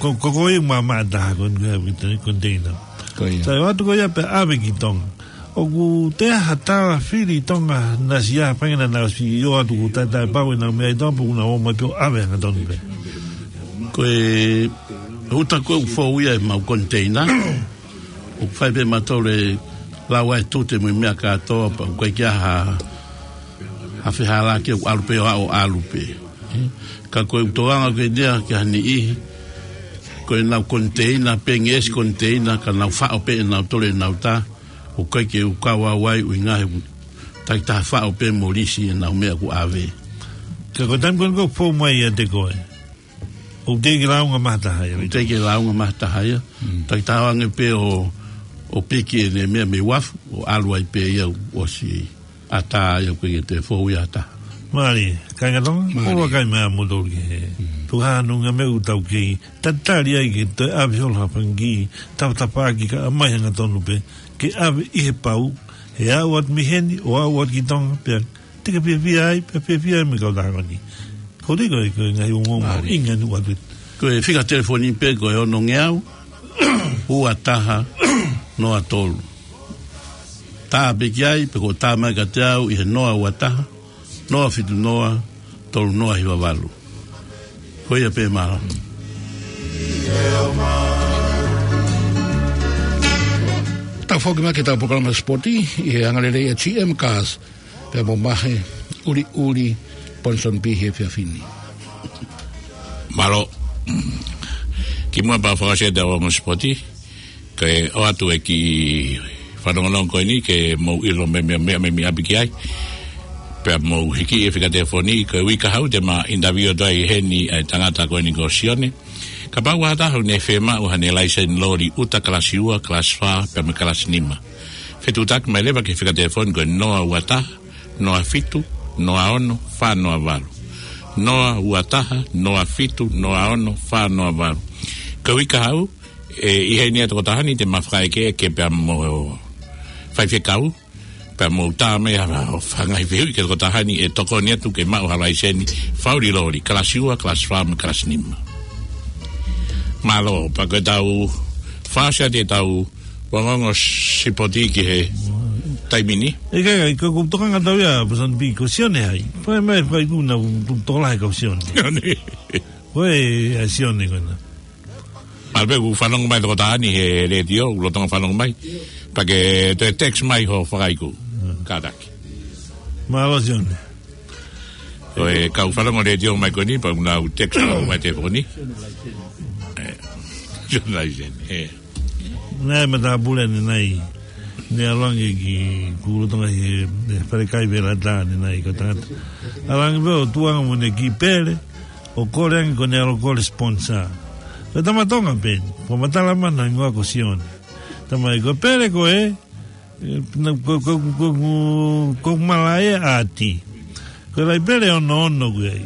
ko, ko, ko, ko ia ma, ma taha ko, ko, ko, konteina. Ko ia. Sai atu ko ia pea ʻave ki Tonga. ʻOku ʻi ai ha tala fili ʻi Tonga naʻa siʻi ʻa pangena naʻa siʻi ō atu ʻo taʻetaʻepau ʻenau meʻa ʻi Tonga pea ʻoku nau ō mai pē ʻo ʻave hangatonu pē. Ko e uta ko ē ʻoku fou ia ʻemau konteina. ʻOku fai pē ʻe mautolu e lau ʻa e tute mo e meʻa kātoa pea ʻoku ʻikai ke ʻi ai ha, ha fehālaaki, ʻoku ʻalu pē ʻo aʻu ʻalu pē. Ka ko e ʻutoʻanga ko eni ia ki ha niʻihi, ko ʻenau konteina, pē ngeʻesi konteina, ka nau faʻo pē ʻe nautolu ʻenau tā, ʻoku ʻikai ke u kau au ai ʻuhinga he ʻoku takitaha faʻo pē mo lisi ʻenau meʻa kuo ʻave. Ka ko e taimi ko ē ʻoku fou mai ʻiate koe, ʻoku teʻeki lāunga mai ha taha ia. ʻOku teʻeki lāunga mai ha taha ia. Mm. Takitaha ange pē ʻo, ʻo piki ʻene meʻa mei uafu, ʻo ʻalu ai pē ia ʻo ʻosi ʻatā ia ʻoku ʻikai ke toe fou ia ha taha. Mālie, kāinga Tonga, mālie. ʻOku ou vakai mai ʻa moutolu ki he. Mm. Tuku hano ngaahi meʻa ʻoku tau kei tatali ai ke toe ʻave holo ha fanga kiʻi tafatafaʻaki ka ʻomai hangatonu pē, ke ʻave ʻi he pau, he aʻu atu mei heni, ʻo aʻu atu ki Tonga, pea te ke fiefia ai, pea fiefia ai mo e kautaha ko eni. Ko e ʻuhinga ko e, ko e ngaahi ongoongo mālie. ʻInga ni atu. Ko e fika telefoni pē ko e ono ngeau, ua taha, noa tolu. Tā pē ki ai, pe ko e tā mai kiate au ʻi he noa ua taha, noa fitu noa, tolu noa hiva valu. Ko ia pē, mālō. Tau foki mai ki heʻetau polokalama sipoti, ʻi he angalelei ʻa G M Cars, pea mo Mahe ʻUliʻuli Ponsonby he efiafi ni. Mālō. Kimuʻa pea fakaʻosi ʻetau ongo sipoti, ke ʻoatu e kiʻi fanongonongo ko eni ke mou ʻilo meʻa, meʻa, meʻa, meʻa ʻapi ki ai. Pea mou hiki e fika telefoni, ko e uike kahaʻu te ma interview atu ai heni e tangata ko eni ko Sione. Kapau ʻe taha ʻoku ne fiemaʻu haʻane laiseni loli ʻuta kalasi ua, kalasi fā, pea mo e kalasi nima. Fetuʻutaki mai leva ki he fika telefoni ko e noa ua taha, noa fitu, noa ono, fā noa valu. Noa ua taha, noa fitu, noa ono, fā noa valu. Ko e uike kahaʻu, ʻe, ʻi heni ʻa e tokotaha ni te ma fakaʻekeʻeke pea mo faifekau, pea mou tā mai ha, ha, ha ngaahi fehuʻi ki he tokotaha ni ʻe tokoni atu ke maʻu ha laiseni faʻu loli, kalasi ua, kalasi fā, mo e kalasi nima. Mālō, pea ko ʻetau fakaʻosi atu ʻetau ongoongo sipoti ki he taimi ni. ʻIkai, ʻikai, ko, ko e tokanga atu ia, Ponsonby, ko Sione hai. Fai mai, fai kuna, u, u, tokolahi kau Sione. Sione. Ko e, ʻa Sione ko ena. Mālō pē ʻoku fanongo mai tokotaha ni he letiō, ʻoku lolotonga fanongo mai. Pea ke toe text mai hoʻo fakaiku. Hmm. Kātaki. Mālō Sione. Ko e kau fanongo letiō mai ko eni, pea ʻoku nau text mai telefoni. ʻE, Sione Laiseni, ʻe. Naʻe matāpule ʻanenai. Ne ʻalu ange ki, kuo lolotonga he, he falekai Velatā ʻanenai ko e tangata. ʻAlu ange pē ʻo tuʻu ange mo ʻene kiʻi pele, ʻo kole ange ko ʻene ʻalu ʻo kole sponsor. Ko e tama Tonga pē eni, ko e matala mana hingoa ko Sione. Tama ē ko e pele ko ē, ʻe, na, ko, ko, ko, ko, ko malaʻe ʻa ʻAti. Ko e laʻi pele ono ono ko ē.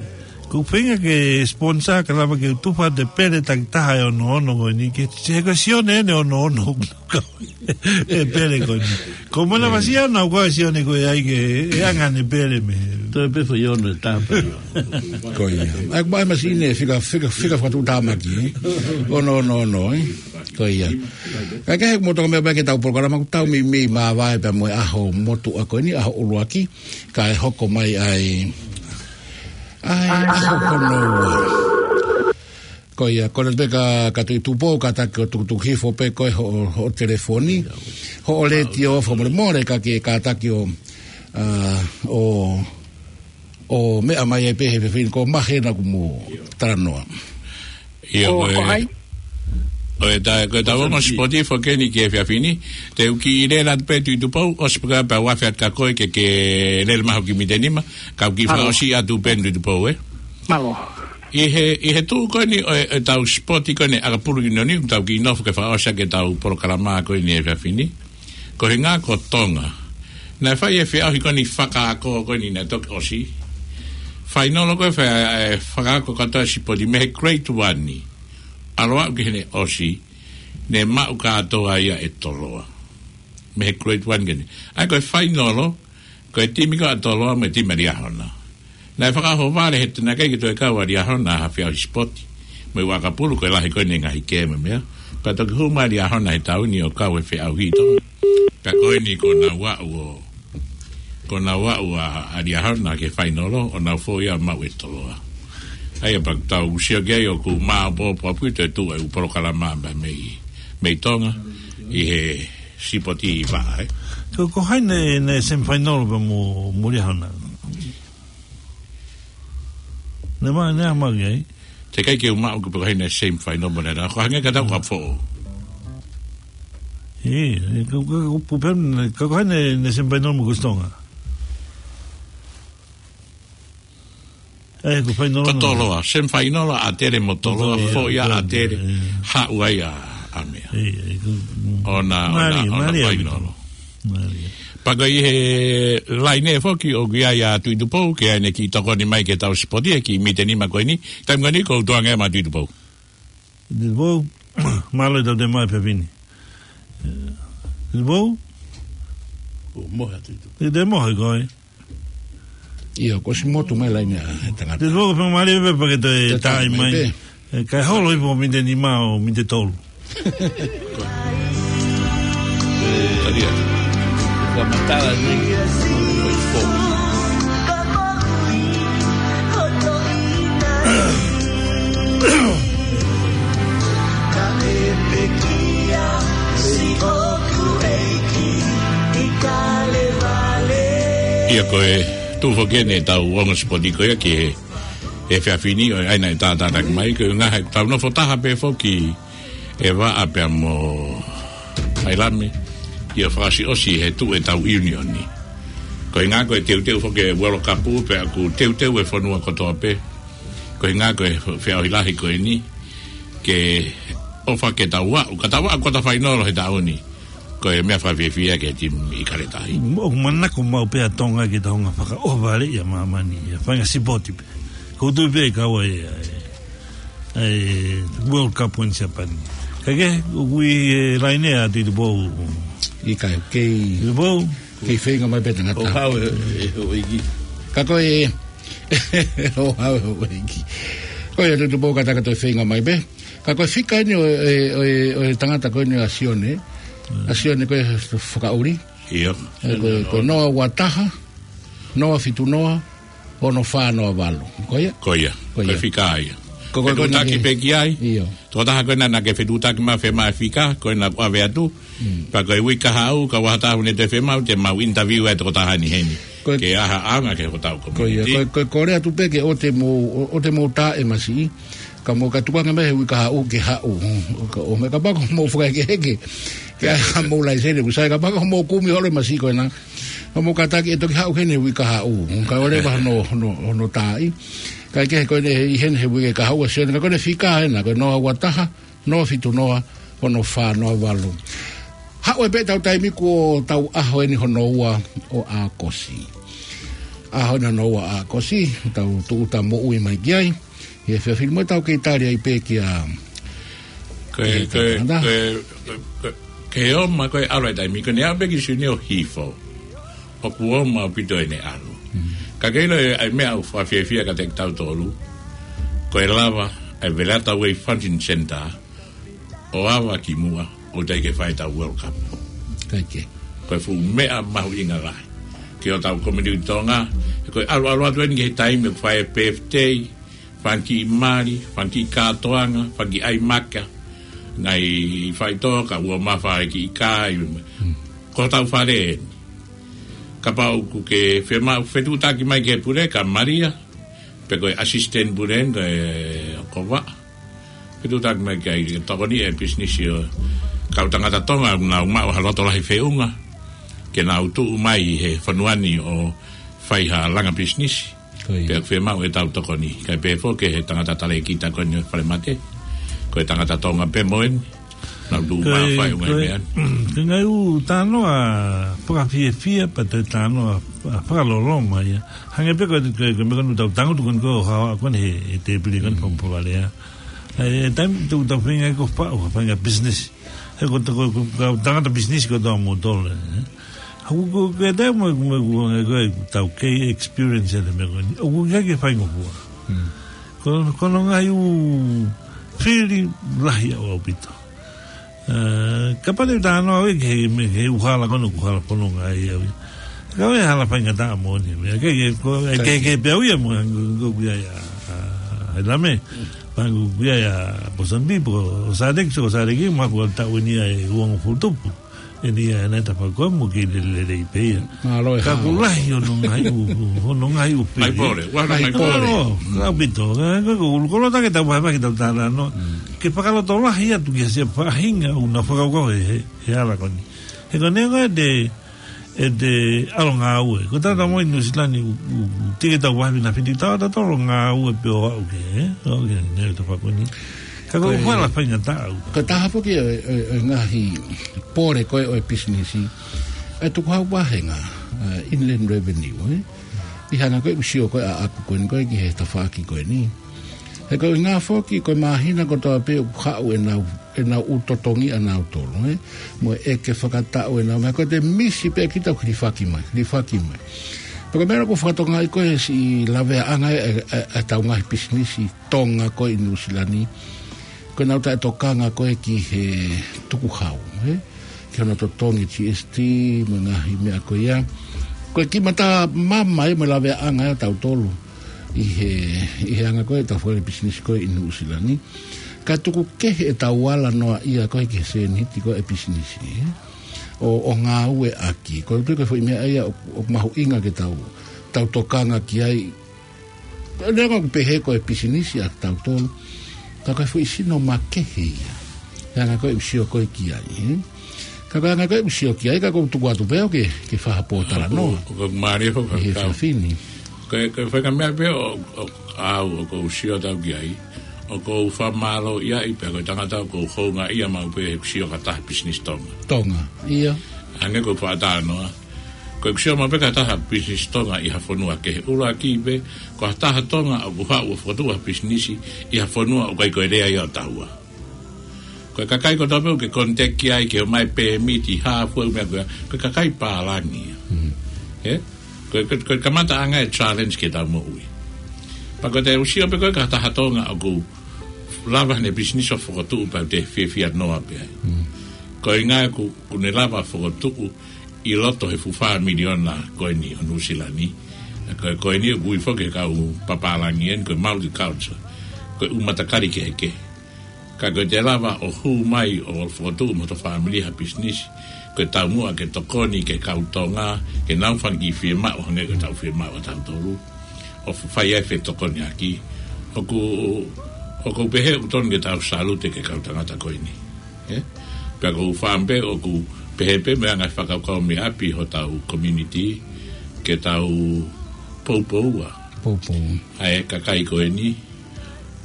Ko e feinga ke sponsor ka lava ke tufa atu e pele takitaha ʻe ono ono ko eni ke, he ko Sione ʻene ono ono. Ko e pele ko eni. Ko mana, ʻe, masiʻi ʻana ko Sione ko ē ai ke, ʻe anga ʻene pele mei. Toe pē foʻi ono ʻe taha pē. Ko ia. ʻAi, ko e masiʻi ʻene fika, fika, fika fakatuʻutāmaki, ē? Ono ono ono, ē? Ko ia. Kae kehe, mou toka mai pē ki heʻetau polokalama, ʻoku tau meimei māvae pea mo e ʻaho motuʻa ko eni, ʻaho ʻuluaki, kae hoko mai ai, ai, ʻaho ko hono ua. Ko ia, kole pē kia, kia Tuʻi Tupou, kātaki ʻo tukutuku hifo pē ko e hoʻo, hoʻo telefoni, hoʻo letiō, fakamolemole ka ke kātaki ʻo, ʻa, ʻo, ʻo meʻa mai ai pē he efiafi ni, ko Mahe naʻa ku mo talanoa. ʻIo, ko e, ko hai? Ko e ta-, ko ʻetau ongo sipoti foki eni ki he efiafi ni, te u kiʻi lele atu pē Tuʻi Tupou, ʻosi pē ka pea u afe atu kia koe ke, ke lele mai hoʻo kiʻi miniti ʻe nima, kau kiʻi, mālō, fakaʻosi atu pē Tuʻi Tupou, ē? Mālō. ʻI he, ʻi he tuʻu ko eni ʻo e, ʻetau sipoti ko eni ʻakapulu ʻi ʻIunioni, tau kiʻi nofo ke fakaʻosi ʻaki ʻetau polokalama ko eni he efiafi ni. Ko e ʻuhinga ko Tonga. Naʻe fai e feʻauhi ko eni fakaako ko eni naʻe toki ʻosi. Fainolo ko ē fa-, e fakaako kātoa e sipoti mei he grade one ni. ʻAlu aʻu ki heʻene ʻosi, ne maʻu kātoa ia ʻe Toloa. Mei he grade one ko eni. ʻAi ko e fainolo, ko e timi ko ē ʻa Toloa mo e timi ʻa Liahona. Naʻe fakaʻohovale he naʻe ʻikai ke toe kau ʻa Liahona ha feʻauhi sipoti. Mo e ʻakapulu ko e lahi ko eni e ngaahi kēmi mo e meʻa. Pea toki hū mai ʻa Liahona he taʻu ni ʻo kau he feʻauhi ʻi Tonga. Pea ko eni kuo nau aʻu ʻo, kuo nau aʻu ʻa, ʻa Liahona ki he fainolo ʻo nau foʻi ia maʻu ʻe Toloa. ʻAi pea tau sio ki ai ʻoku māʻopoʻopo ʻaupito e tuʻu e ʻū polokalama mei, mei Tonga ʻi he sipoti ʻi vaʻa, ē. Ko, ko hai naʻe, naʻe semifinal pea mo, mo Liahona? Naʻe ma-, naʻe ʻamanaki ai. Teʻeki ai ke u maʻu ko pe ko hai naʻe semifinal mo Liahona. Ko e hangē ka tau ka foʻou. Ē, ē, ko, ko, ko, ko, pe-, ko, ko hai naʻe, naʻe semifinal mo Kusi Tonga? Ē, ko e fainolo. Ko Toloa, semifinal ʻa ʻAtele mo Toloa, Toloa, foʻi ia ʻa ʻAtele, ē. Haʻu ai ʻa, ʻa meʻa. Ē, ē, ko, mm. ʻO na, ʻo na, mālie, ʻo na mālie fainolo. Mālie. Pea ko e ʻi he laine foki ʻoku ʻi ai ʻa Tuʻi Tupou, ke ʻai ʻene kiʻi tokoni mai ki heʻetau sipoti, he kiʻi miniti ʻe nima ko eni, taimi ko eni ko u tuʻu ange mo Tuʻi Tupou. Tuʻi Tupou, mālō e tau te mai pē pini. Tuʻi Tupou? Kuo mohe ʻa Tuʻi Tupou. Te te mohe koe. ʻIo, kuo ʻosi motu mai laine ʻa e tangata. Te tuʻu pē mālie pē pea ke toe tai mai. Toe tai mai pē. Ē, kae holo hifo miniti ʻe nima ʻo miniti ʻe tolu. Talia. Ka matala nei, ko e fo. Ko e tuʻu foki eni ʻetau ongo sipoti ko ia ki he, he efiafi ni ʻo e ʻaina e tātātaki mai, ko e ngaahi tau nofo taha pē foki ʻe Vaʻa pea mo Hailame, ʻio fakaʻosiʻosi he tuʻu ʻetau ʻiunioni. Ko e ngaahi ko e teuteu foki e World Cup pea ʻoku teuteu e fonua kotoa pē. Ko e ngaahi ko e feʻauhi lahi ko eni, ke ʻofa ke tau aʻu, ka tau aʻu kota fainolo he taʻu ni. Ko e meʻa fakafiefia ki he timi ʻIkale Tahi. Mo, manako mau pea Tonga ke tau nga fakaʻohovale ia māmani, ia fanga sipoti pē. Ko tu pē kau ai, ai, ai World Cup ʻi Siapani. Ka ke, ʻoku ʻi he laine ʻa Tuʻitupou. ʻIkai, kei Tuʻitupou. Kei feinga mai pē tangata. ʻO hau e, e, ʻo iki. Ka ko e, ʻo hau e, ʻo iki. Ko e Tuʻitupou ka taka toe feinga mai pē. Ka ko e fika eni ʻo e, ʻo e, ʻo e tangata ko eni ʻa Sione. ʻA Sione ko e fakaʻuli. ʻIo. E, ko e, ko e noa ua taha, noa fitu noa, ono fā noa valu. Ko ia? Ko ia. Ko ia. Ko e fika ia. Ko, ko, ko, fetuʻutaki pē ki ai. ʻIo. Tokotaha ko ena naʻa ke fetuʻutaki mai fiemaʻu e fika, ko ena ʻave atu. Mm. Pea ko e uike kahaʻu, ka ʻi ai ha taha ʻoku ne toe fiemaʻu, te mau interview e tokotaha ni heni. Ko e, ke ʻai ha ʻaonga ki hotau community. Ko ia, ko e, ko e kole atu pē ke ʻoua te mou, ʻo, ʻoua te mou tā e masiʻi. Ka mou ka tukuange mai he uike kahaʻu ke haʻu. Ka ʻo mei kapau ʻoku mou fakahekeheke. Ke ʻai haʻamou laiseni, ʻoku sai kapau ʻoku mou kumi holo e masiʻi ko ena. Ka mou kātaki ʻe toki haʻu heni he uike kahaʻu. Ka ʻoua leva hono, hono, hono tāʻi. Kae kehe ko eni ʻi heni he uike kahaʻu ʻa Sione. Ka ko ena fika ena, ko e noa ua taha, noa fitu noa, ono fā noa valu. Haʻu ai pē ʻetau taimi kuo tau ʻaho eni hono ua ʻo ʻAokosi. ʻAho eni hono ua ʻAokosi, tau tūʻuta moʻui mai ki ai. ʻI he efiafi ni mo tau kei tali ai pē kia, ko e, kia ko e, Tangata. Ko e, ko e, ko e, ke ʻomai ko e ʻalu e taimi, ko ʻene aʻu pē ki Siunio Hifo. ʻOku ʻomai ʻaupito ʻene ʻalu. Mm. Ka ke ʻilo e, ʻa e meʻa ʻoku fakafiefia kiate kitautolu. Ko e lava, ʻa e Valeata Way Fountain Centre, ʻo ava ki muʻa, ʻo teʻeki ke fai ʻetau World Cup. Kae kehe. Ko e fuʻu meʻa mahuʻinga lahi. Ki hotau community Tonga, he ko e ʻalu ʻalu atu eni ki he taimi ʻoku fai e birthday, fanga kiʻi mali, fanga kiʻi kātoanga, fanga kiʻi ʻai maka, ngaahi faitoʻo, ka ʻoua mafai kiʻi kai, mm, ko hotau fale eni. Kapau ʻoku ke fiemaʻu fetuʻutaki mai ki he pule, ka Malia, pe ko e assistant pule, ko e Kova. Fetuʻutaki mai ki ai ke tokoni e business ʻo e kau tangata Tonga, nau maʻu ha loto lahi feʻunga, ke nau tuʻu mai he fonua ni ʻo fai ha langa business. Ko ia. Pea ʻoku fiemaʻu ʻetau tokoni. Kae pehē foki he tangata talēkita ko eni ʻo e falemate. Ko e tangata Tonga pē mo eni. Nau tuʻu mai ʻo fai e ngaahi meʻa ni. Ko e ngaahi ʻū talanoa fakafiefia pea toe talanoa fakaloloma ia. Hangē pē ko e, ko e, ko e meʻa ko eni ʻoku tau tangutu ko eni ko e haʻu ko eni he, he tēpile ko eni, mm, Fakamoʻui Valea. ʻA e, taimi ʻoku tau feinga ko e faʻu, feinga business. He ko e, ko e, ko e tangata business kotoa moutolu, ē. Ko, ko, ko e taimi mo, mo, ko, ko, ko e tau kei experience e meʻa ko eni. ʻOku ʻikai ke faingofua. Mm. Ko, ko hono ngaahi ʻū fili lahi ʻaupito. Ē, kapau te u talanoa au ki he, mei he ʻū hala ko ena ʻoku hala fononga ai au ia. Ka ko e hala faingataʻa moʻoni. Meʻa ke, ke, ko, ē, ke, ke pehē au ia mo, ko, ko ia ia, ʻa, ʻa, ʻa Lame. Pea ko ia ia, Pōsanipi, pea ko Sāleki, ko Sāleki, mo ko taʻu eni ia ʻe uangofulu tupu. Eni ia, naʻe tapa ko mo ke lele, lele pē ia. Mālō e hao. Ka ʻoku lahi hono ngaahi ʻū, hono ngaahi ʻū fili. Mai pole, ua mai pole. Mālō, ʻaupito. Ka, ka, ko e ʻulu kolo ta ke tau vahevahe ke tau talanoa. Mm. Ke fakalotolahi atu ki he siʻi faʻahinga ʻoku nau fakakaukau he, he, he hala ko eni. He ko e ʻuhinga ʻete, ʻete ʻalu ngāue. Ko e tangata mo e Nuʻusila ni ʻoku, ʻoku, ʻoku teʻeki ke tau vahevahe naʻa fiti tau, tau ʻalu ngāue pē ʻo aʻu ki he, ʻo aʻu ki he, ne, tau fākoni. Ka ko e, ko e hala faingataʻa au. Ko e taha foki e, e, e ngaahi pole ko ē ʻo e pisinisi. ʻA e tukuhau vāhenga, ʻa e Inland Revenue, ē? ʻI he anga ko ē ʻoku sio ko ē ʻaʻaku ko eni ko ē ki he tafaʻaki ko eni. He ko e ʻuhinga foki ko e māhina kotoa pē ʻoku haʻu ʻenau, ʻenau ʻū totongi ʻanautolu, ē? Mo e ʻeke fakataʻu ʻenau, meʻa ko ē te misi pē kita ʻoku hilifaki mai, hilifaki mai. Pea ko e meʻa ʻoku fakatokangaʻi ko ē siʻi laveaʻanga e, e, e, e tau ngaahi pisinisi Tonga ko ē ʻi Nuʻusila ni. Ko ʻenau taʻetokanga ko ē ki he tukuhau, ē? Ki hono totongi G S T, mo e ngaahi meʻa ko ia. Ko e kiʻi mata mama ia mo e laveaʻanga ia ʻo tautolu. ʻI he, ʻi he anga ko ē ʻetau fale pisinisi ko ē ʻi Nuʻusila ni. Ka tuku kehe ʻetau ala noa ia ko ē ki he sēniti ko ē e pisinisi, ē? ʻo, ʻo ngāueʻaki. Ko e tui ko e foʻi meʻa ia ʻoku, ʻoku mahuʻinga ke tau, tau tokanga ki ai. Neongo ʻoku pehē ko e pisinisi ʻa tautolu, ka ko e foʻi sino makehe ia. Ka anga ko e ʻoku sio ko ē ki ai, ē? Ka ko e anga ko e ʻoku sio ki ai, ka ʻoku ou tuku atu pē au ke, ke fakapōtalanoa. ʻOku, ʻoku mālie foki ʻi he kau. Fafini. Ko e, ko e faʻahinga meʻa pē ʻoku, ʻoku, ʻoku ou sio atu ki ai. ʻOku ou fakamālōʻia ai pē ko e tangata ʻoku ou houngaʻia maʻu pē he sio ki ha taha pisinisi Tonga. Tonga, ia. Hangē ko e fakatalanoa. Ko e sio maʻu pē ki ha taha pisinisi Tonga ʻi ha fonua kehe, ʻuluaki pē, ko ha taha Tonga ʻoku haʻu ʻo fokotuʻu ha pisinisi ʻi ha fonua ʻoku ʻikai ko e lea ia ʻo taua. Ko e kakai kotoa pē ʻoku ke contact ki ai ke ʻomai pēmiti, hā fua e meʻa ko ia, ko e kakai pālangi ia. Mm. Ē? Ko e, ko e, ko e kamataʻanga e challenge ki heʻetau moʻui. Pea ko ʻete sio pē ko ē ki ha taha Tonga ʻoku lava ʻene pisinisi ʻo fokotuʻu pea te fiefia noa pē ai. Mm. Ko e ʻuhinga ʻoku, ʻoku ne lava fokotuʻu ʻi loto he fuʻu fā miliona ko eni ʻo Nuʻusila ni. Ko e, ko eni ʻoku ui foki ʻe he kau papālangi eni ko e multiculture. Ko e ʻū matakali kehekehe. Ka ko ʻete lava ʻo hū mai ʻo fokotuʻu mo hoto fāmili ha pisinisi, ko e taumuʻa ke tokoni ki he kau Tonga, ke nau fanga kiʻi fiemaʻu, hangē ko ʻetau fiemaʻu ʻa tautolu. ʻO fai ai e fetokoniʻaki. ʻOku, ʻoku ou pehē ʻoku totonu ke tau salute ki he kau tangata ko eni. Ē? Pea ʻoku ou fakaʻamu pē ʻoku pehē pē mo e anga e fakakaukau mei ʻapi hotau community, ke tau poupoua. Poupou. ʻA e kakai ko eni,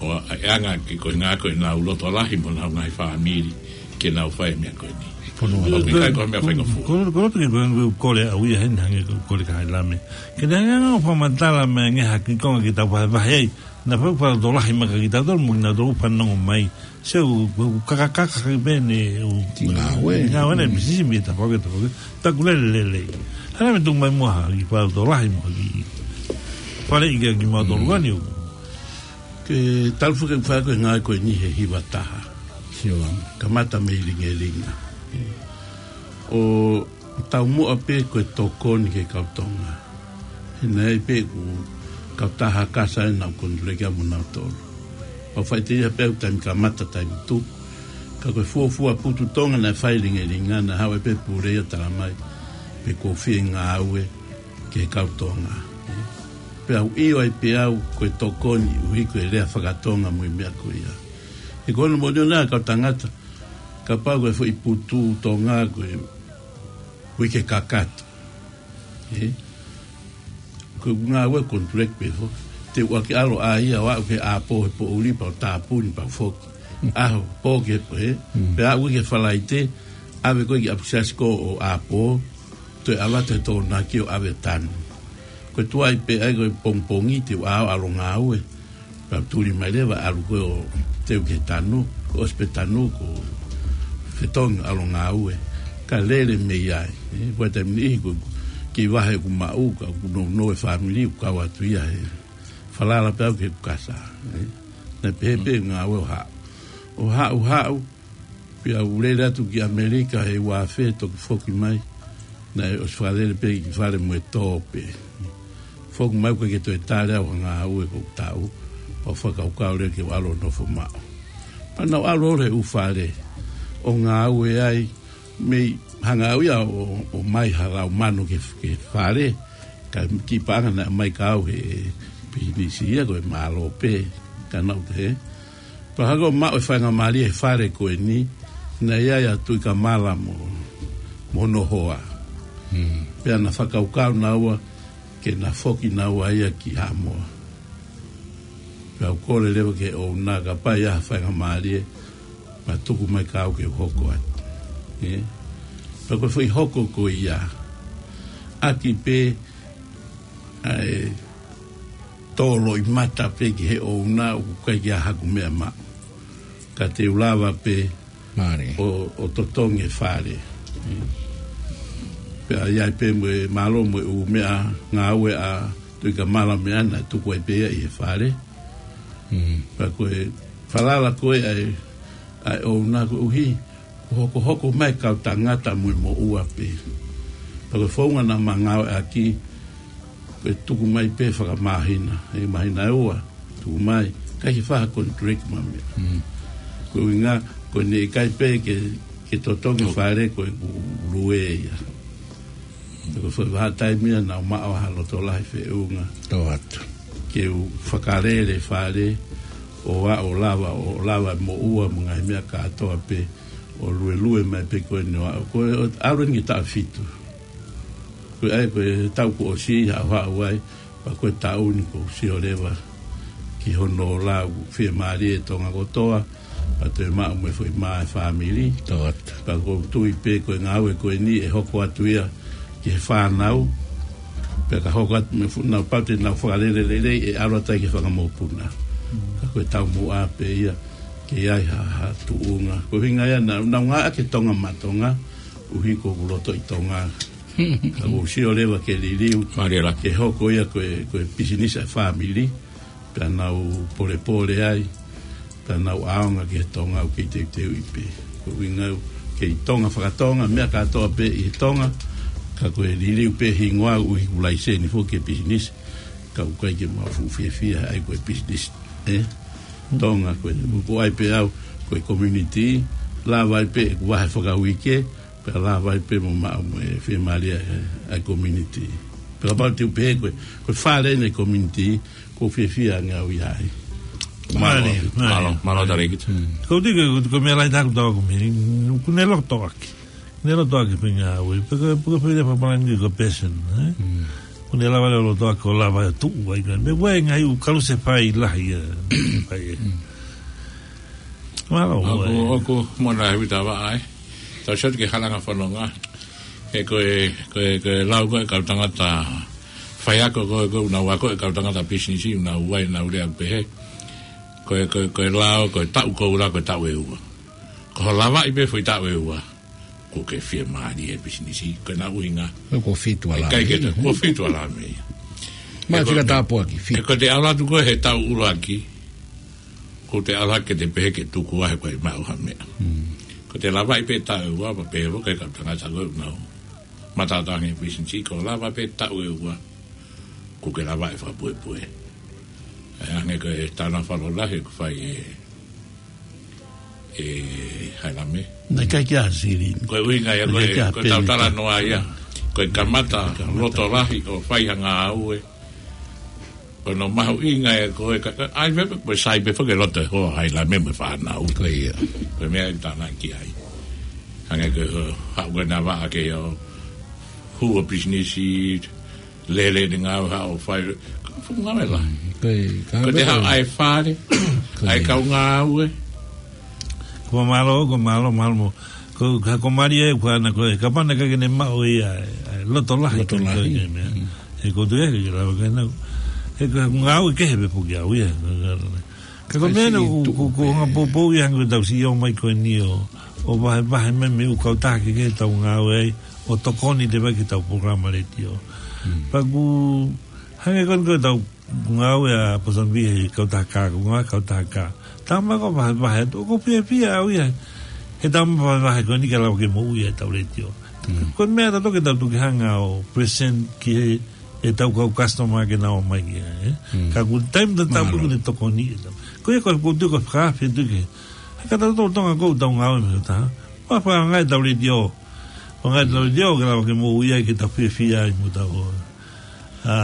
ʻo ʻa e anga ke ko e ʻuhinga ko ʻenau loto lahi mo ʻenau ngaahi fāmili, ke nau fai e meʻa ko eni. Fonua. ʻOku ʻikai ko ha meʻa faingofua. Ko, ko, ko, ko, ko, ko, kole au ia heni hangē ko, kole ka hai lame. Ke ne hanga ʻo fakamatala mai ange ha kiʻi konga ke tau vahevahe ai. Naʻa faʻu fakaloto lahi mai kia kitautolu mo kinautolu fanongo mai. Sio, ko, ko, kakakaka ki pē ne, ʻo, Ki ngāue. Ngāue ne, Mm. Pisinisi mei he tafaʻaki, tafaʻaki. Taku lele, lele. Hana me tuku mai muʻa ha kiʻi fakaloto lahi mo ha kiʻi faleʻi kia kimautolu Mm. ʻa eni ʻoku. Ke talu foki ke fai ko e ngāue ko eni he hiva taha. Sio. Kamata mei Lingelinga. ʻO taumuʻa pē ko e tokoni ki he kau Tonga. He naʻe ʻi ai pē ʻeku kau taha kasa ʻena ʻoku ou konituleki mo nautolu. ʻO faʻiteliha pē ʻeku taimi kamata, taimi tuku. Ka ko e fuofua putu Tonga naʻe fai Lingelinga, naʻe haʻu ai pē pule ia ʻo tala mai pe ʻoku ou fie ngāue ki he kau Tonga. Pea u ʻio ai pē au ko e tokoni, ʻuhi ko e lea faka-Tonga mo e meʻa ko ia. He ko hono moʻoni ʻona kau tangata, kapau ko e foʻi putu Tonga ko e uike kakato. Ē? Ko e ngāue konituleki pē foki. Te u ʻuluaki ʻalu ʻo ʻai ia ʻo aʻu ki he ʻapō he poʻuli pea u tāpuni pea u foki. ʻAho, pō ki he pō, ē? Mm. Pea aʻu ki he Falaite, ʻave ko ē ki ʻapi siasi ko ē ʻo ʻapō, toe ʻalu atu he Tokonaki ʻo ʻave tanu. Ko e tuai pē ʻai ko e pongipongi te u ʻalu ʻo ngāue. Pea u tuli mai leva ʻalu ko ē ʻo teu ki he tanu, ko e ʻosi pē tanu, ko e fetongi ʻalu ʻo ngāue. Ka lele mei ai, ē, ko e taimi niʻihi ko e kiʻi vahe ʻoku maʻu, ka ʻoku nounou e fāmili, ʻoku kau atu ia he falala pē au ki heʻeku kasa, ē. Naʻe pehē pē ngāue ʻo haʻu. ʻO haʻu, haʻu, pea u lele atu ki ʻAmelika he ua afe toki foki mai. Naʻe ʻosi fakalele pē ki fale mo e tō pē. Foki mai ʻoku ʻikai ke toe tali au ha ngāue ʻoku ou taʻu. Pea u fakakaukau leva ke u ʻalu ʻo nofo maʻu. Pea naʻa ku ʻalu holo he ʻū fale ʻo ngāue ai, mei hanga au ia ʻo, ʻo ʻomai ha lau manu ki he, ki he fale. Ka kiʻi paʻanga naʻe ʻomai kia au he pisinisi ia ko e mālō pē. Ka naʻa ku te he Pea hoko ʻo maʻu e faingamālie he fale ko eni, naʻe ʻi ai ʻa Tuʻikamala mo, mo hono hoa. Mm. Pea na fakakaukau naua ke na foki naua ia ki Haʻamoa. Pea u kole leva ki he ʻouna kapau ʻe ʻi ai ha faingamālie, pea tuku mai kia au ke u hoko atu. Ē? Pea ko e foʻi hoko ko ia. ʻAki pē ʻa e tō loʻimata pē ki he ʻouna ʻoku ʻikai ke ʻi ai haku meʻa maʻu. Ka te u lava pē Mālie. ʻo, ʻo totongi e fale. Pea ʻi ai pē mo e mālō mo e ʻū meʻa ngāue ʻa Tuʻikamala mo ʻena, tuku ai pē ia ʻi he fale. Mm. Pea ko e falala ko ē ʻa e, ʻa e ʻouna koeʻuhi, ko e hokohoko mai kau tangata mo e moʻua pē. Pea ko e founga naʻa ma ngāueʻaki, ko e tuku mai pē fakamāhina, ʻe māhina ʻe ua, tuku mai, ʻikai ke fai ha contract mo ha meʻa. Mm. Ko e ʻuhinga, ko ʻene ʻikai pē ke Ke totongi fale ko e ʻoku lue ia. Ko e foʻi vahaʻa taimi ia naʻa mau maʻu ha loto lahi feʻunga. Tō atu. Ke u fakalele fale, ʻo aʻu ʻo lava, ʻo lava moʻua mo e ngaahi meʻa kātoa pē, ʻo luelue mai pē ko eni ʻo aʻu. Ko e ʻalu eni ki he taʻu fitu. Ko e ʻai, ko e taʻu kuo ʻosi haʻu haʻu ai, pea ko e taʻu ni ʻoku ou sio leva ki hono lau fiemālie ʻa Tonga kotoa, pea toe maʻu mo e foʻi mā ʻa e fāmili. Tō atu. Pea ʻoku ou tui pē ko e ngāue ko eni ʻe hoko atu ia ki he fānau. Pea ka hoko atu mo e fuʻu nau pau te nau fakalele lelei ʻe ʻalu atu ai ki he fanga mokopuna. Ka ko e taumuʻa pē ia ke ʻi ai ha, ha tuʻunga. Ko e ʻuhinga ia naʻa, naʻa nau ngāueʻaki e Tonga Maʻa Tonga, ʻuhi ko ʻeku loto ʻi Tonga. Ka ʻoku ou sio leva ke liliu, mālie lā, ke hoko ia ko e, ko e pisinisi ʻa e fāmili, pea nau polepole ai, pea nau ʻaonga ki he Tonga ʻoku kei teuteuʻi pē. Ko e ʻuhinga ia ʻoku kei Tonga fakatonga, meʻa kātoa pē ʻi he Tonga, ka ko e liliu pē hingoa ʻuhi ʻoku laiseni foki e pisinisi, ka ʻoku ʻikai ke mau fuʻu fiefia ai ko e pisinisi. ʻE? Tonga ko e, ko ai pē au, ko e community, lava ai pē ʻeku vahe fakauike, pea lava ai pē mo maʻu mo e fiemālie ʻa e, ʻa e community. Pea kapau te u pehē ko e, ko e fale ʻeni e community, ʻoku ou fiefia ange au ia ai. Mālie, mālie. Mālō, mālō Talēkita. Ko u tike, ko, ko e meʻa lahi ʻaku tau ko mei, ʻoku ne loto ʻaki. Ne loto ʻaki pē ngāue, pē ko, pē ko e fai leva palani ko e passion, ē? ʻOku ne lava leva loto ʻaki ʻo lava ʻo tuʻu ai ko ē. Meʻa ʻoku ʻi ai e ngaahi ʻū kalusefai lahi ia. Fai ē. Mālō, ʻoku, ʻoku mona e vita vaʻa, ē. Tau sio atu ki he halanga fononga. He ko e, ko e, ko e lau ko ē kau tangata faiako ko ē, ko ē ʻoku nau ako e kau tangata pisinisi, ʻoku nau ʻai ʻenau lea pehē. Ko e, ko e, ko e lau, ko e taʻu ko ē ʻoku lau ko e taʻu ʻe ua. Ko hoʻo lavaʻi pē foʻi taʻu ʻe ua, kuo ke fiemālie he pisinisi, ko ʻena ʻuhinga. Ko e fitu ʻa e lā mei. ʻIkai ke, ko e fitu ʻa e lā mei. Mā fika tāpuaki, fitu. He ko ʻete ʻalu atu ko ē he taʻu ʻuluaki, ʻoku te ʻalu hake ʻo te pehē ke tuku ā he ʻoku ʻikai maʻu ha meʻa. Ko ʻete lavaʻi pē taʻu ʻe ua, pea pehē foki e kau tangata ko ē ʻoku nau mataʻatā ange he pisinisi, ko hoʻo lava pē taʻu ʻe ua, kuo ke lavaʻi fakapuepue. ʻE hangē ko e tānaki fakalotolahi ʻoku fai ʻe, ʻe Hailame. Naʻe ʻikai ke ʻasi lini. Ko e ʻuhinga ia, ko e, naʻe ʻikai ke ko e tau penita. Talanoa ia. Ko e kamata, kamata loto lahi ʻo fai ha ngāue. Ko hono mahuʻinga ia ko e ka, ka, ʻai pē, ko e sai pē foki e loto ʻo Hailame mo e fānau. Ko ia. Ko e meʻa ʻoku tānaki ai. Hangē ko e, ʻo, haʻu ko ē ʻena vaʻa ke ʻo hū ʻo pisinisi, lele ʻene ngāue haʻu ʻo fai, ka fuʻu ngāue lahi. Ko e, ka ko ʻete haʻu ʻai fale, ko ʻai e kau ngāue. Ko mālō, ko mālō, mālō mo. Ko, ka ko mālie ʻeku ʻana ko ē, kapau naʻe ʻikai ke ne maʻu ia, ʻa e loto lahi, loto lahi, ko e meʻa. He ko e tuʻu ia ke lava ke nau. He ko e ngāue kehe pē foki au ia. Ka ko e meʻa ʻoku, ʻoku, ʻoku hanga poupou ia hangē ko ʻetau sio mai ko eni ʻo, ʻo vahevahe mai mei he ʻū kautaha kehekehe ʻoku tau ngāue ai, ʻo tokoni leva ki heʻetau polokalama letiō. Pea ʻoku hangē ko eni ko ʻetau ngāue ʻa Pōsani Vī he kautaha kā, ko e ngāue kautaha kā. Tau maʻu ko e vahevahe atu, ʻoku ou fiefia au ia. He tau maʻu vahevahe ko eni ke lava ke moʻui ʻetau letiō. Ko e meʻa ʻatautolu ke tau toki hanga ʻo present ki he, ʻetau kau customer ke nau ō mai ki ai, ē? Ka ko e taimi tatau pē ʻoku ne tokoni ʻetau. Ko ia ko e, ko e tuʻu ko e fakaafe tuʻu ke. He ka tau tau Tonga ko ʻetau ngāue mei he taha. Pea fakaʻaongaʻi ʻetau letiō. Fakaʻaongaʻi ʻetau letiō ke lava ke moʻui ai ke tau fiefia ai mo tau ō. ʻA,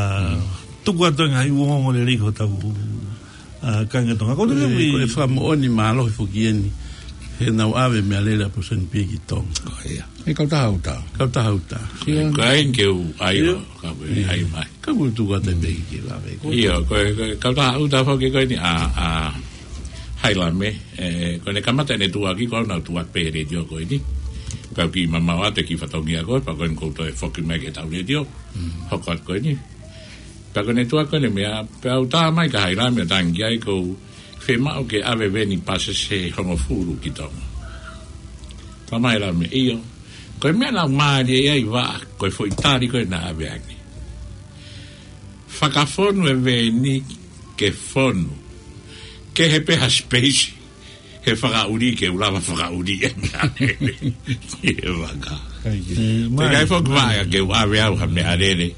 tuku atu e ngaahi ongoongo lelei ko ʻetau, ʻa, kāinga Tonga. Ko e, ko e fakamoʻoni mālohi foki eni. He naʻa nau ʻave meʻalele ʻa Pōsani Vī ki Tonga. Ko ia. ʻE kautaha ʻuta. Kautaha ʻuta. Ko e ʻai ke u ʻai ʻo, ka u ʻai mai. Ka u tuku atu e pē ke lave. Ko ia, ko e, ko e kautaha ʻuta foki ko eni ʻa, ʻa Hailame, ē, ko ʻene kamata ʻene tuʻuaki ko ʻena tuʻuaki pē he letiō ko eni. Pea u kiʻi mamao atu e kiʻi fatongia ko ē, pea ko eni ʻoku ou toe foki mai ki heʻetau letiō. Hoko atu ko eni. Pea ko ʻene tuʻuaki ko eni meʻa, pea u tā mai kia Hailame ʻo tangi ai ʻoku ou fiemaʻu ke ʻave veni pāsese hongofulu ki Tonga. Talamai ʻe Hailame ʻio. Ko e meʻa naʻa ku mālie ai ʻi he vaʻa, ko e foʻi tali ko ē naʻe ʻave ange. Fakafonu e veni ke fonu. Kehe pē ha space, he fakaʻuli ke u lava fakaʻuli e meʻalele. ʻI he vaka. Te kai foki vaʻa ke u ʻave au ha meʻalele.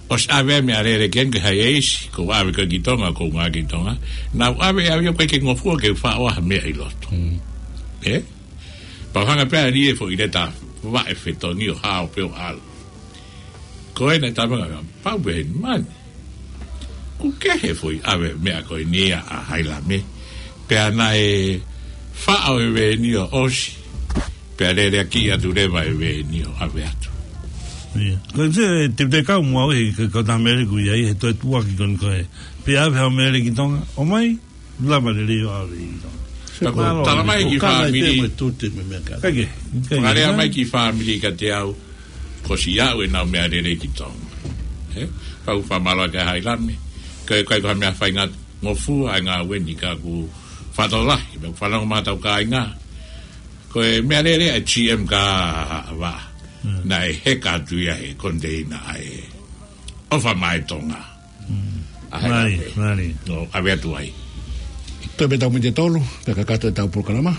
ʻOsi ʻave meʻalele ke ʻalu ki ha ʻeisi, ko u ʻave ko ē ki Tonga, ko u ngāue ki Tonga. Naʻa ku ʻave au ia ko e ke ngofua ke u faʻo ha meʻa ʻi loto. Ē? Pau hanga pē ʻe Lie foʻi leta vaʻe fetongi ʻo hao pē ʻo ʻalu. Ko ena e tama ngā pau pē he mani. ʻOku kehe foʻi ʻave meʻa ko eni ia ʻa Hailame. Pea naʻe faʻo e veni ʻo ʻosi. Pea lele ʻaki atu leva e veni ʻo ʻave atu. Ia. Ko e te, te, te kau mua he, ko, ko tā Mele ku ia, he toe tuaki kon ko e. Pea ʻave ha Mele ki Tonga, ʻomai, lava lele ʻo ʻave ʻi Tonga. Ka ko e tala mai ki fāmili, Ka ke, ka ke, fakalea ka mai ki fāmili ka te au, ko si au e nau meʻa lele ki Tonga. He? Pau fakamālō ki Hailame. Ka, ka, ka meʻa fainga ngofua ai ngā veni ka ku fato lahi, me fanongo mā tau kāinga. Ko e meʻa lele ʻa e G M ka va. Hmm. Naʻe heka atu ia he konteina ʻa e ʻOfa Mai Tonga. Mm. ʻA Hailame. Mālie, mālie. ʻO ʻave atu ai. Toe pē tau miniti ʻe tolu, pea kakato e tau polokalama.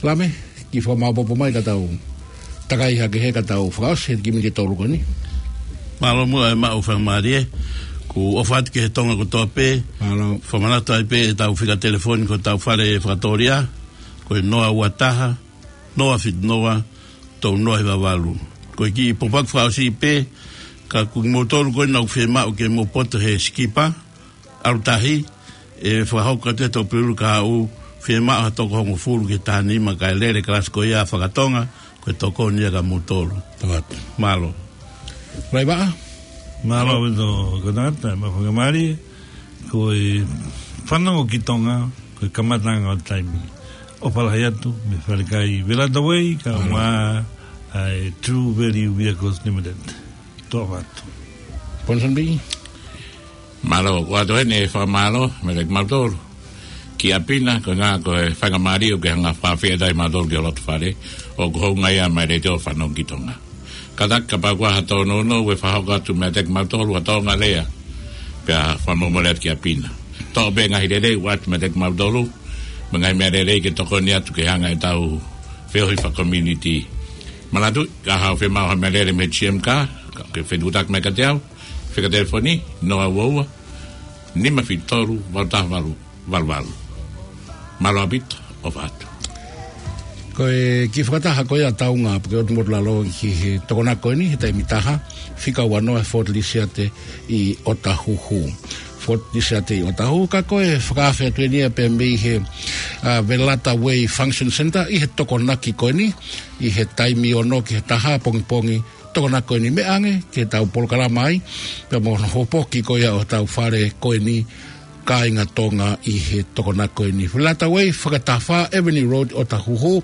Lame, kiʻi fakamāʻopoʻopo mai ka tau takai hake he ka tau fakaʻosi he kiʻi miniti ʻe tolu ko eni. Mālō muʻa e maʻu fakamālie, ʻoku ʻofa atu ki he Tonga kotoa pē. Mālō. Fakamanatu ai pē e tau fika telefoni ko e tau fale fakatōlia, ko e noa ua taha, noa fitu noa, tolu noa hiva valu. Ko e kiʻi pōpoaki fakaʻosi pē, ka ko kimoutolu ko ena ʻoku fiemaʻu ke mou poto he sikipa, ʻalu tahi, ʻe fakahoko atu e tō pulu ka ʻoku fiemaʻu ha toko hongofulu ki he taha nima kae lele kalasi ko ia fakatonga, ko e tokoni ia kia moutolu. Tau atu. Mālō. Laivaʻa? Mālō ʻaupito, ko tangata, mo fakamālie, ko e fanongo ki Tonga, ko e kamataʻanga ʻo e taimi. ʻOfa lahi atu, mei Falekai Velata Way, ka Mālō. Mā, ʻa e True Value Vehicles Limited. Tō ʻofa atu. Ponson B. Mālō, ʻoatu heni e fakamālō, meiate kimautolu. Kia Pina, ko e ngā, ko e faingamālie, ʻoku ke hanga fafie tai mautolu ki ho loto fale, ʻoku hounga ia mai le teo fanongo ki Tonga. Kātaki kapau kuo ha tōnounou ʻe fakahoko atu meiate kimautolu ha tōʻonga lea. Pea fakamomole atu kia Pina. Toʻo pē ngaahi lelei ʻoatu meiate kimautolu. Mo e ngaahi meʻa lelei ke tokoni atu ke hanga e tau feohi fakakomiunitī. Manatu, ka haʻu fiemaʻu ha meʻa lele mei he G M ka, ka ke fetuʻutaki mai kiate au. Fika telefoni, noa ua ua, nima fitu tolu, valu taha valu, valu valu. Mālō ʻaupito, ʻofa atu. Ko e kiʻi fakataha ko ia ʻa Taunga, puke ʻotu motu lalo ki he tokonaki ko eni, he taimi taha, fika ua noa he Fort Lisiate ʻi ʻOtahuhu. Fort Lisiate ʻi ʻOtahuhu, ka ko e fakaafe atu eni ia pē mei he, ʻa, Velata Way Function Center, ʻi he tokonaki ko eni, ʻi he taimi ono ki he taha pongipongi, tokonaki ko eni meʻa ange, ke tau polokalama ai, pea mo hono hopoki ko ia ʻo tau fale ko eni, kāinga Tonga ʻi he tokonaki ko eni. Velata Way, fakataha fā Avenue Road ʻOtahuhu,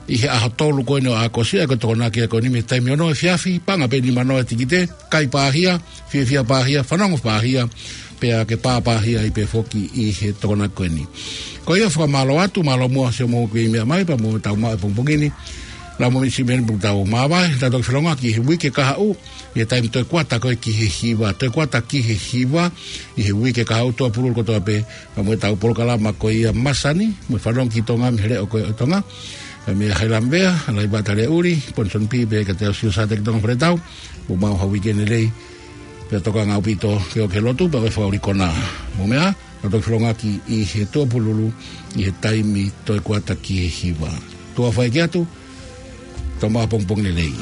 ʻi he ʻaho tolu ko eni ʻo ʻAokosi, ʻa ia ko e tokonaki ko eni mei he taimi ono efiafi, paʻanga pē nima noa e tikite, kai pāhia, fiefia pāhia, fanongo pāhia, pea ke pāpāhia ai pē foki ʻi he tokonaki ko eni. Ko ia fakamālō atu, mālō muʻa siʻomou kiʻi meʻa mai, pea mo tau maʻu e pongipongi ni. Lau mo misi meni pung tau māvae, tau toki felongoaki he uike kahaʻu, ʻi he taimi toe kuata ko ē ki he hiva, toe kuata ki he hiva, ʻi he uike kahaʻu Tuʻapululu kotoa pē, pea mo e tau polokalama ko ia masani, mo e fanongo ki Tonga, mei he leʻo ko ē ʻo Tonga, pea mei Hailame Vea, Laivaʻa Taliaʻuli, Ponson P, pea kiate au Sio Sate ki Tonga Fale Tau, mo mau ha uike lelei, pea tokanga ʻaupito ke ō ki he lotu, pea ʻoua ʻe fakaʻuli kona. Mo meʻa, tau toki felongoaki ʻi he Tuʻapululu, ʻi he taimi toe kuata ki he hiva. Tuʻa fai ki atu, tau maʻu ha pongipongi lelei.